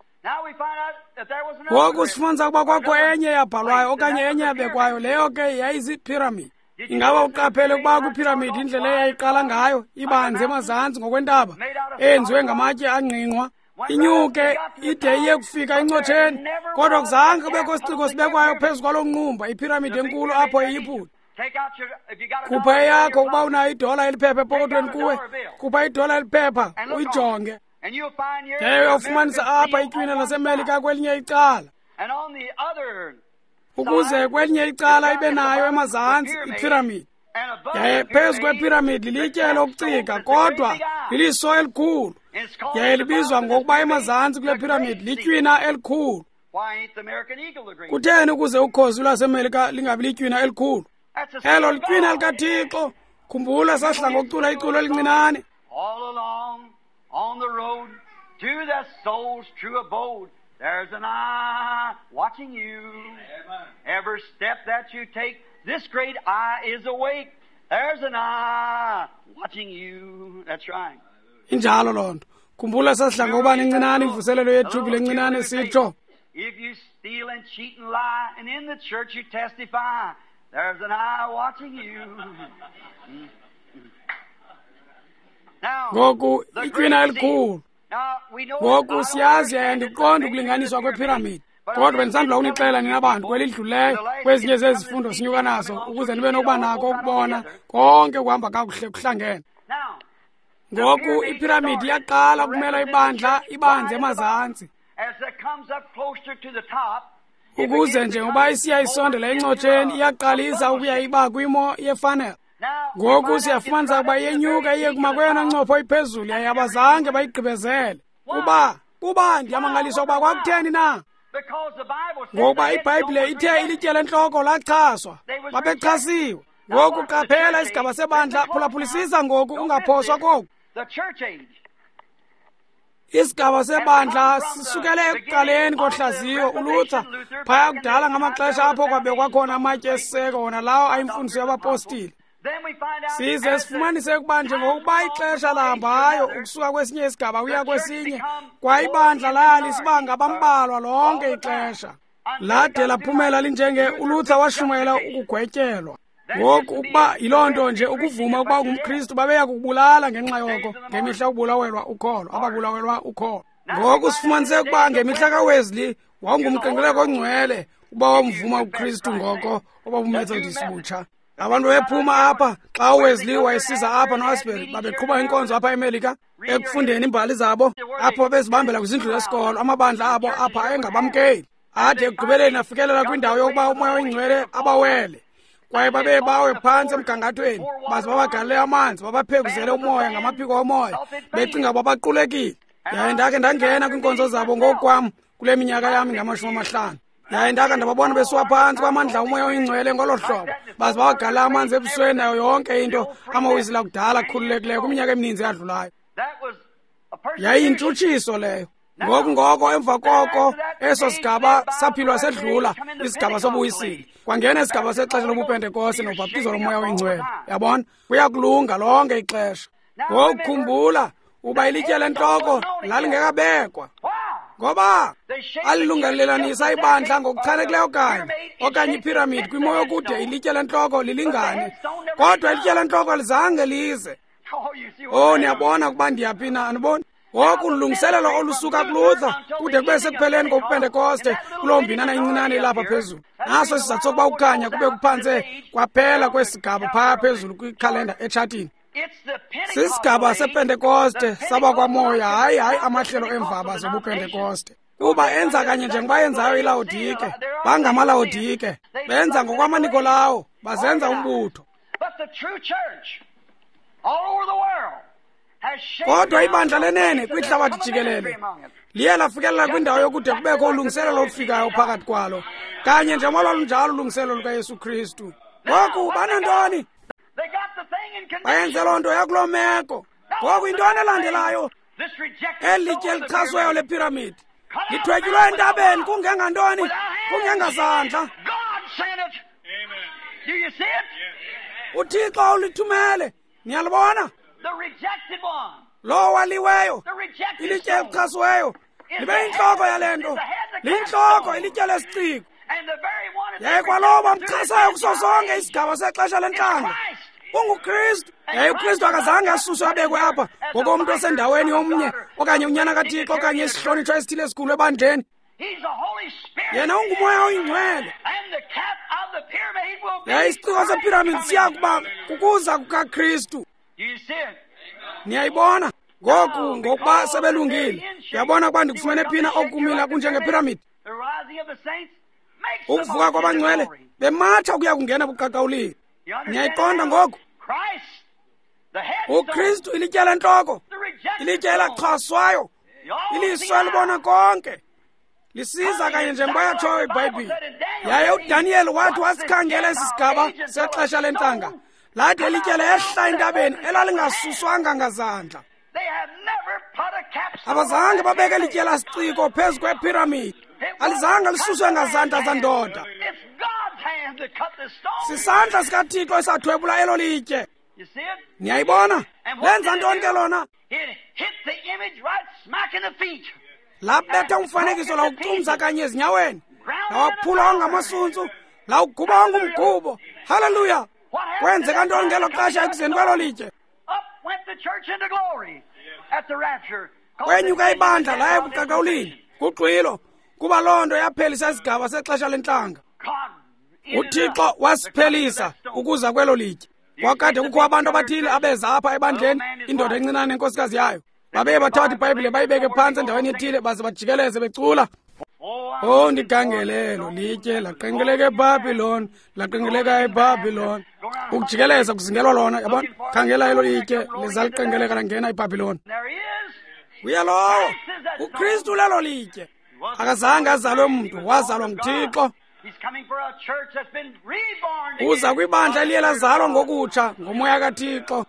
Ngoku sifumanisa ukuba kwakho enye yabhalwayo okanye enye yabekwayo, leyo ke yayiziphiramidi. Ingaba uqaphele ukuba kwiphiramidi indlela eyayiqala ngayo ibanzi emazantsi ngokwentaba eyenziwe ngamatye angqingqwa, inyuke ide iye kufika encotsheni, kodwa kuzange kubekho siciko sibekwayo phezu kwaloo nqumba, iphiramidi enkulu apho eYiputa. Khupha eyakho ukuba unayo idola eliphepha epokothweni kuwe, khupha idola eliphepha uyijonge. Yaye uyofumanisa apha itywina laseMelika kwelinye icala, ukuze kwelinye icala ibe nayo emazantsi iphiramidi. Yaye phezu kwephiramidi lilitye lokucika, kodwa liliso elikhulu. Yaye libizwa ngokuba emazantsi kule phiramidi litywina elikhulu. Kutheni ukuze ukhozi lwaseMelika lingabi litywina elikhulu? Elo litywina likaThixo. Khumbula sahla ngokucula iculo elincinane. On the road to the soul's true abode, there's an eye watching you. Amen. Every step that you take, this great eye is awake. There's an eye watching you. That's right. Injalo loo nto. Khumbula sasihla ngokuba nencinane imvuselelo yejubile encinane sitsho. If you steal and cheat and lie, and in the church you testify, there's an eye watching you. Ngoku itywina elikhulu. Ngoku siyazi yaye ndiqonda ukulinganiswa kwephiramidi, kodwa bendisandula unixela nina bantu kwelidluleyo kwezinye zezifundo sinyuka nazo ukuze nibe nokuba nako ukubona konke kuhamba kakuhle kuhlangene. Ngoku iphiramidi iyaqala ukumela ibandla ibanzi emazantsi, ukuze njengoba isiya isondela encotsheni iyaqalisa ukuya iba kwimo yefanele. Ngoku siyafumanisa ukuba iyenyuka iye kuma kweyona ncopho iphezulu, yaye abazange bayigqibezele. Kuba, kuba ndiyamangaliswa ukuba kwakutheni na? Ngokuba iBhayibhile ithe ilitye lentloko lachaswa, babechasiwe. Ngoku qaphela isigaba sebandla, phulaphulisisa ngoku, ungaphoswa koku. Isigaba sebandla sisukele ekuqaleni kohlaziyo uLuther phaya kudala ngamaxesha apho kwabekwa khona amatye esiseko, wona lawo ayimfundiso yabapostile. Size sifumanise ukuba njengokuba ixesha lahambayo ukusuka kwesinye isigaba uya kwesinye, kwayibandla laya lisiba ngabambalwa lonke ixesha. Lade laphumela linjenge uLuther washumayela ukugwetyelwa. Ngoku ukuba yiloo nto nje ukuvuma ukuba ungumKristu babeya kukubulala ngenxa yoko ngemihla ukubulawelwa ukholo, ababulawelwa ukholo. Ngoku sifumanise ukuba ngemihla kaWesley wawungumqengeleko ongcwele ukuba wamvuma uKristu ngoko obabuMethodist butsha. Abantu bephuma apha xa uWesley wayesiza apha noAsbury, babeqhuba inkonzo apha eMelika ekufundeni iimbali zabo apho bezibambela kwizindlu zesikolo. Amabandla abo apha ayengabamkeli, ade ekugqibeleni afikelela kwindawo yokuba uMoya oyiNgcwele abawele, kwaye babe bawe phantsi emgangathweni, baze babagalele amanzi, babaphekuzele umoya ngamaphiko omoya, becinga babaqulekile. Yaye ndakhe ndangena kwiinkonzo zabo ngokwam kule minyaka yam ngamashumi amahlanu. Yaye ndakhe ndababona besiwa phantsi kwamandla uMoya oyiNgcwele ngolo hlobo, baze bawagala amanzi ebusweni nayo yonke into amawisila kudala akhululekileyo kwiminyaka emininzi eyadlulayo. Yayiyintshutshiso leyo. Ngoku ngoko emva koko eso sigaba saphilwa sedlula isigaba sobuyisile, kwangena isigaba sexesha lobuPentekoste nobhaptizo loMoya oyiNgcwele. Yabona, kuyakulunga lonke ixesha. Ngoku khumbula uba ilitye lentloko lalingekabekwa, ngoba alilungelelanisa ibandla ngokuchanekileyo kanye okanye iphiramidi kwimo yokude ilitye lentloko lilingane, kodwa ilitye lentloko alizange lize. Oh, niyabona ukuba ndiyaphi na, aniboni? Ngoku ulungiselelo olusuka kuLuther kude kube sekupheleni kobuPentekoste kuloo mbinana incinane ilapha phezulu. Naso isizathu sokuba ukukhanya kube kuphantse kwaphela kwesigaba phaya phezulu kwikhalenda etshatini. Sisigaba sePentekoste sabakwamoya, hayi hayi amahlelo emvaba zobuPentekoste. Kuba enza kanye njengoba yenzayo iLawodike, bangamaLawodike, benza ngokwamaNikolawo, bazenza umbutho. Kodwa ibandla lenene kwihlabathi jikelele liye lafikelela kwindawo yokude kubekho ulungiselelo olufikayo phakathi kwalo, kanye njengoba lwalunjalo ulungiselelo lukaYesu Kristu. Ngoku banantoni? Bayenze loo nto yakuloo meko. Ngoku intoni elandelayo? Eli litye lichasweyo lephiramidi lithwetyulwe entabeni kungengantoni? Kungengazandla. UThixo ulithumele. Niyalibona? Lowo waliweyo, ilitye elichasiweyo, libe yintloko yale nto, liyintloko ilitye lesiciko. Yaye kwalowo bamchasayo kuso sonke isigaba sexesha lentlanga unguKristu. Yaye uKristu akazange asuswe abekwe apha ngokomntu osendaweni yomnye okanye unyana kaThixo okanye isihlonitshwa esithile esikhulu ebandleni. Yena unguMoya oyiNgcwele. Yaye isiciko sephiramidi siya kuba kukuza kukaKristu. Niyayibona ngoku, ngokuba sebelungile. Ndiyabona ukuba ndikufumene phina okumila kunjengephiramidi. Ukuvuka kwabangcwele bematsha ukuya kungena buqaqawulini. Niyayiqonda ngoku? UKristu ilitye lentloko, ilitye elachaswayo, iliso elibona konke, lisiza kanye njengoba yatshoyo iBhayibhile. Yaye uDaniyeli wathi wasikhangela esi sigaba sexesha lentlanga, lathi elitye lehla entabeni elalingasuswanga ngazandla. Abazange babeke ilitye lasiciko phezu kwephiramidi, alizange lisuswe ngazandla zandoda. Sisandla sikaThixo esathwebula elo litye. Niyayibona? Lenza ntoni ke lona? Labetha umfanekiso lawucumza kanye ezinyaweni, lawaphula wonke amasuntsu, lawuguba wonke umgubo. Haleluya! Kwenzeka ntoni ngelo xesha ekuzeni kwelo litye? Kwenyuka ibandla laya ebuqaqawulini kuxwilo, kuba loo nto yaphelisa isigaba sexesha lentlanga. UThixo wasiphelisa ukuza kwelo litye. Kwakade kukho abantu abathile abeza apha ebandleni, indoda encinane nenkosikazi yayo. Babeye bathatha iBhayibhile bayibeke phantsi endaweni ethile baze bajikeleze becula. Oh, ndikhangele elo litye laqengeleka eBhabhiloni, laqengeleka eBhabhiloni. Ukujikeleza kuzingelwa lona, yabona? Khangela elo litye lizaliqengeleka langena eBhabhiloni. Uye lowo, uKristu lelo litye. Akazange azalwe mntu, wazalwa nguThixo. Uza kwibandla eliye lazalwa ngokutsha ngoMoya kaThixo.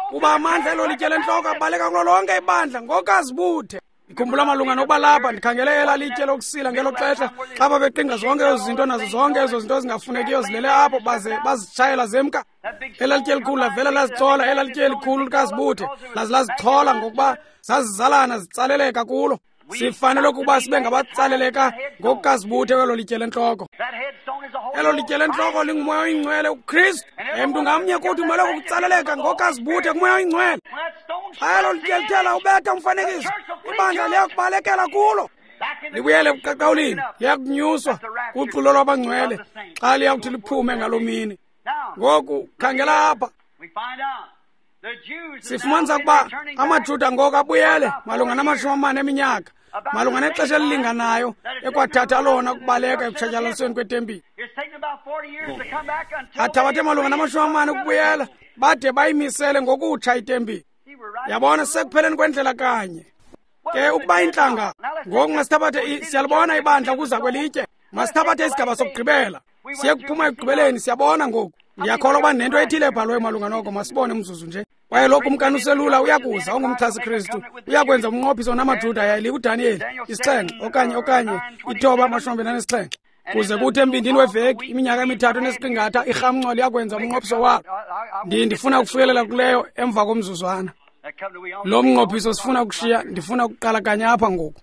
Kuba amandla elo litye lentloko abaleka kulo lonke ibandla ngokazibuthe. Ndikhumbula malunga nokuba lapha ndikhangele elaa litye lokusila ngelo xesha xa babeqingqa zonke ezo zinto nazo zonke ezo zinto ezingafunekiyo zilele apho baze bazitshayela zemka. Elaa litye elikhulu lavela lazichola, elaa litye elikhulu likazibuthe laze lazichola ngokuba zazizalana zitsaleleka kulo. Sifanele ukuba sibe ngabatsaleleka ngokukazibuthe kwelo litye lentloko. Elo litye lentloko linguMoya oyiNgcwele, uKristu. Emntu ngamnye kuthi umele ukutsaleleka ngokazibuthe kuMoya oyiNgcwele. Xa elo litye lithela ubetha umfanekiso, ibandla liyakubalekela kulo, libuyele ebuqaqawulini, liyakunyuswa kuxulo lwabangcwele xa liyakuthi liphume ngaloo mini. Ngoku khangela apha. Sifumanisa ukuba amaJuda ngoku abuyele malunga namashumi amane eminyaka, malunga nexesha elilinganayo ekwathatha lona ukubaleka ekutshatyalalisweni kwetempile. Athabathe malunga namashumi amane ukubuyela bade bayimisele ngokutsha itempile. Yabona, sekupheleni kwendlela kanye. Ke ukuba intlanga ngoku masithabathe, siyalibona ibandla ukuza kwelitye, masithabathe isigaba sokugqibela. Siye kuphuma ekugqibeleni, siyabona ngoku. Ndiyakholwa ukuba nento ethile ebhalwe malunga noko, masibone umzuzu nje. Kwaye lo kumkani uselula uyakuza, ongumchasi Kristu, uyakwenza umnqophiso namaJuda, yaye likuDaniyeli isixhenxe okanye okanye ithoba amashumi amabini anesixhenxe. Kuze kuthi embindini weveki iminyaka emithathu nesiqingatha irhamncwa liyakwenza umnqophiso walo. Ndi ndifuna ukufikelela kuleyo emva komzuzwana. Lo mnqophiso sifuna ukushiya, ndifuna ukuqala kanye apha ngoku.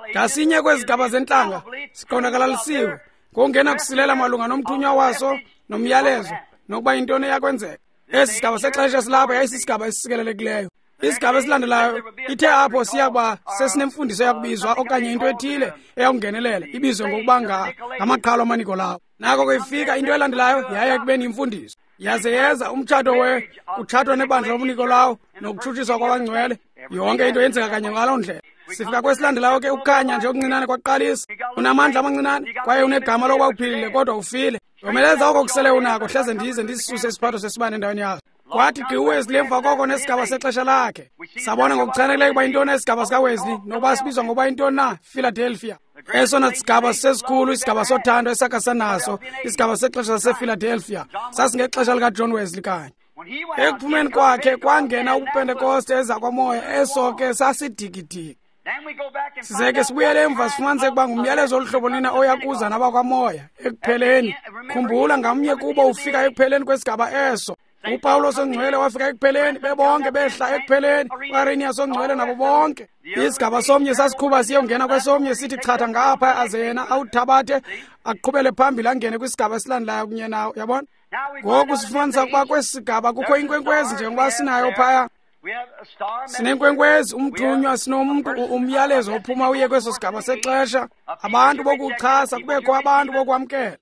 Ngasinye kwezigaba zentlanga siqondakalalisiwe ngokungena kusilela malunga nomthunywa waso nomyalezo nokuba yintoni eyakwenzeka. Esi sigaba sexesha silapha yayisisigaba esisikelelekileyo. Isigaba esilandelayo ithe apho siya kuba sesinemfundiso eyakubizwa okanye into ethile eyakungenelela ibizwe ngokuba ngamaqhalo amaNikolawo. Nako ke ifika into elandelayo yaya ekubeni yimfundiso. Yaze yeza umtshato we kutshatwa nebandla lobuNikolawo nokutshutshiswa kwabangcwele. Yonke into yenzeka kanye ngaloo ndlela. Sifika kwesilandelayo ke ukukhanya nje okuncinane kwaqalisa. Unamandla amancinane kwaye unegama lokuba uphilile kodwa ufile. Yomeleza oko kusele unako, hleze ndize ndisisuse isiphatho sesibane endaweni yaso. Kwathi gqi uWesley emva koko nesigaba sexesha lakhe. Sabona ngokuchanekileyo ukuba yintoni esigaba sikaWesley nokuba sibizwa ngokuba yintoni na, Philadelphia. Esona sigaba sesikhulu, isigaba sothando esakha sanaso, isigaba sexesha sasePhiladelphia, sasingexesha likaJohn Wesley kanye. Ekuphumeni kwakhe kwangena ubuPentekoste ezakwamoya, eso ke sasidikidiki. Size ke sibuyele emva sifumanise ukuba ngumyalezo oluhlobo lina oya kuza nabakwamoya ekupheleni. Khumbula, ngamnye kubo ufika ekupheleni kwesigaba eso. UPawulos ongcwele wafika ekupheleni, bebonke behla ekupheleni, uIrenaeus ongcwele nabo bonke. Isigaba somnye sasiqhuba siyongena kwesomnye sithi chatha ngapha, aze yena awuthabathe aqhubele phambili angene kwisigaba esilandelayo kunye nawo, yabona? Ngoku sifumanisa ukuba kwesi sigaba kukho inkwenkwezi njengoba sinayo phaya. Sinenkwenkwezi, umthunywa, sinomntu, umyalezo ophuma uye kweso sigaba sexesha, abantu bokuchasa, kubekho abantu bokwamkela.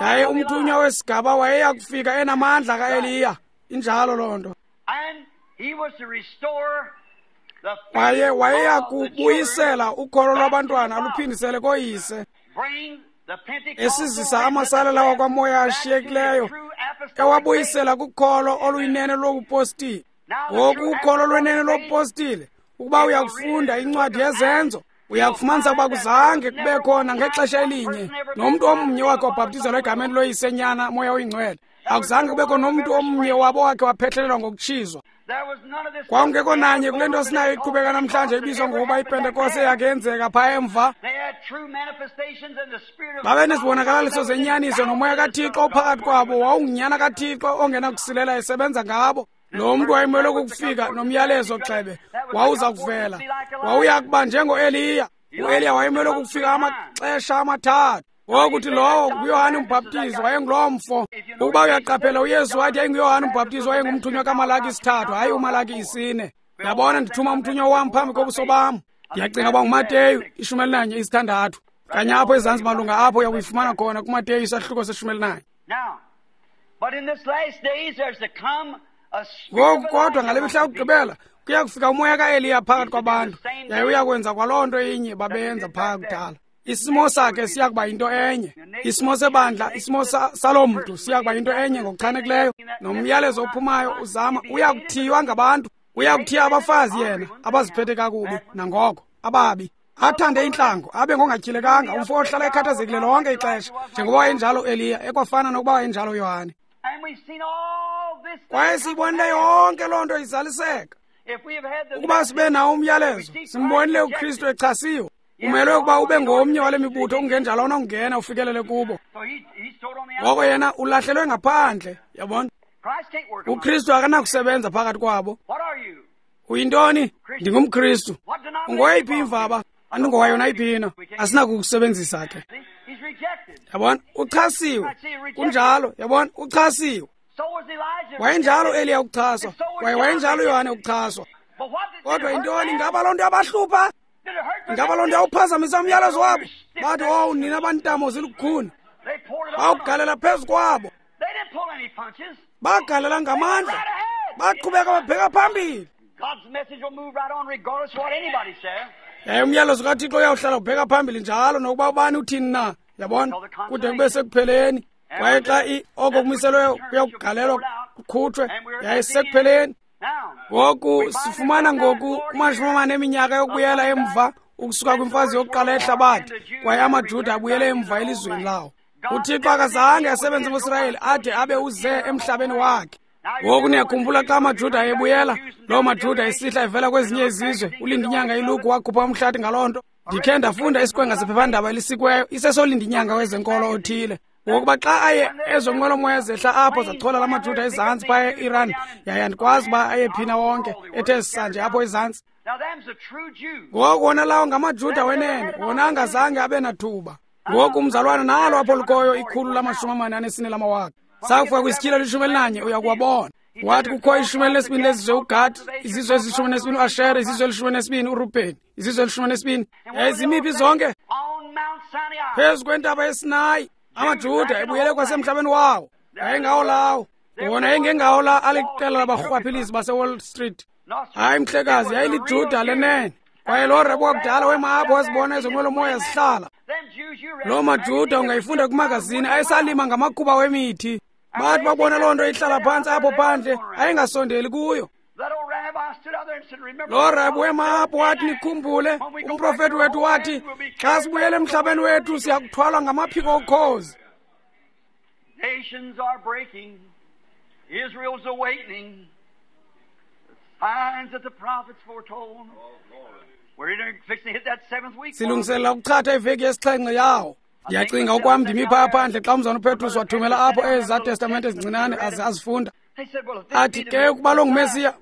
Yaye umthunywa wesigaba wayeya kufika enamandla kaEliya, injalo loo nto. Kwaye wayeya kubuyisela ukholo lwabantwana aluphindisele koyise, esizisa amasalela wakwamoya ashiyekileyo, ewabuyisela kukholo oluyinene lobupostile. Ngoku ukholo lwenene lobupostile, ukuba uyakufunda incwadi yeZenzo, uyakufumanisa ukuba kuzange kube khona ngexesha elinye nomntu omnye wakhe wabhaptizelwa egameni loYise, Nyana, Moya oyiNgcwele. Akuzange kubekho nomntu omnye wabo wakhe waphethelelwa ngokutshizwa. Kwakungekho nanye kule nto sinayo iqhubeka namhlanje ibizwa ngokuba iPentekoste yakhe yenzeka phaa emva. Babe nezibonakalaliso zenyaniso nomoya kaThixo ophakathi kwabo wawungunyana kaThixo ongenakusilela esebenza ngabo. Lo mntu wayemelwe kukufika nomyalezo gxebe wawuza kuvela, wawuya kuba njengoEliya. UEliya wayemelwe kukufika amaxesha amathathu. Ngokuthi lowo nguYohane uMbhaptizi, wayenguloo mfo. Ukuba uyaqaphela, uYesu wathi yayinguYohane uMbhaptizi wayengumthunywa kaMalaki isithathu, hayi uMalaki isine. Yabona, ndithuma umthunywa wam phambi kobuso bam. Ndiyacinga uba nguMateyu ishumi elinanye isithandathu. Kanye apho ezantsi malunga apho uyakuyifumana khona kuMateyu isahluko seshumi elinanye. Ngoku kodwa ngale mihla yokugqibela kuya kufika umoya kaEliya phakathi kwabantu, yaye uya kwenza kwaloo nto inye babeyenza phaa kudala. Isimo sakhe siya kuba yinto enye, isimo sebandla, isimo saloo mntu siya kuba yinto enye ngokuchanekileyo. Nomyalezo ophumayo uzama uya kuthiywa ngabantu, uya kuthiya abafazi yena abaziphethe kakubi nangoko ababi, athande intlango, abe ngongatyhilekanga, umfo ohlala ekhathazekile lonke ixesha, njengoba wayenjalo uEliya, ekwafana nokuba wayenjalo uYohane. Kwaye siyibonile yonke loo nto izaliseka. Ukuba sibe nawo umyalezo, simbonile uKristu echasiwe. Umelwe ukuba ube ngomnye wale mibutho, ungenjalo awunakungena ufikelele kubo. Ngoko yena ulahlelwe ngaphandle, yabona? UKristu akanakusebenza phakathi kwabo. Uyintoni? NdingumKristu. Ungoyiphi imvaba? Andingowayo nayiphi na. Asinakukusebenzisa ke. Yabona? Uchasiwe. Kunjalo, yabona? Uchasiwe. Wayenjalo Eliya ukuchaswa, kwaye wayenjalo uYohane ukuchaswa. Kodwa intoni? Ingaba loo nto yabahlupha? Ingaba loo nto yawuphazamisa umyalezo wabo? Bathi, owu nina bantamo zilukhuni. Bawugalela phezu kwabo. Bagalela ngamandla. Baqhubeka babheka phambili. Yaye umyalezo kaThixo uyawuhlala ubheka phambili njalo nokuba ubani uthini na, yabona? Kude kube sekupheleni. Kwaye xa oko kumiselweyo kuyakugalelwa kukhutshwe, yaye sekupheleni. Ngoku sifumana ngoku kumashumi amane eminyaka yokubuyela emva ukusuka kwimfazwe yokuqala yehlabathi, kwaye amaJuda abuyele emva elizweni lawo. UThixo akazange asebenze ngoSirayeli ade abe uze emhlabeni wakhe. Ngoku niyakhumbula xa amaJuda ayebuyela, loo maJuda esihla evela kwezinye izizwe, uLindinyanga iLuku wakhupha umhlathi ngaloo nto. Ndikhe ndafunda isiqwenga sephephandaba elisikweyo, isesoLindinyanga wezenkolo othile. Ngokuba xa aye ezo nqwelomoya zehla apho zachola la maJuda ezantsi phaya e-Iran, yaye andikwazi uba ayephina wonke, ethe sisanje apho ezantsi. Ngoku wona lawo ngamaJuda wenene, wona angazange abe nathuba. Ngoku umzalwana nalo apho lukhoyo ikhulu lamashumi amane anesine lamawaka. Sakufika kwisityhilelo ishumi elinanye uya kuwabona. Wathi kukho ishumi elinesibini lezizwe uGad, izizwe ezishumi nesibini uAshere, izizwe elishumi nesibini uRubeni, izizwe elishumi nesibini. Yayizimiphi zonke? Phezu kwentaba yeSinayi, amaJuda ebuyele kwasemhlabeni wawo. Yayingawo lawo. Wona yayingengawo la aliqela labarhwaphilizi baseWall Street. Hayi mhlekazi, yayiliJuda lenene. Kwaye loo rebo wakudala wema apho wazibona ezo nqwelomoya zihlala. Loo maJuda ungayifunda kwimagazini ayesalima ngamakhuba wemithi. Bathi babona loo nto ihlala phantsi apho phandle, ayengasondeli kuyo. Loo rabi wema apho wathi, nikhumbule, umprofethi wethu wathi, xa sibuyele emhlabeni wethu siya kuthwalwa ngamaphiko okhozi. Nations are breaking. Israel's awakening. The Silungiselela ukuchatha iveki yesixhenxe yawo. Ndiyacinga okwam ndimi phaya phandle xa umzana uPetrus wathumela apho ezaa testamente ezincinane aze azifunda. Athi ke ukuba lo nguMesiya,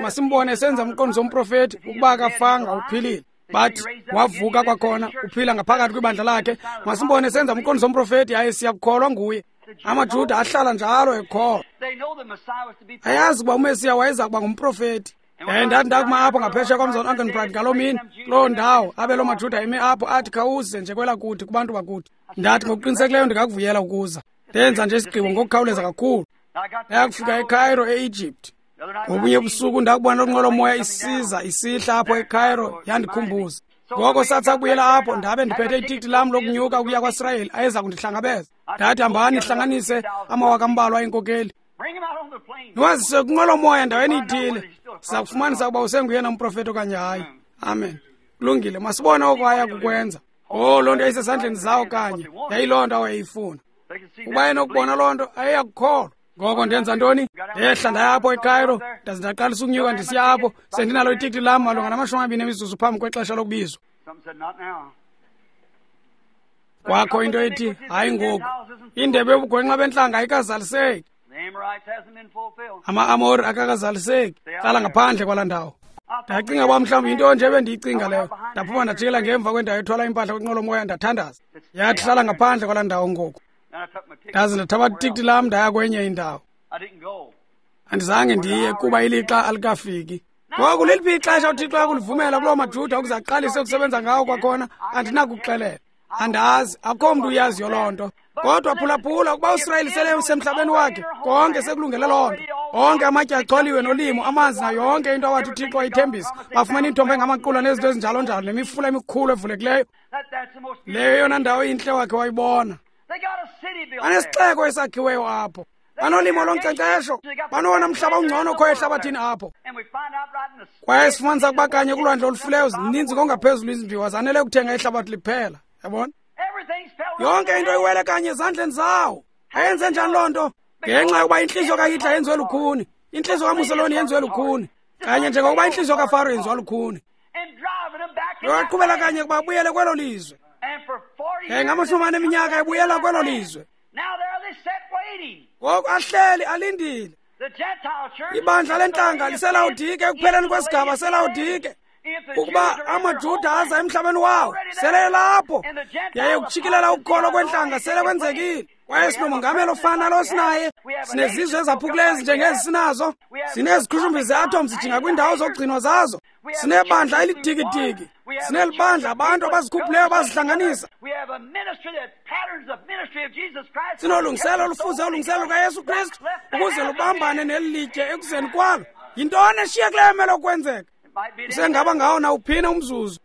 masimbone esenza umqondiso womprofethi ukuba akafanga uphilile. Bathi wavuka kwakhona uphila ngaphakathi kwibandla lakhe, masimbone esenza umqondiso womprofethi yaye siyakukholwa nguye. AmaJuda ahlala njalo ekholwa. Ayazi ukuba uMesiya wayeza kuba ngumprofethi. Yaye ndathi ndakuma apho ngaphesheya kwamzana Angenbrad ngaloo mini kuloo ndawo abe loo maJuda emi apho athi khawuze nje kwela kuthi kubantu bakuthi. Ndathi ngokuqinisekileyo ndingakuvuyela ukuza. Ndenza nje isigqibo ngokukhawuleza kakhulu. Ndayakufika eCairo e-Egypt. Ngobunye ubusuku ndakubona loo nqwelomoya isiza isihla apho eCairo yandikhumbuza. Ngoko sathi sakubuyela apho ndabe ndiphethe itikiti lam lokunyuka ukuya kwaSirayeli ayeza kundihlangabeza. Ndathi hambani hlanganise amawaka ambalwa eenkokeli. Niwazise kwinqwelomoya ndaweni ithile. Siza kufumanisa ukuba usenguyena umprofethi okanye hayi. Amen. Kulungile, masibone oko aya kukwenza. Oh, loo nto yayisesandleni zawo kanye. Yayiloo nto awayeyifuna. Ukuba enokubona loo nto ayeyakukholwa. Ngoko ndenza ntoni? Ndehla ndaya apho eCairo, ndaze ndaqalisa ukunyuka ndisiya apho, sendinalo itikiti lam malunga namashumi amabini emizuzu phambi kwexesha lokubizwa. Kwakho into ethi, hayi ngoku, indebe yobugwenxa bentlanga ayikazaliseki. Ama-Amori akakazaliseki. Hlala ngaphandle kwalaa ndawo. Ndacinga uba mhlawumbi yinto nje ebendiyicinga leyo. Ndaphuma ndajikela ngemva kwendawo ethwala impahla kwinqwelomoya ndathandaza. Yathi hlala ngaphandle kwalaa ndawo ngoku. Ndaze ndathabatha itikiti lam ndaya kwenye indawo. Andizange ndiye kuba ilixa alikafiki. Ngoku liliphi ixesha uThixo akulivumela kuloo maJuda ukuze aqalise ukusebenza ngawo kwakhona? Andinakuxelela. Andazi, akukho mntu uyaziyo loo nto. Kodwa phulaphula, ukuba uSirayeli sele usemhlabeni wakhe, konke sekulungele loo nto. Onke amatye acholiwe nolimo, amanzi nayo yonke into awathi uThixo wayithembisa. Bafumana iintombi engamaqula nezinto ezinjalo njalo, nemifula emikhulu evulekileyo. Leyo yeyona ndawo intle wakhe wayibona. Banesixeko esakhiweyo apho. Banolimo lonkcenkcesho. Banowona mhlaba ungcono okhoyo ehlabathini apho. Kwaye sifumanisa ukuba kanye kulwandle olufuleyo zininzi ngongaphezulu izimbiwa zanele ukuthenga ihlabathi liphela. Yabona? Yonke into iwele kanye ezandleni zawo. Ayenze njani loo nto? Ngenxa yokuba intliziyo kaHitler yenziwe lukhuni, intliziyo kaMussolini yenziwe lukhuni, kanye njengokuba intliziyo kaFaro yenziwa lukhuni. Yaqhubela kanye ukuba abuyele kwelo lizwe. Yaye ngamashumi amane eminyaka ebuyela kwelo lizwe. Ngoku ahleli alindile. Ibandla lentlanga liseLawodike, ekupheleni kwesigaba seLawodike. Ukuba amaJuda aza emhlabeni wawo sele lapho, yaye ukutshikilela ukukholwa kwentlanga sele kwenzekile. Kwaye sinomongameli ofana nalo sinaye, sinezizwe ezaphukileyo ezinjengezi sinazo, sineziqhushumbi ze-atom zijinga kwiindawo zokugcinwa zazo, sinebandla elidikidiki, sinelibandla abantu abazikhuphileyo bazihlanganisa. Sinolungiselo olufuze ulungiselo lukaYesu Kristu ukuze lubambane neli litye ekuzeni kwalo. Yintoni eshiyekileyo emele ukwenzeka? Usengaba ngawo nawuphina umzuzu.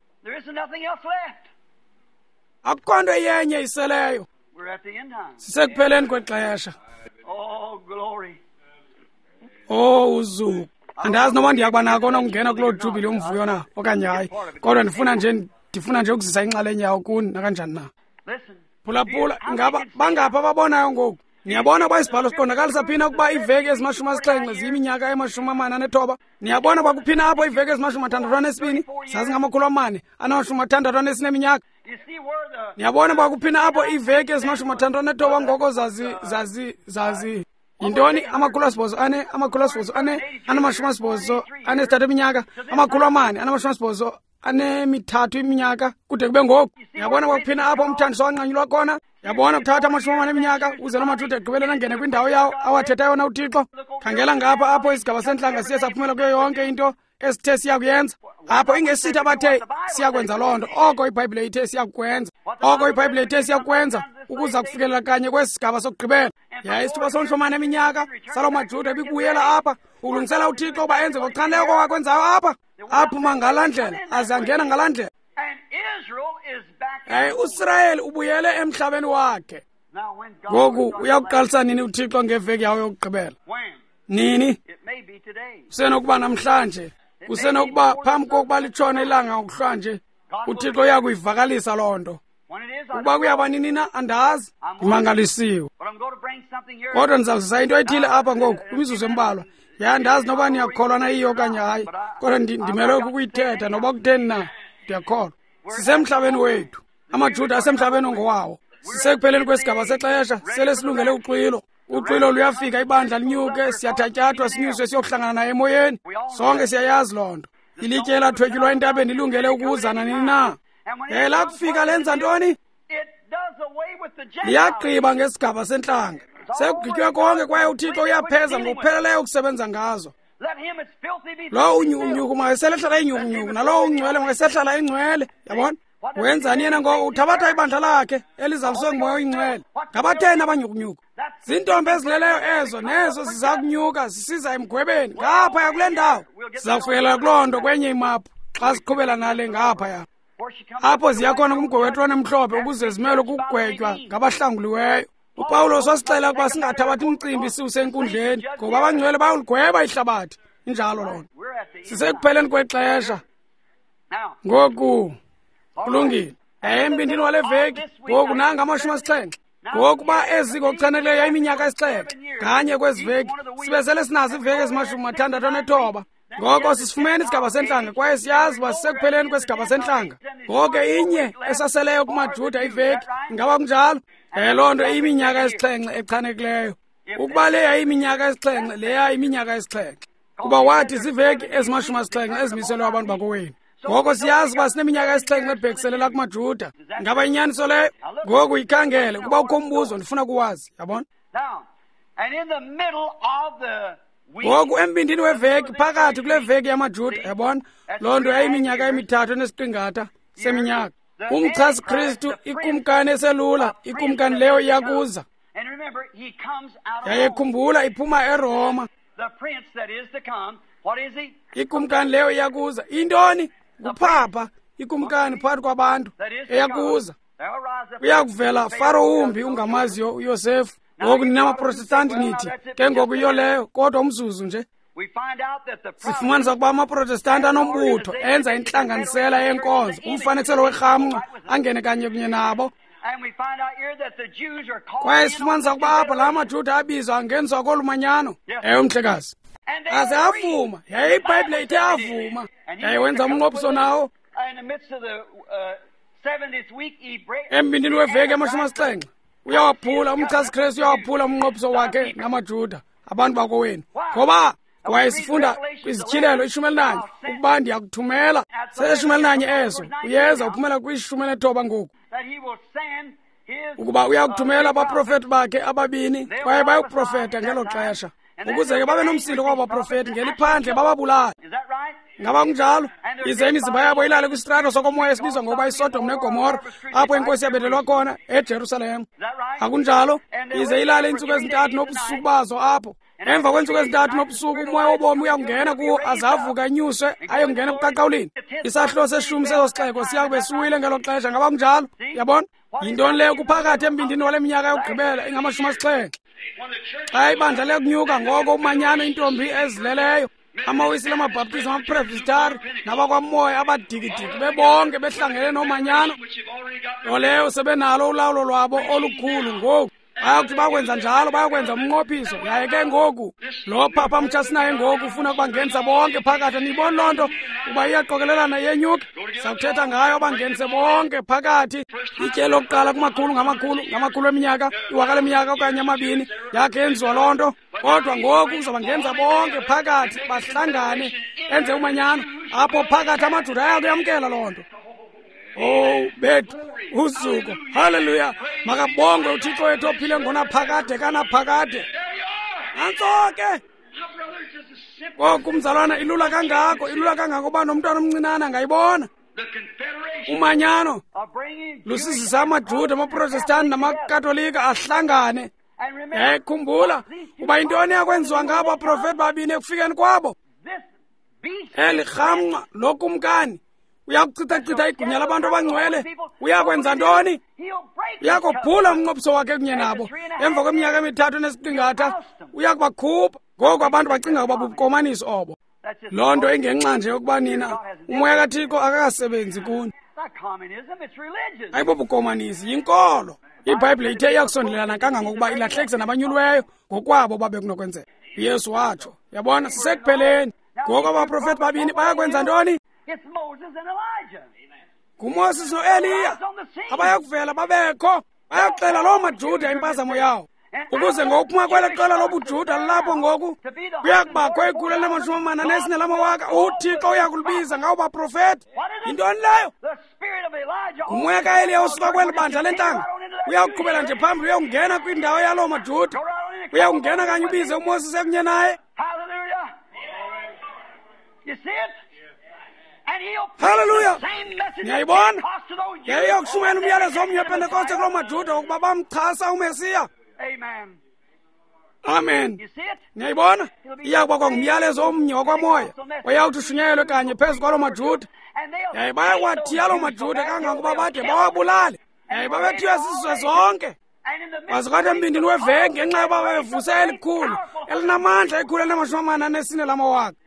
Akukho nto iyenye iseleyo. Sisekupheleni kwexesha. Oh, uzuko. Andazi noba ndiyakuba nako nokungena kuloo jubhili yomvuyo na okanye hayi, kodwa ndifuna nje ndifuna nje ukuzisa inxalenye yawo kuni nakanjani na. Phulaphula, ingaba bangaphi ababonayo ngoku? Niyabona uba isibhalo siqondakalisa phina ukuba iiveki ezimashumi asixhenxe ziyiminyaka emashumi amane anethoba? Niyabona uba kuphina apho iiveki ezimashumi athandathu anesibini zazingamakhulu amane anamashumi athandathu anesine eminyaka? Niyabona uba kuphina apho iiveki ezimashumi athandathu anethoba ngoko zazi zazi zazi yintoni? Amakhulu asibhozo ane, amakhulu asibhozo ane, anamashumi asibhozo anesithathu eminyaka, amakhulu amane anamashumi asibhozo anemithathu iminyaka kude kube ngoku. Niyabona uba kuphina apho umthandiso wanqanyulwa khona? Yabona kuthatha amashumi amane eminyaka uze loo maJuda ekugqibeleni angene kwindawo yawo awathetha yona uThixo. Khangela ngapha apho isigaba sentlanga siye saphumela kuyo yonke into esithe siyakuyenza. Apho ingesithi abathe siyakwenza loo nto, oko iBhayibhile ithe siyakwenza, oko iBhayibhile ithe siyakwenza ukuza kufikelela kanye kwesi sigaba sokugqibela. Yaye isithuba somshomane eminyaka saloo maJuda ebibuyela apha ukulungisela uThixo uba enze ngokuchanileyo oko wakwenzayo apha. Aphuma ngalaa ndlela aze angena ngalaa ndlela. Yaye uSirayeli ubuyele emhlabeni wakhe. Ngoku uyakuqalisa nini uThixo ngeveki yawo yokugqibela? Nini? Kusenokuba namhlanje, kusenokuba phambi kokuba litshone ilanga ngokuhlwanje, uThixo uyakuyivakalisa loo nto. Ukuba kuyaba nini na andazi, ndimangalisiwe. Kodwa ndizawuzisa into ethile apha ngoku kwimizuzu embalwa, Uyandazi noba niyakholwa na iyo okanye hayi, kodwa ndimelwe kukuyithetha noba kutheni na, ndiyakholwa. Sisemhlabeni wethu. AmaJuda asemhlabeni ongowawo. Sisekupheleni kwesigaba sexesha, sele silungele uxwilo. Uxwilo luyafika, ibandla linyuke, siyathatyathwa sinyuswe siyokuhlangana naye emoyeni. Sonke siyayazi loo nto. Ilitye elathwetyulwa entabeni lilungele ukuza nanini na. Yaye lakufika lenza ntoni? Liyagqiba ngesigaba sentlanga. Sekugqitywe konke kwaye uThixo uyapheza ngokupheleleyo ukusebenza ngazo. Lowo unyukunyuku makaselehlala inyukunyuku, nalowo ungcwele makasehlala ingcwele. Yabona? Wenzani yena ngoko? Uthabatha ibandla lakhe elizaliswe nguMoya oyiNgcwele. Ngabatheni abanyukunyuku? Ziintombi ezileleyo ezo, nezo ziza kunyuka zisiza emgwebeni ngaphaya kule ndawo. Siza kufikelela kuloo nto kwenye imaphu xa siqhubela nale ngaphaya. Apho ziya khona kumgwebo wetrone emhlophe ukuze zimelwe kukugwetywa ngabahlanguliweyo. UPawulos wasixela ukuba singathabathi umcimbi siwusenkundleni, ngoba abangcwele bayawuligweba ihlabathi. Injalo loo nto. Sisekupheleni kwexesha ngoku. Kulungile. Embindini wale veki ngoku nanga amashumi asixhenxe. Ngokuba ezi ngokuchanekileyo yayiminyaka esixhenxe kanye kwezi veki, sibe sele sinazo iiveki ezimashumi mathandathu anethoba. Ngoko sisifumene isigaba sentlanga kwaye siyazi uba sisekupheleni kwesigaba sentlanga. Ngoko inye esaseleyo kumaJuda iveki, ingaba kunjalo? Eh, loo nto iyiminyaka esixhenxe echanekileyo. Ukuba le yayiminyaka esixhenxe, leya iminyaka esixhenxe. Kuba wathi ziiveki ezimashumi asixhenxe ezimiselwe abantu bakowenu. Ngoko siyazi uba sineminyaka esixhenxe ebhekiselela kumaJuda. Ingaba inyaniso leyo? Ngoku yikhangele, kuba ukho umbuzo ndifuna kuwazi. Yabona? Ngoku embindini weveki, phakathi kule veki yamaJuda, yabona? Loo nto yayiminyaka emithathu enesiqingatha seminyaka. Umchasi Kristu, ikumkani eselula, ikumkani leyo iyakuza. Yaye khumbula, iphuma eRoma. Ikumkani leyo iyakuza. Intoni? Nguphapha, ikumkani phakathi kwabantu eyakuza. Uyakuvela Faro wumbi ungamaziyo uYosefu. Ngoku nina maProtestanti nithi ke ngoku yiyo leyo, kodwa umzuzu nje. Sifumanisa ukuba amaProtestanti anombutho enza intlanganisela yenkonzo, umfanekiselo werhamncwa angene kanye kunye nabo. Kwaye sifumanisa ukuba apha la maJuda abizwa angeniswa kolu manyano. Ewe, mhlekazi. Aze avuma. Yaye iBhayibhile ithe avuma. Yaye wenza umnqophiso nawo. Embindini weveki amashumi asixhenxe uyawaphula umchasi Kristu, uyawaphula umnqophiso wakhe namaJuda, abantu bakowenu. Ngoba kwaye sifunda kwizityhilelo ishumi elinanye ukuba ndiyakuthumela. Seseshumi elinanye eso, uyeza uphumela kwishumi elinethoba ngoku. Ukuba uyakuthumela abaprofeti bakhe ababini, kwaye bayokuprofeta ngelo xesha, ukuze ke babe nomsindo kwabo baprofeti ngeliphandle bababulale. Ngaba kunjalo? Ize imizimba yabo ilale kwisitrato sokomoya esibizwa ngokuba iSodom neGomora, apho inkosi yabethelwa khona eJerusalem. Akunjalo? Ize ilale iintsuku ezintathu nobusuku bazo apho. Emva kweentsuku ezintathu nobusuku umoya wobomi uyakungena kuwo, aze avuke anyuswe ayokungena ebuqaqawulini. Isahlulo seshumi seso sixeko siya kube siwile ngelo xesha. Ngaba kunjalo? Yabona? Yintoni leyo kuphakathi embindini wale minyaka yokugqibela engamashumi asixhenxe? Xa ibandla lekunyuka ngoko umanyano intombi ezileleyo, amaWisile, amaBhaptizi, amaPresbyteri nabakwamoya abadikidiki bebonke behlangene nomanyano, nto leyo sebenalo ulawulo lwabo olukhulu ngoku. Bayakuthi bakwenza njalo, bayakwenza umnqophiso. Yaye ke ngoku lo phapha mtsha sinaye ngoku ufuna ukubangenisa bonke phakathi. Niyiboni loo nto uba iyaqokelelana yenyuka? Sakuthetha ngayo, bangenise bonke phakathi. Itye lokuqala kumakhulu ngamakhulu ngamakhulu eminyaka, iwaka leminyaka okanye amabini, yakhe yenziwa loo nto. Kodwa ngoku uzobangenisa bonke phakathi, bahlangane, enze umanyano. Apho phakathi amaJuda ayakuyamkela loo nto. Oh, bethu, uzuko, haleluya. Makabongwe uThixo wethu ophile ngonaphakade kanaphakade. Nantso ke. Ngoku mzalwana, ilula kangako, ilula kangako uba nomntwana omncinane angayibona. Umanyano lusizisa amaJuda, amaProtestanti namaKatolika ahlangane. Yaye khumbula uba yintoni yakwenziwa ngabo baprofeti babini ekufikeni kwabo. Eli rhamncwa lokumkani uyakuchithachitha igunya labantu abangcwele. Uyakwenza ntoni? Uyakophula umnqophiso wakhe kunye nabo. Emva kweminyaka emithathu nesiqingatha uyakubakhupha. Ngoku abantu bacinga ukuba bubukomanisi obo. Loo nto ingenxa nje yokuba nina umoya kaThixo akakasebenzi kuni. Ayibobukomanisi, yinkolo. IBhayibhile ithe iyakusondelelana kangangokuba ilahlekise nabanyuliweyo ngokwabo babe kunokwenzeka. UYesu watsho. Yabona, sisekupheleni. Ngoku abaprofeti babini bayakwenza ntoni? NguMoses noEliya abayakuvela babekho, bayakuxela loo maJuda impazamo yawo. Ukuze ngokuphuma kwelo qela lobuJuda lilapho ngoku kuyakubakho ikhulu elinamashumi amane anesine lamawaka. UThixo uyakulibiza ngawo baprofeti. Yintoni leyo? Ngumoya kaEliya osuka kweli bandla lentlanga uyakuqhubela nje phambili, uyakungena kwindawo yaloo maJuda, uyakungena kanye ubize uMoses ekunye naye. Haleluya! Niyayibona? Yayiyokushumayela umyalezo omnye wePentekoste kuloo maJuda ukuba bamchasa uMesiya. Amen. Niyayibona? Iyakuba kwangumyalezo omnye wakwamoya oyawuthi ushunyayelwe kanye phezu kwaloo maJuda. Yaye bayakwathiya loo maJuda kangangokuba bade bawabulale. Yaye babethiywa zizizwe zonke. Kwaze kwathi embindini weveki ngenxa yoba babevuse elikhulu elinamandla ikhulu elinamashumi amane anesine lamawaka.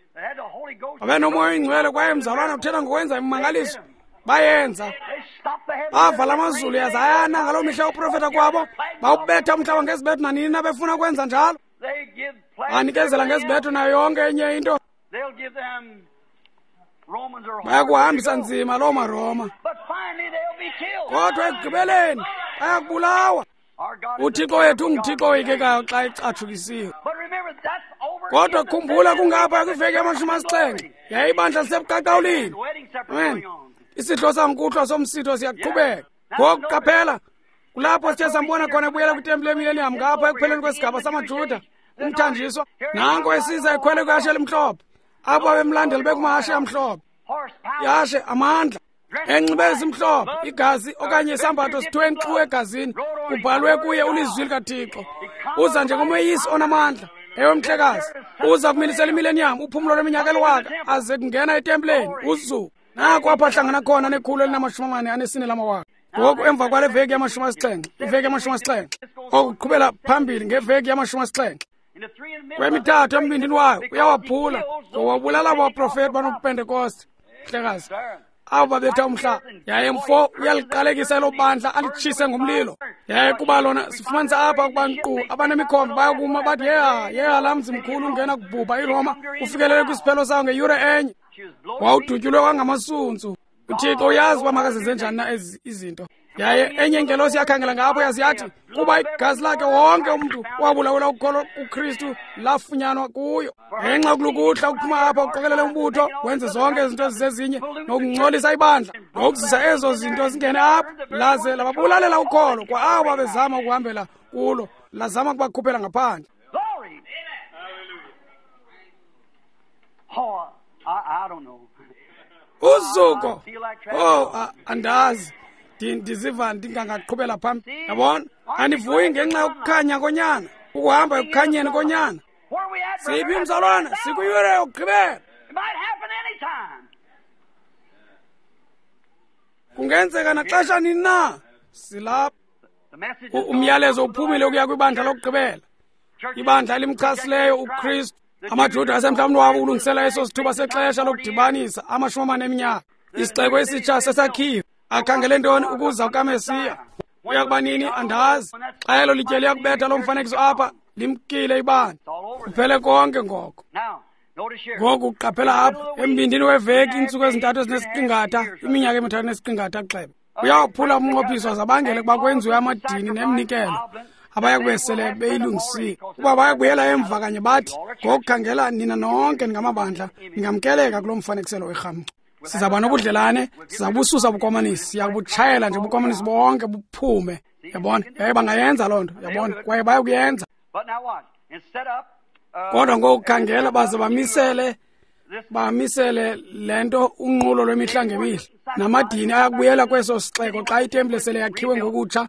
Babenomoya oyingcwele kwaye mzalwana uthetha ngokwenza imimangaliso. Bayenza. Bavala amazulu yaza ayana ngaloo mihla uprofeta kwabo. Bawubetha umhlaba ngezibetho nanini na befuna ukwenza njalo. Banikezela ngezibetho nayo yonke enye into. Bayakuhambisa nzima loo maRoma. Kodwa ekugqibeleni bayakubulawa. UThixo wethu unguThixo oyikekayo xa ecatshukisiwe. Kodwa khumbula kungapha kwiveki yamashumi asixhenxe yaye ibandla lisebuqaqawulini. Amen. Isidlo sangokuhlwa somsitho siyaqhubeka. Ngoku qaphela, kulapho sithe sambona khona ebuyela kwitempile yemillennium ngapha ekupheleni kwesigaba samaJuda, umthanjiswa. Nanko esiza ekhwele kwihashe elimhlophe. Abo babemlandela bekumahashe amhlophe. Ihashe amandla. Enxibe ezimhlophe, igazi okanye isambatho sithiwe nkxu egazini, kubhalwe kuye ulizwi likaThixo. Uza njengomeyisi onamandla. Ewe mhlekazi, uza kumilisela imillennium, uphumlo lweminyaka eliwaka, aze kungena etempileni, uzuko. Naku apho ahlangana khona nekhulu elinamashumi amane anesine lamawaka. Ngoku emva kwale veki yamashumi asixhenxe, iveki yamashumi asixhenxe, okuqhubela phambili ngeveki yamashumi asixhenxe. Kwemithathu embindini wayo uyawaphula, ngowabulala abaprofeti banobuPentekoste, mhlekazi, abo babetha umhlaba. Yaye mfo uyaliqalekisa elo bandla alitshise ngomlilo. Yaye kuba lona sifumanisa apha ukuba nkqu abanemikhombe bayakuma bathi yeha yeha laa mzi mkhulu ungena kubhubha iRoma ufikelele kwisiphelo sawo ngeyure enye. Wawudutyulwe wangamasuntsu. UThixo uyazi uba makazenze njani na ezi izinto. Yaye enye ingelosi yakhangela ngapho yazi yathi kuba igazi lakhe wonke umntu wabulawela ukholo kuKristu lafunyanwa kuyo. Ngenxa yokulukuhla ukuphuma apha uqokelele umbutho wenze zonke izinto ezizezinye nokungcolisa ibandla nokuzisa ezo zinto zingene apha laze lababulalela ukholo kwa abo babezama ukuhambela kulo lazama ukubakhuphela ngaphandle. Uzuko. Oh, andazi. Ndiziva ndingangaqhubela phambili. Yabona? Andivuyi ngenxa yokukhanya konyana, ukuhamba ekukhanyeni konyana. Siphi mzalwana? Sikwiyure yokugqibela. Kungenzeka naxesha nini na? Silapha. Umyalezo uphumile ukuya kwibandla lokugqibela. Ibandla elimchasileyo uKristu. AmaJuda asemhlabeni wabo ulungisela eso sithuba sexesha lokudibanisa amashumi amane eminyaka. Isixeko esitsha sesakhiwe. Akhangele ntoni? Ukuza kukaMesiya. Uyakuba nini? Andazi. Xa elo litye liyakubetha lo mfanekiso apha, limkile ibandla. Kuphele konke ngoko. Ngoku qaphela apha embindini weveki iintsuku ezintathu ezinesiqingatha, iminyaka emithathu enesiqingatha xeba. Uyawuphula umnqophiso azabangele ukuba kwenziwe amadini neminikelo abaya sele beyilungisile. Kuba bayakubuyela emva kanye bathi, ngokukhangela nina nonke ningamabandla, ningamkeleka kulo mfanekiselo werhamncwa. Sizaba nobudlelane, sizabususa ubukomanisi, siyakubutshayela nje ubukomanisi bonke buphume. Yabona? Yaye bangayenza loo nto, yabona? Kwaye bayakuyenza. Kodwa ngokukhangela baze bamisele bamisele le nto unqulo lwemihla ngemihla. Namadini ayakubuyela kweso sixeko xa itempile sele yakhiwe ngokutsha.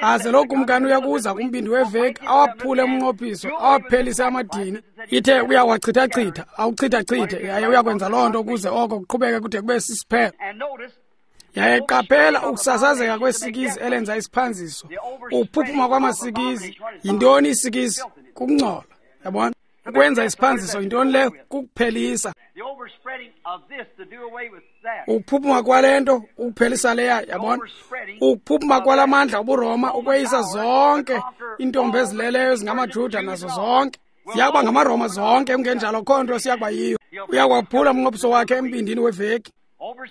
Aze lo kumkani uyakuza kumbindi weveki awaphule umnqophiso, awaphelise amadini. Ithe uyawachithachitha, awuchithachithe, yaye uyakwenza loo nto ukuze oko kuqhubeke kude kube sisiphelo. Yaye qaphela ukusasazeka kwesikizi elenza isiphanziso, ukuphuphuma kwamasikizi. Yintoni isikizi? Kukungcola, yabona? Ukwenza isiphanziso yintoni leyo? Kukuphelisa. Ukuphuphuma kwale nto, ukuphelisa leya, yabona? Ukuphuphuma kwalamandla obuRoma, ukweyisa zonke iintombi ezileleyo ezingamaJuda nazo zonke. Ziyakuba ngamaRoma zonke, kungenjalo akho nto siyakuba yiyo. Uyakwaphula umnqophiso wakhe embindini weveki.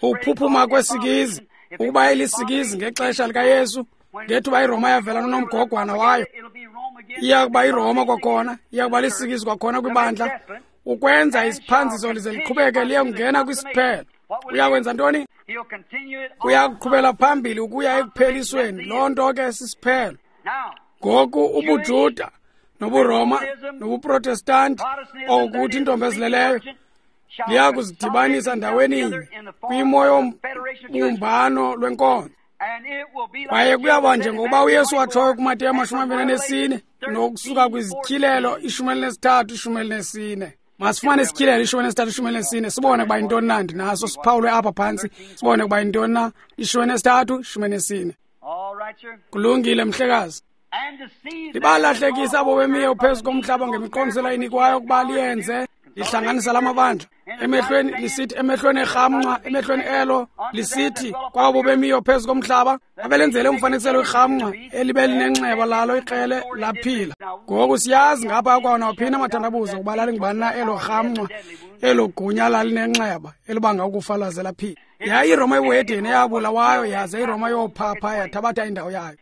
Uphuphuma kwesikizi, ukuba elisikizi ngexesha likaYesu, ngethuba iRoma yavela nonomgogwana wayo. Iyakuba iRoma kwakhona, iyakuba lisikizi kwakhona kwibandla, ukwenza isiphanziso lize liqhubeke liye kungena kwisiphelo. Uyakwenza ntoni? Uyakuqhubela phambili ukuya ekuphelisweni. Loo nto ke sisiphelo. Ngoku ubuJuda nobuRoma nobuProtestanti, okuthi intombi ezileleyo, liya kuzidibanisa ndaweninye kwimo yobumbano lwenkonzo. Kwaye kuyaba njengokuba uYesu watshoyo kuMateyu amashumi amabini anesine nokusuka kwizityhilelo ishumi elinesithathu ishumi elinesine. Masifumane isityhilelo ishumi elinesithathu ishumi elinesine sibone ukuba yintoni na. Ndinaso siphawulwe apha phantsi, sibone ukuba yintoni na. Ishumi elinesithathu ishumi elinesine. Kulungile, mhlekazi. Libalahlekisa abo bemiyo phezu komhlaba ngemiqondiso eyinikwayo ukuba liyenze, lihlanganisa la mabandla. Emehlweni lisithi, emehlweni erhamncwa, emehlweni elo lisithi kwabo bemiyo phezu komhlaba, abelenzele umfanekiselo werhamncwa elibe linenxeba lalo ikrele laphila. Ngoku siyazi ngapha kwawo nawuphina amathandabuzo ukuba lalingubani na elo rhamncwa, elo gunya lalinenxeba elibanga ukufa laze laphila. Yaye iRoma yobuhedeni eyabulawayo, yaze iRoma yoophapha yathabatha indawo yayo.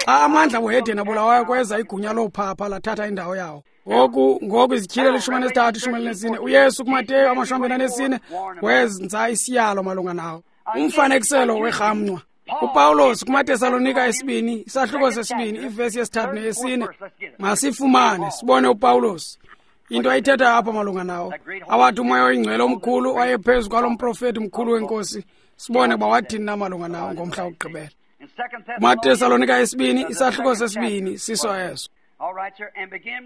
Xa amandla obuhedeni abulawayo, kweza igunya loophapha lathatha indawo yawo. Ngoku ngoku izityhilelo ishumi elinesithathu ishumi elinesine, uYesu kuMateyu amashumi amabini anesine wenza isiyalo malunga nawo, umfanekiselo werhamncwa. UPawulos kumaTesalonika esibini, isahluko sesibini, ivesi yesithathu neyesine. Masifumane sibone uPawulos into ayithetha apha malunga nawo, awathi uMoya oyiNgcwele omkhulu wayephezu kwalo mprofeti mkhulu wenkosi. Sibone ukuba wathini na malunga nawo ngomhla wokugqibela. KumaTesalonika esibini, isahluko sesibini, siso eso.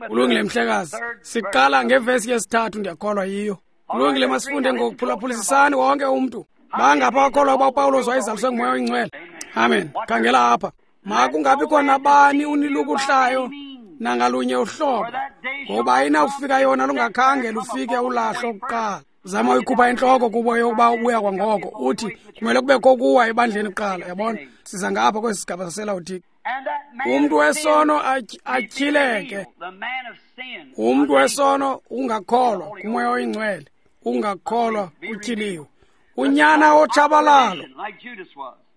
Kulungile, mhlekazi. Siqala ngevesi yesithathu, ndiyakholwa yiyo. Kulungile, masifunde ngokuphulaphulisisani wonke umntu. Bangapha bakholwa ukuba uPawulos wayezaliswe nguMoya oyiNgcwele. Amen. Khangela apha. Makungabikho nabani unilukuhlayo nangalunye uhlobo, ngoba ayinawufika yona lungakhange lufike ulahlo kuqala. Zama uyikhupha intloko kubo yokuba ubuya kwangoko, uthi kumele kubekho kuwa ebandleni kuqala. Yabona, siza ngapha kwesi sigaba saseLawodike. Umntu wesono atyhileke. Umntu wesono ungakholwa kuMoya oyiNgcwele, ungakholwa utyhiliwe. Unyana wotshabalalo,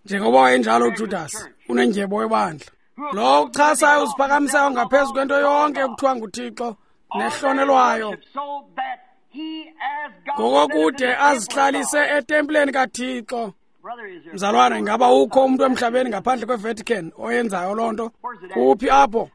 njengoba wayenjalo uJudas, unendyebo yebandla. Lo uchasayo uziphakamisayo ngaphezu kwento yonke ekuthiwa nguThixo nehlonelwayo, ngokokude azihlalise etempileni kaThixo. Mzalwana, ingaba ukho umntu emhlabeni ngaphandle kweVatican oyenzayo loo nto? Kuphi apho?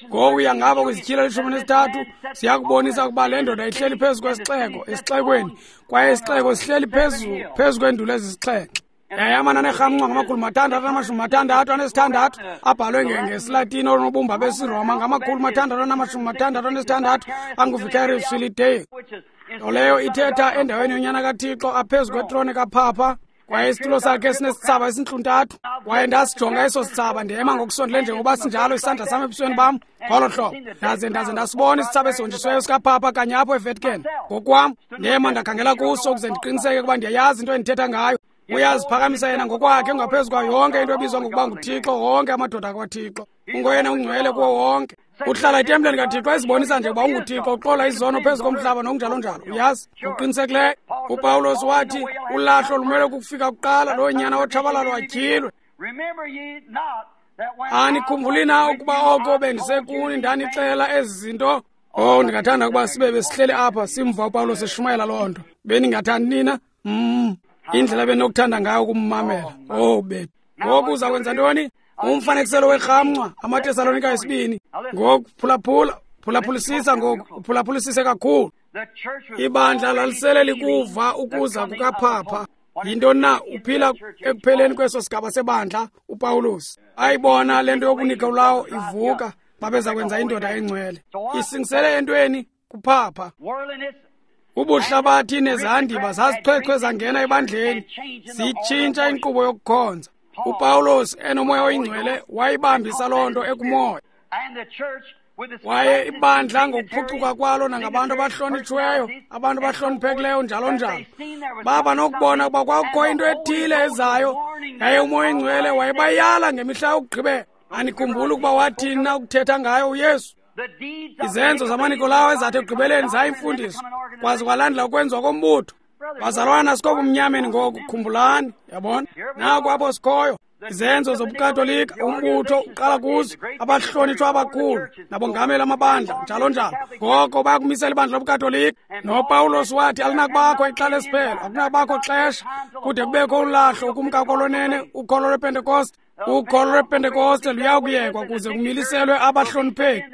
Ngoku uya ngapha kwizityhilelo ishumi elinesithathu, siyakubonisa ukuba le ndoda ihleli phezu kwesixeko, esixekweni, kwaye isixeko sihleli phezu phezu kweenduli ezisixhenxe. Yayamana nerhamncwa ngamakhulu mathandathu anamashumi mathandathu anesithandathu, abhalwe ngesiLatini onobumba besiRoma ngamakhulu mathandathu anamashumi mathandathu anesithandathu, anguVicarius Filii Dei. Nto leyo ithetha endaweni yonyana kaThixo aphezu kwetrone kaPhapha, kwaye isitulo sakhe sinesithsaba esintluntathu. Kwaye ndasijonga eso sithsaba, ndema ngokusondele njengoba sinjalo isandla sam ebusweni bam ngolo hlobo. Ndaze ndaze ndasibona isithsaba esihonjisiweyo sikaPhapha kanye apho eVatican. Ngokwam ndema ndakhangela kuso ukuze ndiqiniseke ukuba ndiyayazi into endithetha ngayo. Uyaziphakamisa yena ngokwakhe ungaphezu kwayo yonke into ebizwa ngokuba nguThixo, wonke amadoda akwaThixo. Ungoyena ungcwele kuwo wonke. Uhlala etempileni kaThixo ezibonisa nje ukuba unguThixo, uxola izono phezu komhlaba nokunjalo njalo. Uyazi, ngokuqinisekileyo uPawulos wathi ulahlo lumele ukufika kuqala, loo nyana wotshabalalo atyhilwe. Anikhumbuli na ukuba oko bendisekuni ndanixela ezi zinto? Oh, ndingathanda ukuba sibe besihleli apha simva uPawulos eshumayela loo nto. Beningathandi nina? Mm. Indlela benokuthanda ngayo ukummamela. Oh, bethu. Ngoku uza kwenza ntoni? Umfanekiselo werhamncwa, amaTesalonika esibini. Ngoku phulaphula, phulaphulisisa ngoku, uphulaphulisise kakhulu. Ibandla lalisele likuva ukuza kukaPhapha. Yintoni na? Uphila ekupheleni kweso sigaba sebandla uPawulos. Ayibona le nto yobunikolawo ivuka, babeza kwenza indoda engcwele. Isingisele entweni kuPhapha. Ubuhlabathi nezandiba zazichwechwe zangena ebandleni, zitshintsha inkqubo yokukhonza. uPawulos enoMoya oyiNgcwele wayibambisa loo nto ekumoya. Kwaye ibandla ngokuphucuka kwalo nangabantu abahlonitshiweyo, abantu abahloniphekileyo njalo njalo, baba nokubona ukuba kwakukho into ethile ezayo, yaye uMoya oyiNgcwele wayebayala ngemihla yokugqibela. Anikhumbuli ukuba wathini na ukuthetha ngayo uYesu? Izenzo zamaNikolawo ezathi ekugqibeleni zayimfundiso kwaze kwalandela ukwenziwa kombutho. Bazalwana, sikobumnyameni ngoku, khumbulani, yabona? Naku apho sikhoyo. Izenzo zobuKatolika, umbutho uqala kuzo, abahlonitshwa abakhulu nabongameli amabandla, njalo njalo. Ngoko bayakumisela ibandla lobuKatolika. NoPawulos wathi alinakubakho ixesha lesiphelo, akunakubakho xesha kude kubekho ulahlo ukumka kolonene ukholo lwePentekoste. Ukholo lwePentekoste luyakuyekwa kuze kumiliselwe abahlonipheki.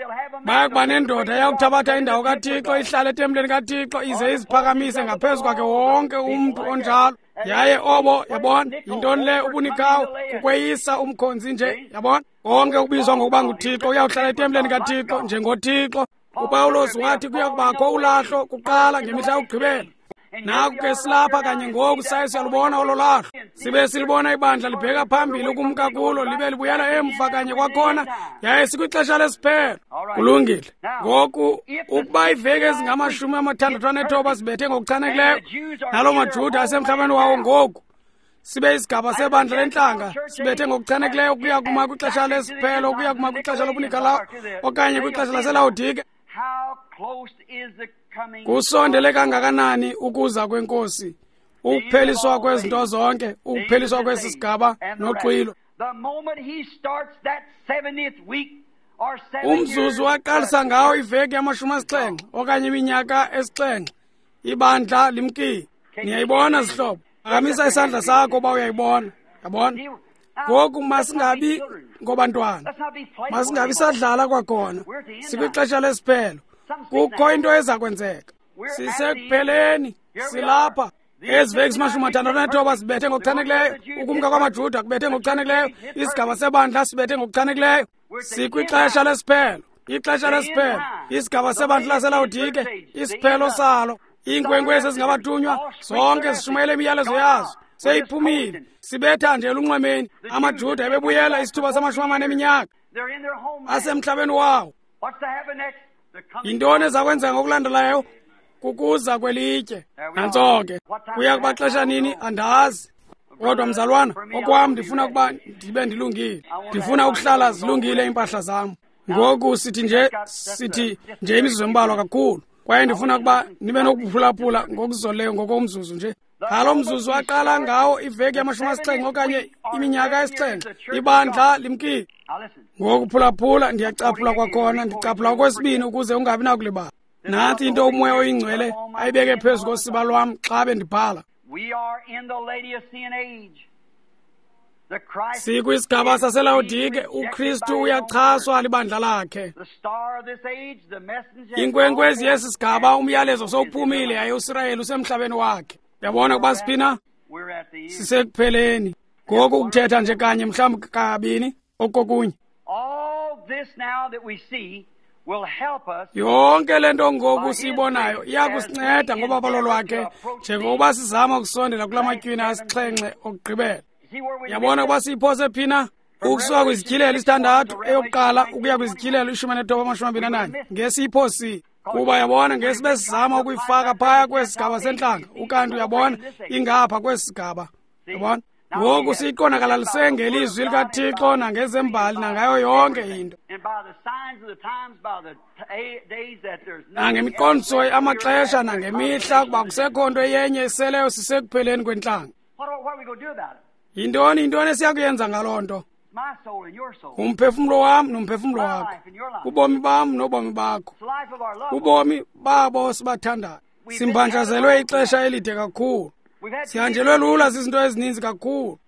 Bayakuba nendoda eyakuthabatha indawo kaThixo, ihlale etempileni kaThixo, ize iziphakamise ngaphezu kwakhe wonke umntu onjalo. Yaye obo, yabona, yintoni le ubunikawo? Kukweyisa umkhonzi nje, yabona? Konke ukubizwa ngokuba nguThixo uyawuhlala etempileni kaThixo njengoThixo. UPawulos wathi kuya kubakho ulahlo kuqala ngemihla yokugqibela. Naku ke silapha kanye ngoku, saye siyalubona olo lahlo. Sibe silibona ibandla libheka phambili ukumka kulo, libe libuyela emva kanye kwakhona, yaye sikwixesha lesiphelo. Kulungile. Ngoku ukuba iveki ezingamashumi amathandathu anethoba zibethe ngokuchanekileyo naloo maJuda asemhlabeni wawo ngoku, sibe isigaba sebandla lentlanga sibethe ngokuchanekileyo ukuya kuma kwixesha lesiphelo, ukuya kuma kwixesha lobuNikolawo okanye kwixesha laseLawodike, kusondele kangakanani ukuza kweNkosi, ukupheliswa kwezinto zonke, ukupheliswa kwesi sigaba noxwilo. Umzuzu waqalisa ngawo iveki yamashumi asixhenxe okanye iminyaka esixhenxe, ibandla limkile. Niyayibona zihlobo? Phakamisa isandla sakho uba uyayibona. Yabona? Ngoku masingabi ngobantwana, masingabi sadlala kwakhona. Sikwixesha lesiphelo. Kukho into eza kwenzeka. Sisekupheleni, silapha. Ezi veki zimashumi mathandathu anethoba sibethe ngokuchanekileyo, ukumka kwamaJuda kubethe ngokuchanekileyo, isigaba sebandla sibethe ngokuchanekileyo. Sikwixesha lesiphelo, ixesha lesiphelo, isigaba sebandla laseLawodike, isiphelo salo. Iinkwenkwezi ezingabathunywa zonke zishumayele imiyalezo yazo, seyiphumile. Sibetha nje elunxwemeni. AmaJuda ebebuyela isithuba samashumi amane eminyaka asemhlabeni wawo. Yintoni eza kwenzeka ngokulandelayo? Kukuza kwelitye. Nantso ke. Kuya kuba xesha nini andazi. Kodwa mzalwana, okwam ndifuna ukuba ndibe ndilungile. Ndifuna ukuhlala zilungile iimpahla zam. Ngoku sithi nje sithi nje imizuzu embalwa kakhulu. Kwaye ndifuna ukuba nibe nokuphulaphula ngokuzoleyo ngokomzuzu nje. Ngalo mzuzu aqala ngawo iveki yamashumi asixhenxe okanye iminyaka esixhenxe, ibandla limkile. Ngokuphulaphula ndiyacaphula kwakhona, ndicaphula okwesibini ukuze ungabi nakulibala. Nantsi into uMoya oyiNgcwele ayibeke phezu kosiba lwam xa bendibhala. Sikwisigaba saseLawodike, uKristu uyachaswa libandla lakhe. Inkwenkwezi yesi sigaba, umyalezo sowuphumile, yaye uSirayeli usemhlabeni wakhe. Uyabona ukuba siphina? Sisekupheleni. Ngoku ukuthetha nje kanye, mhlawumbi kabini, okokunye. Yonke le nto ngoku siyibonayo iyakusinceda ngobabalo lwakhe njengokuba sizama ukusondela kula matywina asixhenxe okugqibela. Yabona ukuba siyiphose phina? Ukusuka kwizityhilelo isithandathu eyokuqala ukuya kwizityhilelo ishumi anethoba amashumi amabini ananye ngesiyiphosile. Kuba yabona ngesibe sizama ukuyifaka phaya kwesi sigaba sentlanga, ukanti uyabona ingapha kwesi sigaba. Yabona? Ngoku siyiqonakalalise ngelizwi likaThixo nangezembali nangayo yonke into. Nangemiqondiso amaxesha nangemihla kuba kusekho nto eyenye iseleyo sisekupheleni kwentlanga. Yintoni yintoni esiyakuyenza ngaloo nto? Umphefumlo wam nomphefumlo wakho, ubomi bam nobomi bakho, ubomi babo sibathandayo. Simbanjazelwe ixesha elide kakhulu. Sihanjelwe lula zizinto ezininzi kakhulu.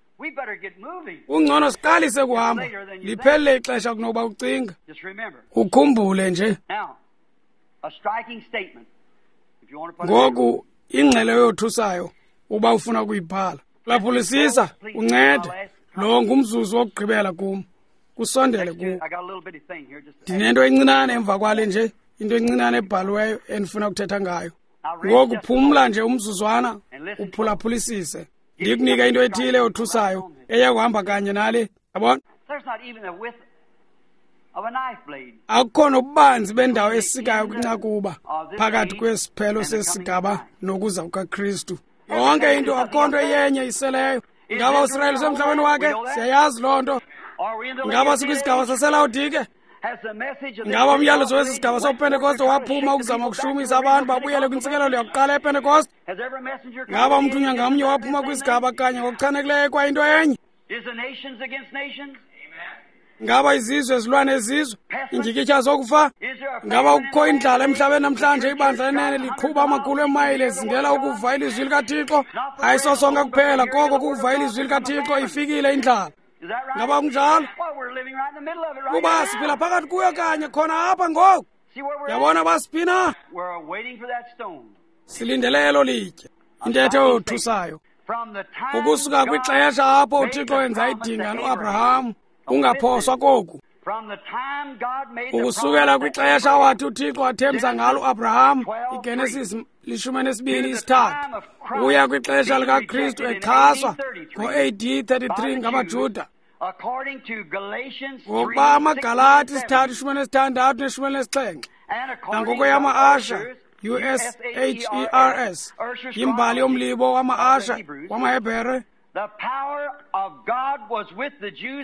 Ungcono siqalise kuhamba, liphelele ixesha kunokuba ucinga. Ukhumbule nje. Ngoku ingxelo eyothusayo uba ufuna ukuyibhala. Laphulisisa, uncede. Lo ngumzuzu wokugqibela kum. Kusondele kuwo. Ndinento encinane emva kwale nje, into encinane ebhaliweyo endifuna ukuthetha ngayo. Ngoku phumla nje umzuzwana, uphulaphulisise. Ndikunike into ethile eyothusayo eya kuhamba kanye nale. Yabona? Akukho nobubanzi bendawo esikayo kwincakuba phakathi kwesiphelo sesigaba nokuza kukaKristu. Yonke into, akukho nto eyenye iseleyo. Ingaba uSirayeli usemhlabeni wakhe? Siyayazi loo nto. Ingaba sikwisigaba saseLawodike? Ngaba umyalezo wesi sigaba soPentekoste waphuma ukuzama ukushumisa abantu babuyele kwintsikelelo yakuqala ePentekoste? Ngaba umthunywa ngamnye waphuma kwisigaba kanye ngokuchanekileyo kwayinto enye? Ngaba izizwe zilwa nezizwe, iindyikityha zokufa? Ngaba kukho indlala emhlabeni namhlanje? Ibandla lenene liqhuba amakhulu eemayile ezingela ukuva ilizwi likaThixo. Ayisosonke kuphela, koko kukuva ilizwi likaThixo. Ifikile indlala. Ngaba kunjalo? Kuba siphila phakathi kuyo kanye khona apha ngoku. Yabona basiphina? Silindele elo litye. Intetho eyothusayo. Ukusuka kwixesha apho uThixo wenza idinga noAbraham, ungaphoswa koku. Ukusukela kwixesha awathi uThixo wathembisa ngalo uAbraham, iGenesis lishumi nesibini isithathu, uya kwixesha likaKristu echaswa ngo-A D thirty-three ngamaJuda. Ngokuba amaGalati isithathu ishumi nesithandathu neshumi nesixhenxe, nangokweyama-Asha, U S H E R S, yimbali yomlibo wama-Asha wamaHebhere.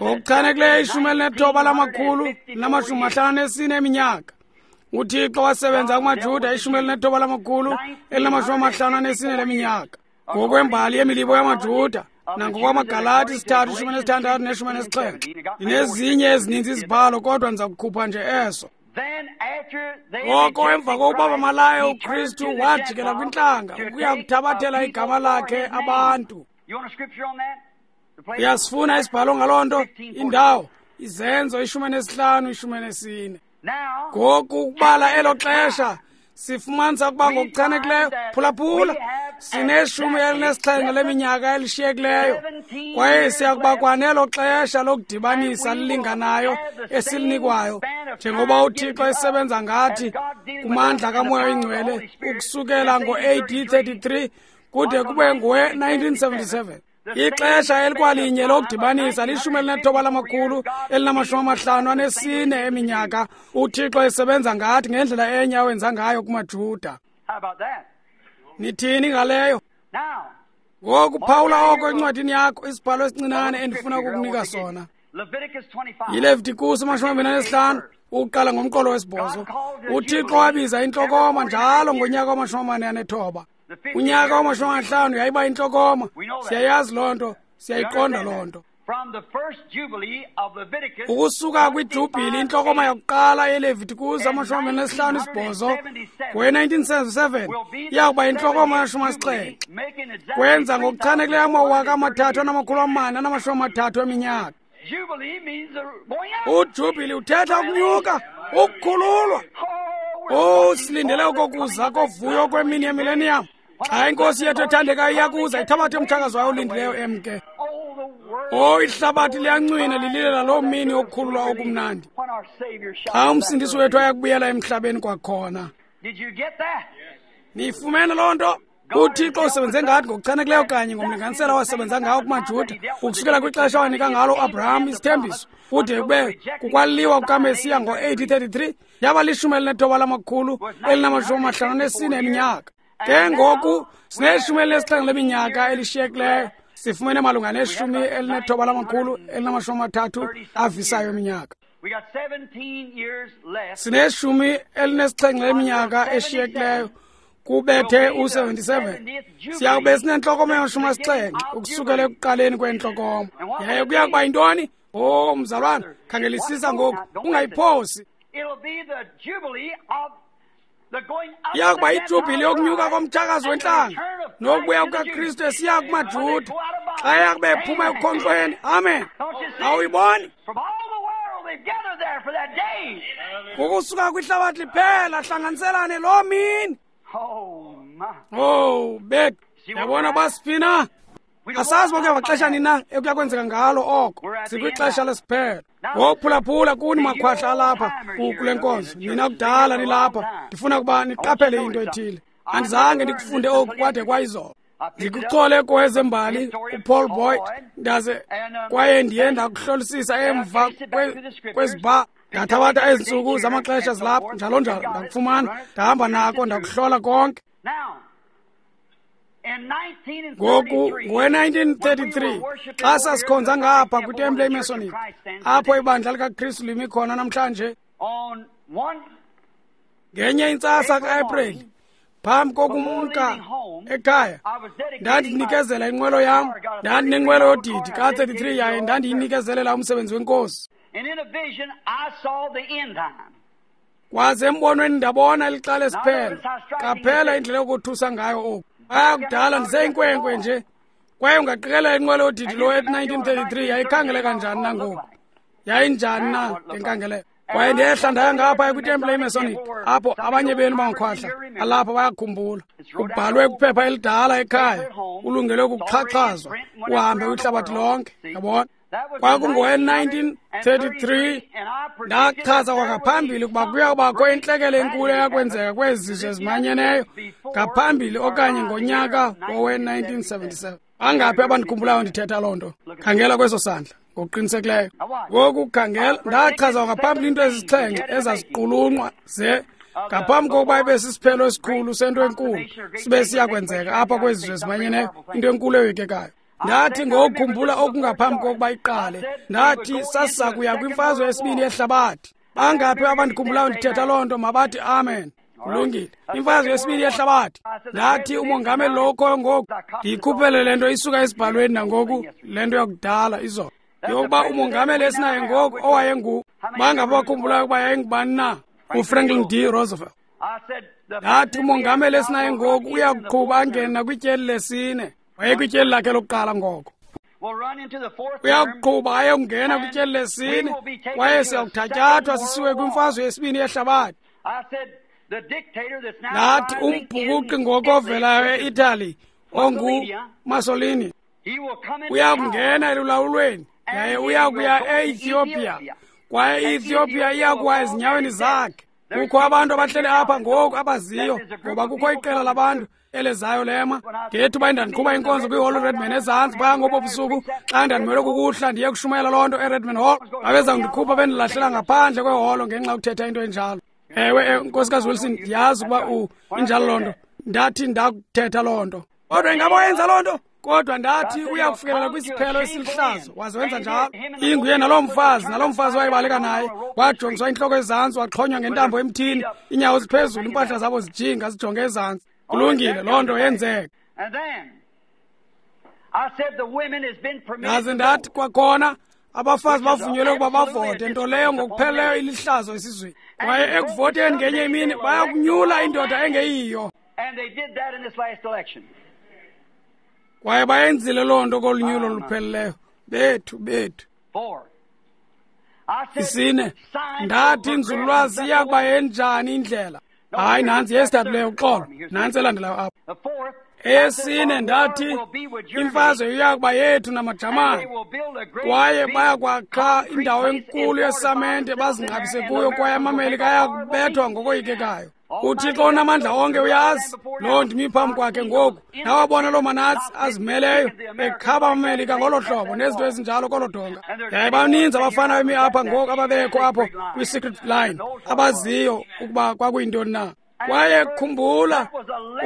Ngokuchanekileyo ishumi elinethoba lamakhulu namashumi mahlanu anesine eminyaka, uThixo wasebenza kumaJuda ishumi elinethoba lamakhulu elinamashumi amahlanu anesine leminyaka, ngokwembali yemilibo yamaJuda nangokwamaGalati isithathu ishumi enesithandathu neshumi enesixhenxe. Ndinezinye ezininzi izibhalo, kodwa ndiza kukhupha nje eso. Ngoko emva kokuba bamalayo uKristu wajikela kwintlanga ukuya kuthabathela igama lakhe abantu. Uyasifuna isibhalo ngaloo nto? Indawo, Izenzo ishumi nesihlanu ishumi nesine. Ngoku ukubala elo xesha sifumanisa ukuba ngokuchanekileyo, phulaphula, sineshumi elinesixhenxe leminyaka elishiyekileyo, kwaye siya kuba kwanelo xesha lokudibanisa lilinganayo esilinikwayo, njengoba uThixo esebenza ngathi kumandla kaMoya oyiNgcwele ukusukela ngo-A D thirty-three kude kube ngowe nineteen seventy-seven. Ixesha elikwalinye lokudibanisa lishumi elinethoba lamakhulu elinamashumi amahlanu anesine eminyaka uThixo esebenza ngathi ngendlela enye awenza ngayo kumaJuda. Nithini ngaleyo? Ngoku phawula oko encwadini yakho, isibhalo esincinane endifuna ukukunika sona. YiLevitikusi amashumi amabini anesihlanu, ukuqala ngomqolo wesibhozo. UThixo wabiza intlokoma njalo ngonyaka wamashumi amane anethoba. Unyaka wamashumi amahlanu yayiba intlokoma. Siyayazi loo nto, siyayiqonda loo nto. Ukusuka kwijubhili intlokoma yakuqala yeLevitikusi amashumi amabini anesihlanu isibhozo ngowe-nineteen seventy-seven iyakuba intlokoma yamashumi asixhenxe, kwenza ngokuchanekileyo amawaka amathathu anamakhulu amane anamashumi amathathu eminyaka. Ujubhili uthetha ukunyuka, ukukhululwa. Oh, silindele okokuza kovuyo kwemini yemileniyam, xa inkosi yethu ethandekayo iyakuza ithabathe umtshakazi wayo olindileyo emke. Oh, ihlabathi liyancwina lililela loo mini yokukhululwa okumnandi, xa umsindisi wethu ayakubuyela emhlabeni kwakhona. Niyifumene loo nto? UThixo usebenze ngathi ngokuchanekileyo kanye ngomlinganiselo awasebenza ngawo kumaJuda ukusukela kwixesha awanika ngalo uAbraham isithembiso kude kube kukwaliwa kukaMesiya ngo-A D thirty-three, yaba lishumi elinethoba lamakhulu elinamashumi amahlanu anesine eminyaka. Ke ngoku sineshumi elinesixhenxe leminyaka elishiyekileyo, sifumene malunga neshumi elinethoba lamakhulu elinamashumi amathathu avisayo eminyaka. Sineshumi elinesixhenxe leminyaka eshiyekileyo kubethe u-seventy-seven. Siyakube sinentlokoma yamashumi asixhenxe ukusukela ekuqaleni kwentlokoma. Yaye kuya kuba yintoni? Oh, mzalwana, khangelisisa ngoku, ungayiphosi. Iya kuba ijubhili yokunyuka komtshakazi wentlanga nokubuya kukaKristu esiya kumaJuda xa eya kube ephuma ekukhonkxweni. Amen. Awuyiboni? Ukusuka kwihlabathi liphela hlanganiselane loo mini. Oh, bethu, yabona basiphina? Asazi bonke maxesha nina ekuya kwenzeka ngalo oko. Sikwixesha lesiphelo. Ngokuphulaphula kuni makhwahla alapha kule nkonzo, nina kudala nilapha, ndifuna ukuba niqaphele into ethile. Andizange ndikufunde oku kwade kwayizolo. Ndikuchole kwezembali uPaul Boyd, ndaze kwaye ndiye ndakuhlolisisa emva kwezibha. Ndathabatha ezi ntsuku zamaxesha zilapho njalo njalo, ndakufumana, ndahamba nako, ndakuhlola konke. Ngoku ngowe-nineteen thirty-three xa sasikhonza ngapha kwitempile iMasonic, apho ibandla likaKristu limi khona namhlanje, Ngenye intsasa ka-Aprili, phambi kokumka ekhaya, ndandinikezela inqwelo yam. Ndandinenqwelo yodidi ka thirty-three yaye ndandiyinikezelela umsebenzi wenkosi. Kwaze embonweni ndabona lixa lesiphelo. Qaphela indlela yokothusa ngayo oku. Phaya kudala ndiseyinkwenkwe nje, kwaye ungaqikelela inqwelo yodidi lo nineteen thirty-three yayikhangeleka njani na ngoku, yayinjani na ngenkangeleko. Kwaye ndehla ndaya ngapha kwitempile iMasonic, apho abanye benu bangakhwahla alapha bayakhumbula. Kubhalwe kwiphepha elidala ekhaya, ulungele ukuxhaxhazwa uhambe kwihlabathi lonke, yabona. Kwakungowe nineteen thirty-three. Ndachaza kwangaphambili ukuba kuya kubakho intlekele enkulu eyakwenzeka kwezi zizwe ezimanyeneyo ngaphambili okanye ngonyaka wowe nineteen seventy-seven. Angaphi abandikhumbulayo ndithetha loo nto? Khangela kweso sandla. Ngokuqinisekileyo. Ngoku khangela, ndachaza ngaphambili into ezisixhenxe ezaziqulunqwa ze ngaphambi kokuba ibe sisiphelo esikhulu sento enkulu sibe siya kwenzeka apha kwezi zizwe ezimanyeneyo, into enkulu eyoyikekayo. Ndathi ngokukhumbula okungaphambi kokuba iqale, ndathi sasiza kuya kwimfazwe yesibini yehlabathi. Bangaphi abandikhumbulayo ndithetha loo nto? Mabathi amen. Kulungile. Imfazwe yesibini yehlabathi. Ndathi umongameli lo ukhoyo ngoku, ndiyikhuphele le nto isuka esibhalweni nangoku, le nto yakudala izolo, yokuba umongameli esinaye ngoku owayengu, bangaphi abakhumbulayo ukuba yayingubani na? UFranklin D. Roosevelt. Ndathi umongameli esinaye ngoku uyakuqhuba angene nakwityeli lesine. Wayekwityeli lakhe lokuqala ngoko. Uyakuqhuba ayokungena kwityeli lesine, kwaye siyakuthatyathwa sisiwe kwimfazwe yesibini yehlabathi. Ndathi umbhukuqi ngoku ovelayo e-Italy onguMussolini uyakungena elulawulweni yaye uya kuya e-Ethiopia, kwaye i-Ethiopia iya kuwa ezinyaweni zakhe. Kukho abantu abahleli apha ngoku abaziyo, ngoba kukho iqela labantu elezayo lema ngethuba ndandiqhuba inkonzo kwiholo Redman ezantsi phaya ngobo busuku, xa ndandimelwe kukuhla ndiye kushumayela loo nto eRedman Hall. Babeza kundikhupha bendilahlela ngaphandle kweholo ngenxa yokuthetha into enjalo. Ewe, Nkosikazi Wilson, ndiyazi ukuba u injalo loo nto. Ndathi ndakuthetha loo nto, kodwa ingaba wayenza loo nto? Kodwa ndathi uya kufikelela kwisiphelo esilihlazo, waze wenza njalo. Inguye naloo mfazi, naloo mfazi wayebaleka naye, wajongiswa intloko ezantsi, waxhonywa ngentambo emthini, iinyawo ziphezulu, iimpahla zabo zijinga zijonge ezantsi. Kulungile, loo nto yenzeka. Ndaze ndathi kwakhona abafazi bavunyelwe ukuba bavote, nto leyo ngokupheleleyo ilihlazo esizweni. Kwaye ekuvoteni ngenye imini bayakunyula indoda engeyiyo. Kwaye bayenzile loo nto kolu nyulo lupheleleyo. Bethu, bethu. Isine, ndathi inzululwazi iya kuba yenjani indlela. Hayi, nantsi yesithathu leyo, uxolo. Nantsi elandelayo apha. Eyesine, ndathi imfazwe iya kuba yethu namaJamani, kwaye bayakwakha indawo enkulu yesamente bazinqabise kuyo, kwaye amaMelika ayakubethwa ngokoyikekayo. UThixo onamandla onke uyazi loo ndimi phambi kwakhe ngoku. Nawabona loo manatsi azimeleyo ekhaba amaMelika ngolo hlobo nezinto ezinjalo kolo donga. Yaye baninzi abafana bemi apha ngoku ababekho apho kwi-Siegfried Line abaziyo ukuba kwakuyintoni na. Kwaye khumbula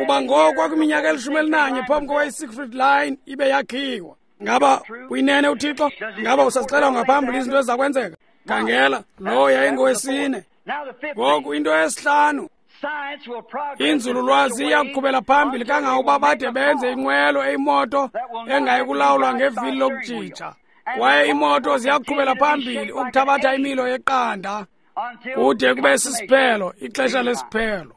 uba ngoko kwakwiminyaka elishumi elinanye phambi kokuba i-Siegfried Line ibe yakhiwa. Ngaba uyinene uThixo? Ngaba usasixela ngaphambili izinto eziza kwenzeka? Khangela, lowo yayingowesine. Ngoku into yesihlanu, inzululwazi iyakuqhubela phambili kangangokuba bade benze inqwelo eyimoto engayi kulawulwa ngevili lokujija, kwaye iimoto ziyakuqhubela phambili ukuthabatha imilo yeqanda kude kube sisiphelo, ixesha lesiphelo.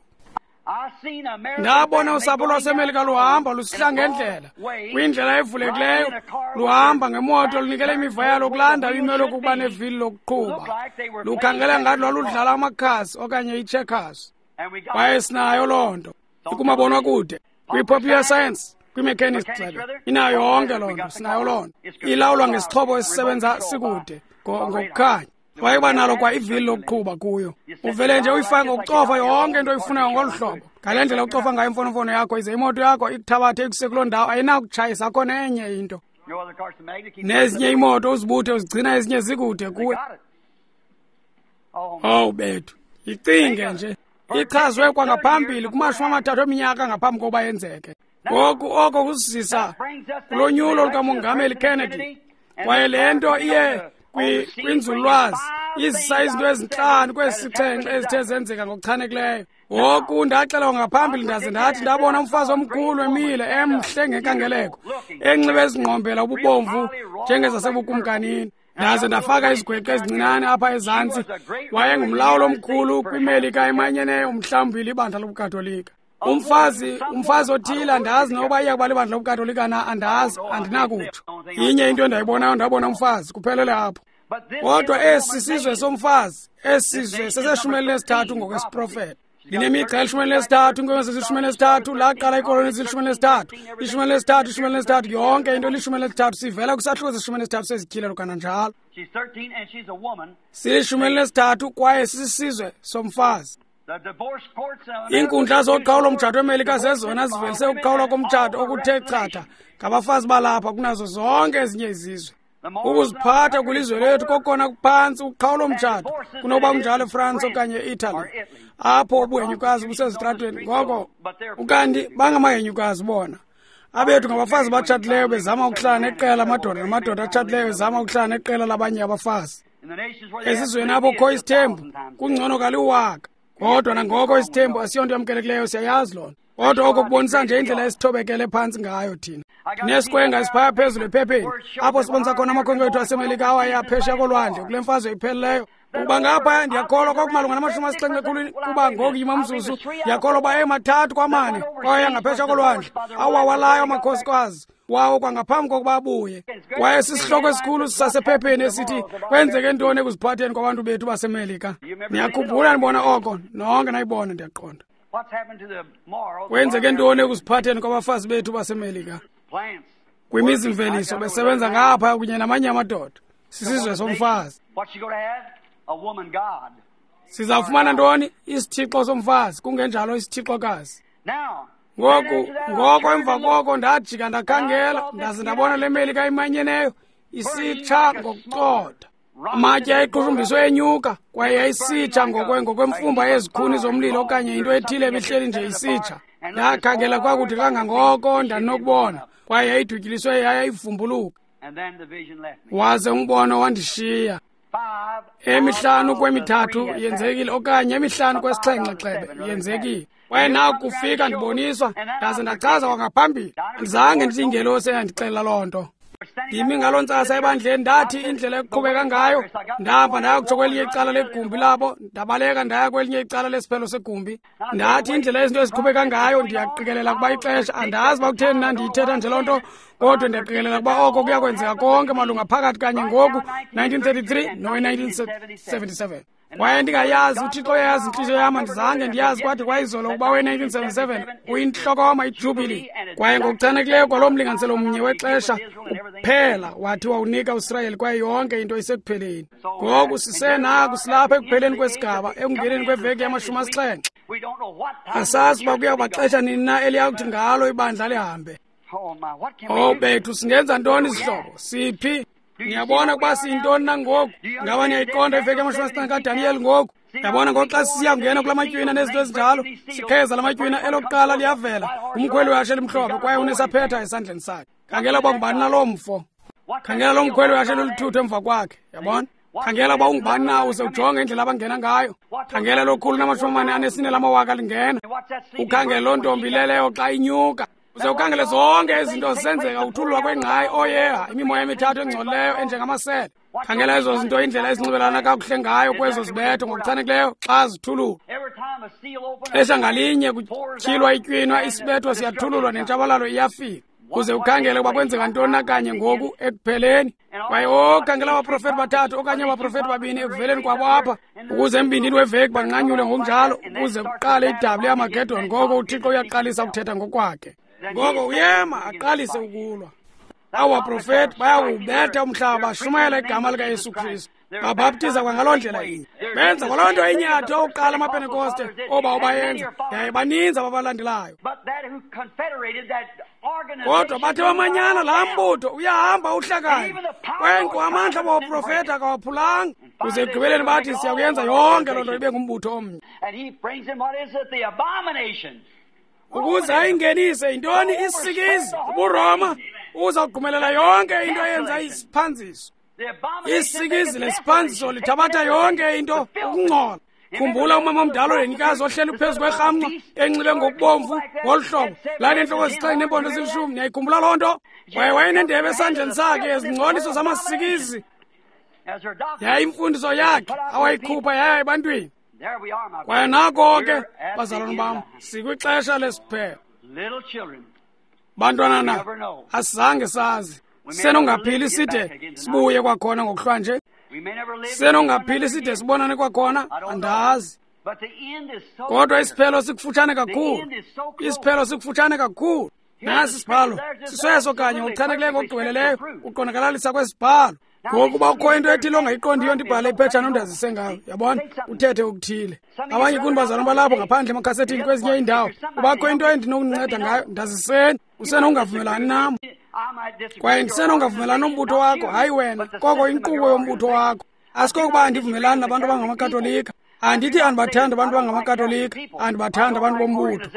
Ndabona usapho lwaseMelika luhamba lusihla ngendlela, kwindlela evulekileyo, luhamba ngemoto lunikela imiva yalo kulaa ndawo imelwe kukuba nevili lokuqhuba, lukhangela ngathi lwaludlala amakhasi okanye i-checkers. Kwaye sinayo loo nto ikumabonwakude, kwi-Popular Science, kwi-Mechanics, inayo yonke loo nto. Sinayo loo nto ilawulwa ngesixhobo esisebenza sikude ngokukhanya, kwaye uba nalo kwa ivili lokuqhuba kuyo. Uvele nje uyifake ngokucofa yonke into oyifunayo ngolu hlobo, ngale ndlela ucofa ngayo imfonomfono yakho, ize imoto yakho ikuthabathe ikuse kuloo ndawo. Ayinakutshayisa akho nenye into nezinye imoto, uzibuthe uzigcina ezinye zikude kuwe. Owu bethu, yicinge nje, ichazwe kwangaphambili kumashumi amathathu eminyaka ngaphambi kokuba yenzeke. Ngoku oko kusizisa kulonyulo lukaMongameli Kennedy, kwaye le nto iye kwinzululwazi Izisa izinto ezintlanu kwezi sixhenxe ezithe zenzeka ngokuchanekileyo. Ngoku ndaxelwa ngaphambili ndaze ndathi ndabona umfazi omkhulu emile emhle ngenkangeleko, enxibe ezingqombela ububomvu njengezasebukumkanini. Ndaze ndafaka izigweqe ezincinane apha ezantsi. Wayengumlawuli omkhulu kwiMelika emanyeneyo, mhlawumbi libandla lobuKatolika. Umfazi, umfazi othile, andazi noba iya kuba libandla lobuKatolika na, andazi, andinakutsho. Inye into endayibonayo, ndabona umfazi, kuphelele apho. Kodwa esi sizwe somfazi, esi sizwe seseshumi elinesithathu ngokwesiprofeto. Linemigca elishumi elinesithathu, iinkwenkwezi zilishumi elinesithathu, laqala iikoloni zilishumi elinesithathu, ishumi elinesithathu, ishumi elinesithathu, yonke into elishumi elinesithathu, sivela kwisahluko seshumi elinesithathu sezityhilelo kananjalo. Silishumi elinesithathu kwaye sisizwe somfazi. Iinkundla zoqhawulo mtshato eMelika zezona zivelise ukuqhawulwa komtshato okuthe chatha ngabafazi balapha kunazo zonke ezinye izizwe. Ukuziphatha kwilizwe lethu kokona kuphantsi ukuqhawula umtshato kunokuba kunjalo eFrance okanye eItaly, apho ubuhenyukazi busezitratweni. Ngoko ukanti bangamahenyukazi bona. Abethu ngabafazi batshatileyo bezama ukuhlala neqela lamadoda, namadoda atshatileyo ezama ukuhlala neqela labanye abafazi. Esizweni apho kho isithembu kungcono kaliwaka, kodwa nangoko isithembu asiyonto yamkelekileyo, siyayazi loo nto. Kodwa oko kubonisa nje indlela esithobekele phantsi ngayo thina. Nesiqwenga esiphaya phezulu ephepheni, apho sibonisa khona amakhwenkwe ethu aseMelika awaya phesheya kolwandle kule mfazwe iphelileyo. Kuba ngapha ndiyakholwa kwakumalunga namashumi asixhenxe ekhulwini, kuba ngoku yima mzuzu, ndiyakholwa uba emathathu kwamane kwaya ngaphesheya kolwandle awawalayo amakhosikazi wawo kwangaphambi kokuba abuye. Kwaye sisihloko esikhulu sasephepheni esithi kwenzeke ntoni ekuziphatheni kwabantu bethu baseMelika. Niyakhumbula ndibona oko, nonke nayibona, ndiyaqonda. Kwenzeke ntoni ekuziphatheni kwabafazi bethu baseMelika? Kwimizimveliso besebenza ngapha kunye namanye amadoda. Sisizwe somfazi. Sizawufumana ntoni? Isithixo somfazi, kungenjalo isithixokazi. Ngoku, ngoko emva koko ndajika ndakhangela, ndaze ndabona le Melika imanyeneyo isitsha ngokucotha. Amatye ayiqhushumbiswe enyuka, kwaye yayisitsha ngokwe ngokwemfumba yezikhuni zomlilo okanye into ethile ebihleli nje isitsha. Ndakhangela kwakude kangangoko ndandinokubona, kwaye yayidutyuliswe yayivumbuluka. Waze umbono wandishiya. Emihlanu kwemithathu yenzekile, okanye emihlanu kwesixhenxe xebe yenzekile. Kwaye nakufika ndiboniswa, ndaze ndachaza kwangaphambili. Andizange ndithi ingelosi eyandixelela loo nto. Ndimi ngaloo ntsasa ebandleni, ndathi indlela ekuqhubeka ngayo, ndahamba ndaya kutsho kwelinye icala legumbi labo, ndabaleka ndaya kwelinye icala lesiphelo segumbi. Ndathi indlela izinto eziqhubeka ngayo, ndiyaqikelela ukuba ixesha, andazi uba kutheni na ndiyithetha nje loo nto, kodwa ndiyaqikelela ukuba oko kuya kwenzeka konke malunga phakathi kanye ngoku, nineteen thirty-three nowe-nineteen seventy-seven. Kwaye ndingayazi, uThixo uyayazi intliziyo yam, andizange ndiyazi kwade kwayizolo ukuba we-nineteen seventy-seven uyintlokoma ijubilee. Kwaye ngokuchanekileyo kwaloo mlinganiselo mnye wexesha kuphela wathi wawunika uSirayeli, kwaye yonke into isekupheleni. Ngoku sisenaku silapha ekupheleni kwesigaba, ekungeneni kweveki yamashumi asixhenxe. Asazi uba kuyawuba xesha nini na eliyakuthi ngalo ibandla lihambe. Oh bethu, singenza ntoni zihlobo? Siphi? Niyabona ukuba siyintoni na ngoku? Ngaba niyayiqonda iveki yamashumi asixhenxe kaDaniyeli ngoku? Yabona ngoku xa sisiya kungena kula matywina nezinto ezinjalo, siqheza la matywina, elokuqala liyavela, umkhweli wehashe elimhlophe, kwaye unesaphetha esandleni sakhe. Khangela uba ngubani na loo mfo. Khangela loo mkhweli wehashe eluluthuthu emva kwakhe, yabona? Khangela uba ungubani na, uze ujonge indlela abangena ngayo. Khangela lokhulu namashumi amane anesine lamawaka lingena. Ukhangele loo ntombi ileleyo xa inyuka. Uze ukhangele zonke izinto zisenzeka, ukuthululwa kwengqayi, oyeha, imimoya emithathu engcolileyo enjengamasele. Khangela ezo zinto, indlela ezinxibelana kakuhle ngayo kwezo zibetho ngokuchanekileyo xa zithululwa. Xesha ngalinye kutyhilwa itywinwa, isibetho siyathululwa nentshabalalo iyafika. Uze ukhangele ukuba kwenzeka ntoni na kanye ngoku ekupheleni. Kwaye okhangela abaprofeti bathathu okanye abaprofeti babini ekuveleni kwabo apha, ukuze embindini weveki banqanyulwe ngokunjalo, ukuze kuqale idabi leArmagedon. Ngoko uThixo uyaqalisa ukuthetha ngokwakhe. Ngoko uyema aqalise ukulwa. Abo baprofeti bayawubetha umhlaba, bashumayela igama likaYesu Kristu, babhaptiza kwangaloo ndlela inye. Benza kwaloo nto inye athi owokuqala amaPentekoste oba ubayenza, yaye baninzi ababalandelayo. Kodwa bathe bamanyana, laa mbutho uyahamba uhlakanye. Kwaye nkqu amandla abaprofeti akawaphulanga. Kuze ekugqibeleni bathi siya kuyenza yonke loo nto ibe ngumbutho omnye. Ukuze ayingenise yintoni? Isikizi, ubuRoma, uza kugqumelela yonke into eyenza isiphanziso. Isikizi lesiphanziso lithabatha yonke into, ukungcola. Khumbula umama omdala olenikazi ohleli phezu kwerhamncwa enxibe ngokubomvu ngolu hlobo, lanentloko zixhenxe neempondo ezilishumi. Niyayikhumbula loo nto? Kwaye wayenendebe esandleni sakhe ezingcoliso zamasikizi. Yayimfundiso yakhe awayikhupha yaya ebantwini. Kwaye nako ke, bazalwane bam, sikwixesha lesiphelo. Bantwana na, asizange sazi. Senongaphili side sibuye kwakhona ngokuhlwanje. Senongaphili side sibonane kwakhona, andazi. Kodwa isiphelo sikufutshane kakhulu. Isiphelo sikufutshane kakhulu. Nasi isibhalo siseso kanye ngokuchanekileyo ngokugqibeleleyo uqondakalalisa kwesibhalo. Ngokuba kukho into ethile ongayiqondiyo, ndibhale iphetshana ondazise ngayo. Yabona, uthethe okuthile. Abanye kuni bazalwane balapho ngaphandle emakhasetini kwezinye iindawo, ubakho into endinokunceda ngayo, ndaziseni. Usenokungavumelani nam, kwaye ndisenongavumelani nombutho wakho. Hayi wena, koko inkqubo yombutho wakho. Asikokuba andivumelani nabantu abangamakatolika. Andithi andibathanda abantu abangamakatolika, andibathanda abantu bombutho.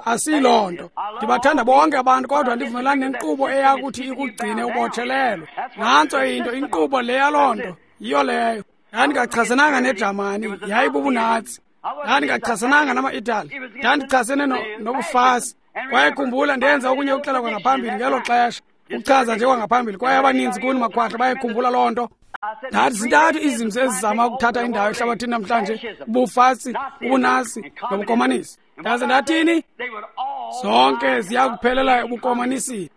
Asiyiloo nto. Ndibathanda bonke abantu, kodwa andivumelani nenkqubo eyakuthi ikugcine ubotshelelwe. Nantso into, inkqubo le yaloo nto, yiyo leyo. Ndandingachasenanga neJamani, yayibubunatsi. Ndandingachasenanga nama-Itali, ndandichasene nobufasi. Kwaye khumbula, ndenza okunye ukuxela kwangaphambili ngelo xesha, ukuchaza nje kwangaphambili. Kwaye abaninzi kuni makhwahla bayekhumbula loo nto. Ndathi zintathu izimso ezizama ukuthatha indawo ehlabathini namhlanje: ubufasi, ubunasi nobukomanisi. Ndaze ndathini? Zonke ziya kuphelela ebukomanisini.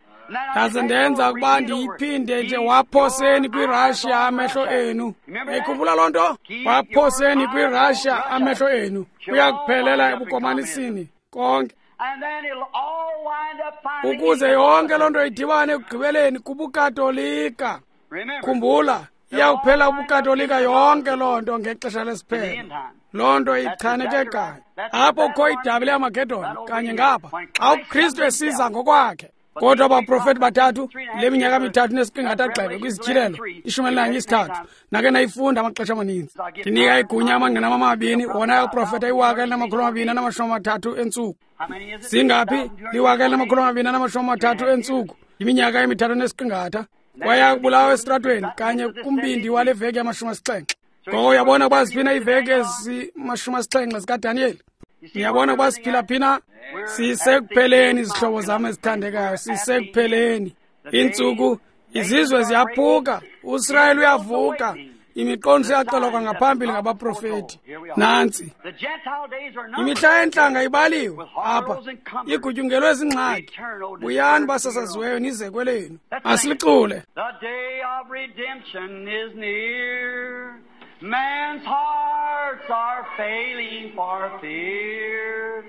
Ndaze ndenza ukuba ndiyiphinde nje, waphoseni kwiRussia amehlo enu. Uyayikhumbula loo nto? Waphoseni kwiRussia amehlo enu. Kuyakuphelela ebukomanisini konke, ukuze yonke loo nto idibane ekugqibeleni kubukatolika. Khumbula, iyawuphela ubukatolika yonke loo nto ngexesha lesiphelo. Loo nto ichaneke kanye apho kukho idabi leArmagedon kanye ngapha, xa uKristu esiza ngokwakhe. Kodwa abaprofeti bathathu le minyaka mithathu nesiqingatha gxebe kwizityhilelo ishumi elinanye isithathu, nake nayifunda amaxesha amaninzi. Ndinika igunya amangqina amabini, wona ayaprofeta iwaka elinamakhulu amabini anamashumi amathathu entsuku. Zingaphi? Liwaka elinamakhulu amabini anamashumi amathathu entsuku, iminyaka emithathu nesiqingatha. Kwaye akubulawa esitratweni kanye kumbindi wale veki yamashumi asixhenxe. Ngoko uyabona ukuba ziphina iiveki ezimashumi asixhenxe zikaDaniyeli? Niyabona ukuba siphila phina? Sisekupheleni, izihlobo zam ezithandekayo, sisekupheleni. Iintsuku, izizwe ziyaphuka, uSirayeli uyavuka, imiqondiso iyaxelwa kwangaphambili ngabaprofeti. Nantsi imihla yentlanga ibaliwe apha, igutyungelwe zingxaki. Buyani basasaziweyo nize kwelenu. Masilicule. Man's hearts are failing for fear.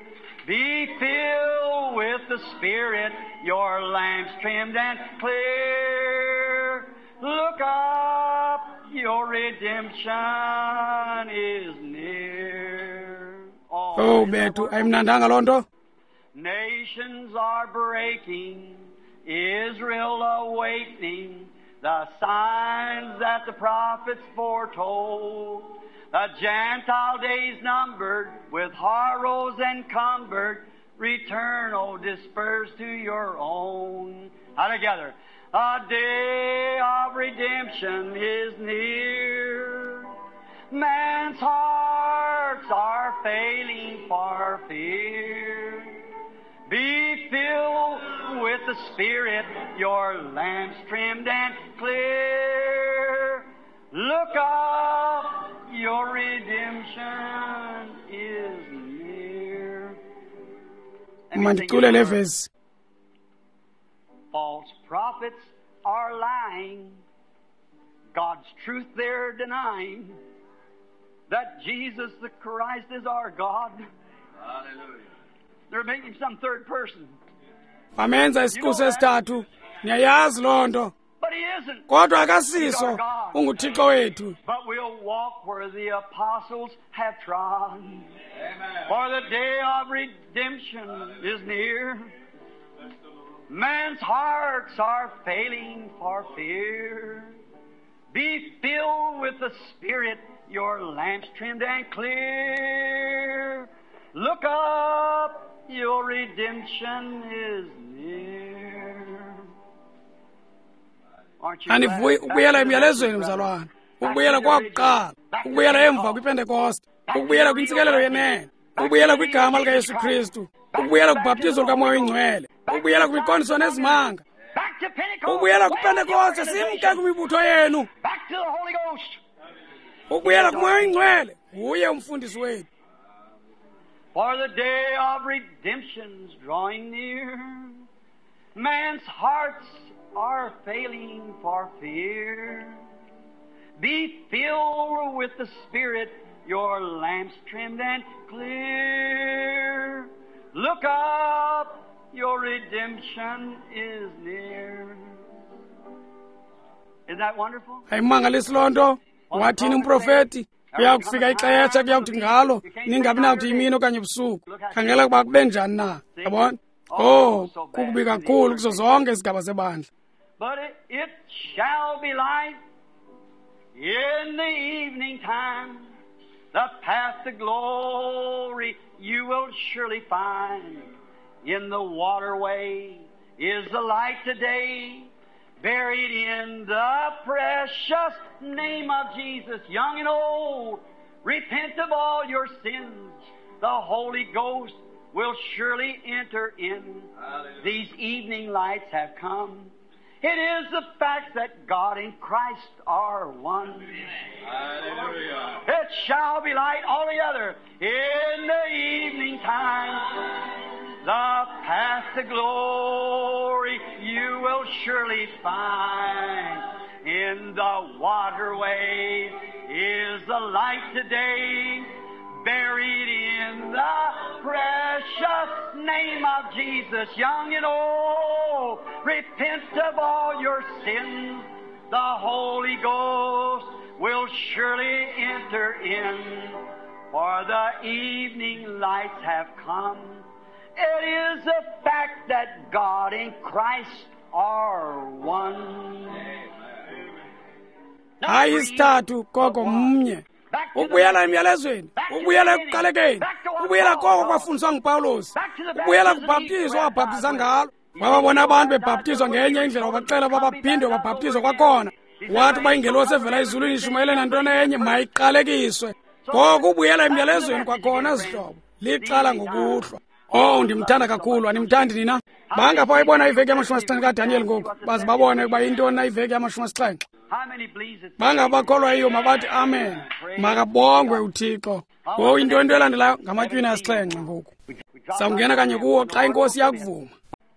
Be filled with the Spirit, your lamps trimmed and clear. Look up, your redemption is near. Oh, bethu, ayimnandanga loo nto. Nations are breaking, Israel awakening, the signs that the prophets foretold. The Gentile days numbered, with horrors encumbered, return, O dispersed to your own. All together. A day of redemption is near. Man's hearts are failing for fear. Be filled with the Spirit, your lamps trimmed and clear. Look up, your redemption is near. Mandicule le verse. False prophets are lying. God's truth they're denying. That Jesus the Christ is our God. Hallelujah. They're making some third person. Bamenza isiqu sesithathu. Niyayazi loo nto. But he isn't. Kodwa akasiso, unguThixo wethu. But we'll walk where the apostles have trod. Amen. For the day of redemption is near. Man's hearts are failing for fear. Be filled with the Spirit, your lamps trimmed and clear. Look up, your redemption is near. Andivuyi ukubuyela emyalezweni, mzalwana, ukubuyela kwakuqala, ukubuyela emva kwiPentekoste, ukubuyela kwintsikelelo yenene, ukubuyela kwigama likaYesu Kristu, ukubuyela kubhaptizo lukaMoya oyiNgcwele, ukubuyela kwimiqondiso nezimanga, ukubuyela kwiPentekoste, simke kwimibutho yenu, ukubuyela kuMoya oyiNgcwele. Nguye umfundisi wethu. For the day of redemption's drawing near, man's hearts are failing for fear. Be filled with the Spirit, your lamps trimmed and clear. Look up, your redemption is near. Isn't that wonderful? Ayimangalisi loo nto. Wathini umprofeti? Kuya kufika ixesha kuya kuthi ngalo ningabi nakuthi imini okanye ubusuku. Khangela ukuba kube njani na. Yabona? Oh, kukubi kakhulu kuzo zonke izigaba zebandla. But it, it shall be light in the evening time. The path to glory you will surely find. In the waterway is the light today, buried in the precious name of Jesus. Young and old, repent of all your sins. The Holy Ghost will surely enter in. Hallelujah. These evening lights have come. It is the fact that God and Christ are one. Hallelujah. It shall be light altogether in the evening time. The path to glory you will surely find. In the waterway is the light today, buried in the precious name of Jesus. Young and old, repent of all your sins. The Holy Ghost will surely enter in, for the evening lights have come. It is the fact that God and Christ are one. Hayi isithathu koko mnye. Ukubuyela emyalezweni, ukubuyela ekuqalekeni, ukubuyela koko kwafundiswa nguPawulos, ukubuyela kubhaptizo wabhaptiza ngalo. Wababona abantu bebhaptizwa ngenye indlela, wabaxela uba baphinde babhaptizwe kwakhona. Wathi uba ingelosi evela ezulwini ishumayele nantoni enye mayiqalekiswe. Ngoko ubuyela emyalezweni kwakhona, zihlobo, lixala ngokuhlwa. Oh, ndimthanda kakhulu, animthandi nina? Bangapha wayibona iveki yamashumi asixhenxe kaDaniel ngoku, baze babone ukuba yintoni na iveki yamashumi asixhenxe. How many believes it? Bangabakholwa yiyo mabathi amen. Makabongwe uThixo. Ngoku into into elandelayo ngamatywina asixhenxe ngoku. Sawungena kanye kuwo xa iNkosi yakuvuma.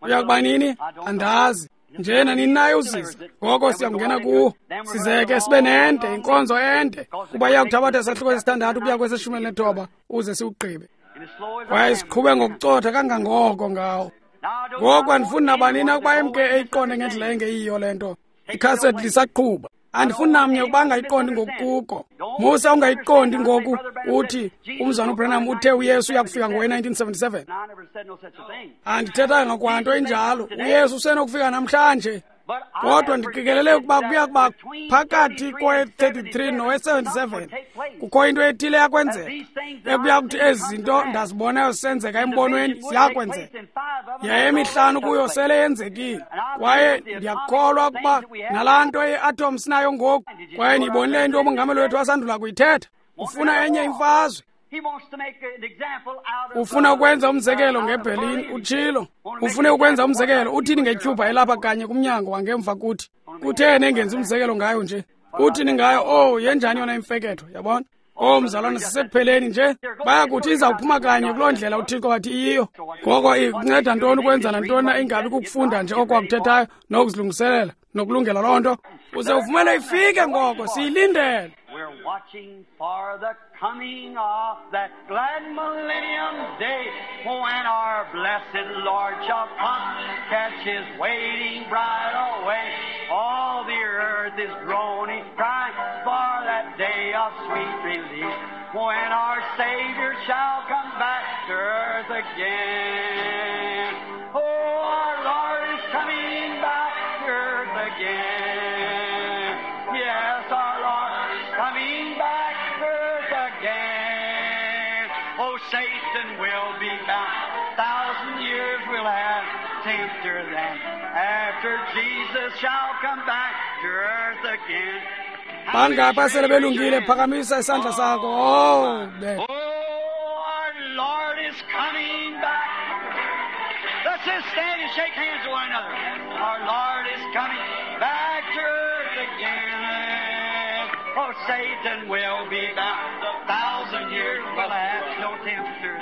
Uya kuba nini? Andazi. Nje nanini nayo uzisa. Ngoko siyakungena kuwo. Size ke sibe nende, inkonzo ende, kuba iya kuthabatha isahluko esithandathu ukuya kweseshumi elinethoba uze siwugqibe. And as slow as I Kwaye am. siqhube ngokucotha kangangoko ngawo. Now, I don't Ngoku andifuni nabani na ukuba want emke eyiqonde ngendlela engeyiyo le nto. Ikhasethi lisaqhuba. Andifuni namnye ukuba angayiqondi ngokukuko. Musa ungayiqondi ngoku uthi umzana uBranham uthe uYesu uyakufika ngowe-nineteen seventy-seven. I never said no such a thing. Andithethanga kwanto enjalo. uYesu usenokufika namhlanje. But I Kodwa have ndiqikelele ukuba kuya kuba between phakathi thirty-three and kwe-thirty-three nowe-seventy-seven something will take place. kukho into ethile yakwenzeka. These things that Ekuya I kuthi see ezi come to zinto pass. ndazibonayo zisenzeka The embonweni vision would take ziyakwenzeka. place in five of them Yaye have emihlanu already kuyo took place. sele yenzekile. Kwaye ndiyakholwa ukuba nalaa nto ye-atom sinayo ngoku. Kwaye ndiyibonile into umongameli wethu wasandula kuyithetha. Ufuna enye imfazwe. He wants to make an example out of, Ufuna uh, ukwenza umzekelo out of ngeBerlin, Berlin. utshilo. Ufune ukwenza umzekelo, uthini ngetyuba elapha kanye kumnyango wangemva kuthi? Kutheni engenzi umzekelo ngayo nje? Uthini ngayo? Oh, yenjani yona imfeketho, yabona? Oh, mzalwana, sisekupheleni nje. Bayakuthi izawuphuma kanye kuloo ndlela uThixo wathi iyiyo. Ngoko ikunceda ntoni ukwenza nantoni na ingabi kukufunda nje oko akuthethayo nokuzilungiselela nokulungela loo nto? Uze uvumele ifike ngoko, siyilindele. We're watching for the coming of that glad millennium day when our blessed Lord shall come, catch his waiting bride away. All the earth is groaning, crying for that day of sweet release when our Savior shall come back to earth again. Oh, our Lord is coming back to earth again. Yes, our Lord is coming back to earth again. Oh, Satan will be bound. Thousand years we'll have tempter then. After Jesus shall come back to earth again. Bangaphi asele belungile? Phakamisa isandla sakho. Oh, be. Oh, our Lord is coming back. Let's just stand and shake hands with one another. Our Lord is coming back to earth again. Oh, Satan will be bound a thousand years, will have no tempter.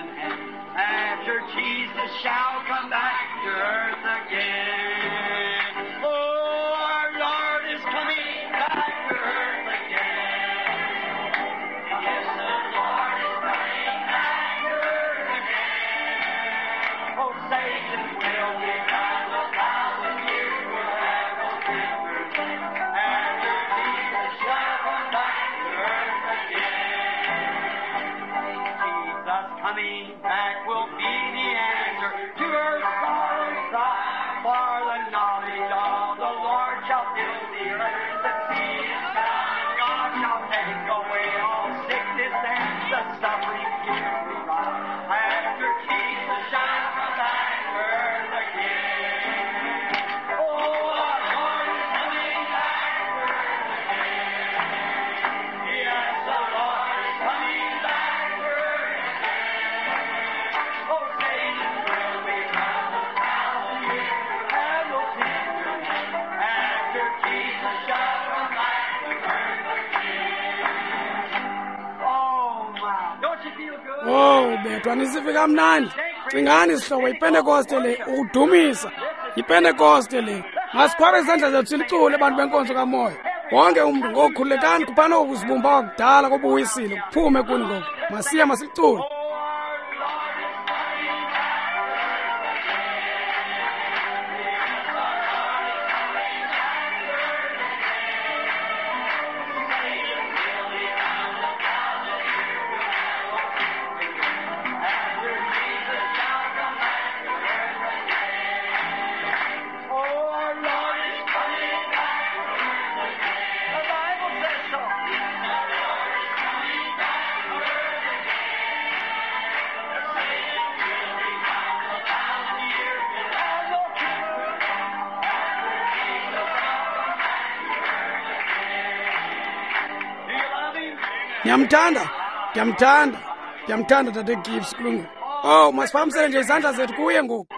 After Jesus shall come back to earth again. Oh, our Lord is coming back to earth again. Yes, the Lord is coming back to earth again. Oh, Satan will be bound a thousand years, will have no tempter. After Jesus shall come back to earth again. Jesus coming back will be the answer to earth's sorrow's cry. For the knowledge of the Lord shall fill the earth, the sea is found. God shall take away all sickness and the suffering here we rise. After Jesus shall come back to earth again. Oh, our Lord is coming back to earth again. Yes, the Lord is coming back to earth again. Oh, Satan will be bound a thousand years, have no tempter. After Jesus shall come back to earth again. Oh, my. Don't you feel good? Oh, bethu, anisivi kamnandi? Cingani sihlobo, iPentekoste le, ukudumisa. IPentekoste le. Masiqhwabe izandla zethu silicule bantu benkonzo kamoya. Wonke umntu ngokukhululekani kuphana okuzibumba kwakudala kobuwisile kuphume kuni ngoku. Masiye masilicule. Oh, our Lord is coming back to earth again. Yes, our Lord is coming back to earth again. Satan will be bound a thousand years, will have no tempter. After Jesus shall come back to earth again. Oh, our Lord is coming back to earth again. The Bible says so. Our Lord is coming back to earth again. Satan will be bound a thousand years, will have no tempter. After Jesus shall come back to earth again. Do you love him? Ndiyamthanda, ndiyamthanda, ndiyamthanda Tate Gibbs, kulungile. Oh, masiphakamisele nje izandla zethu kuye ngoku.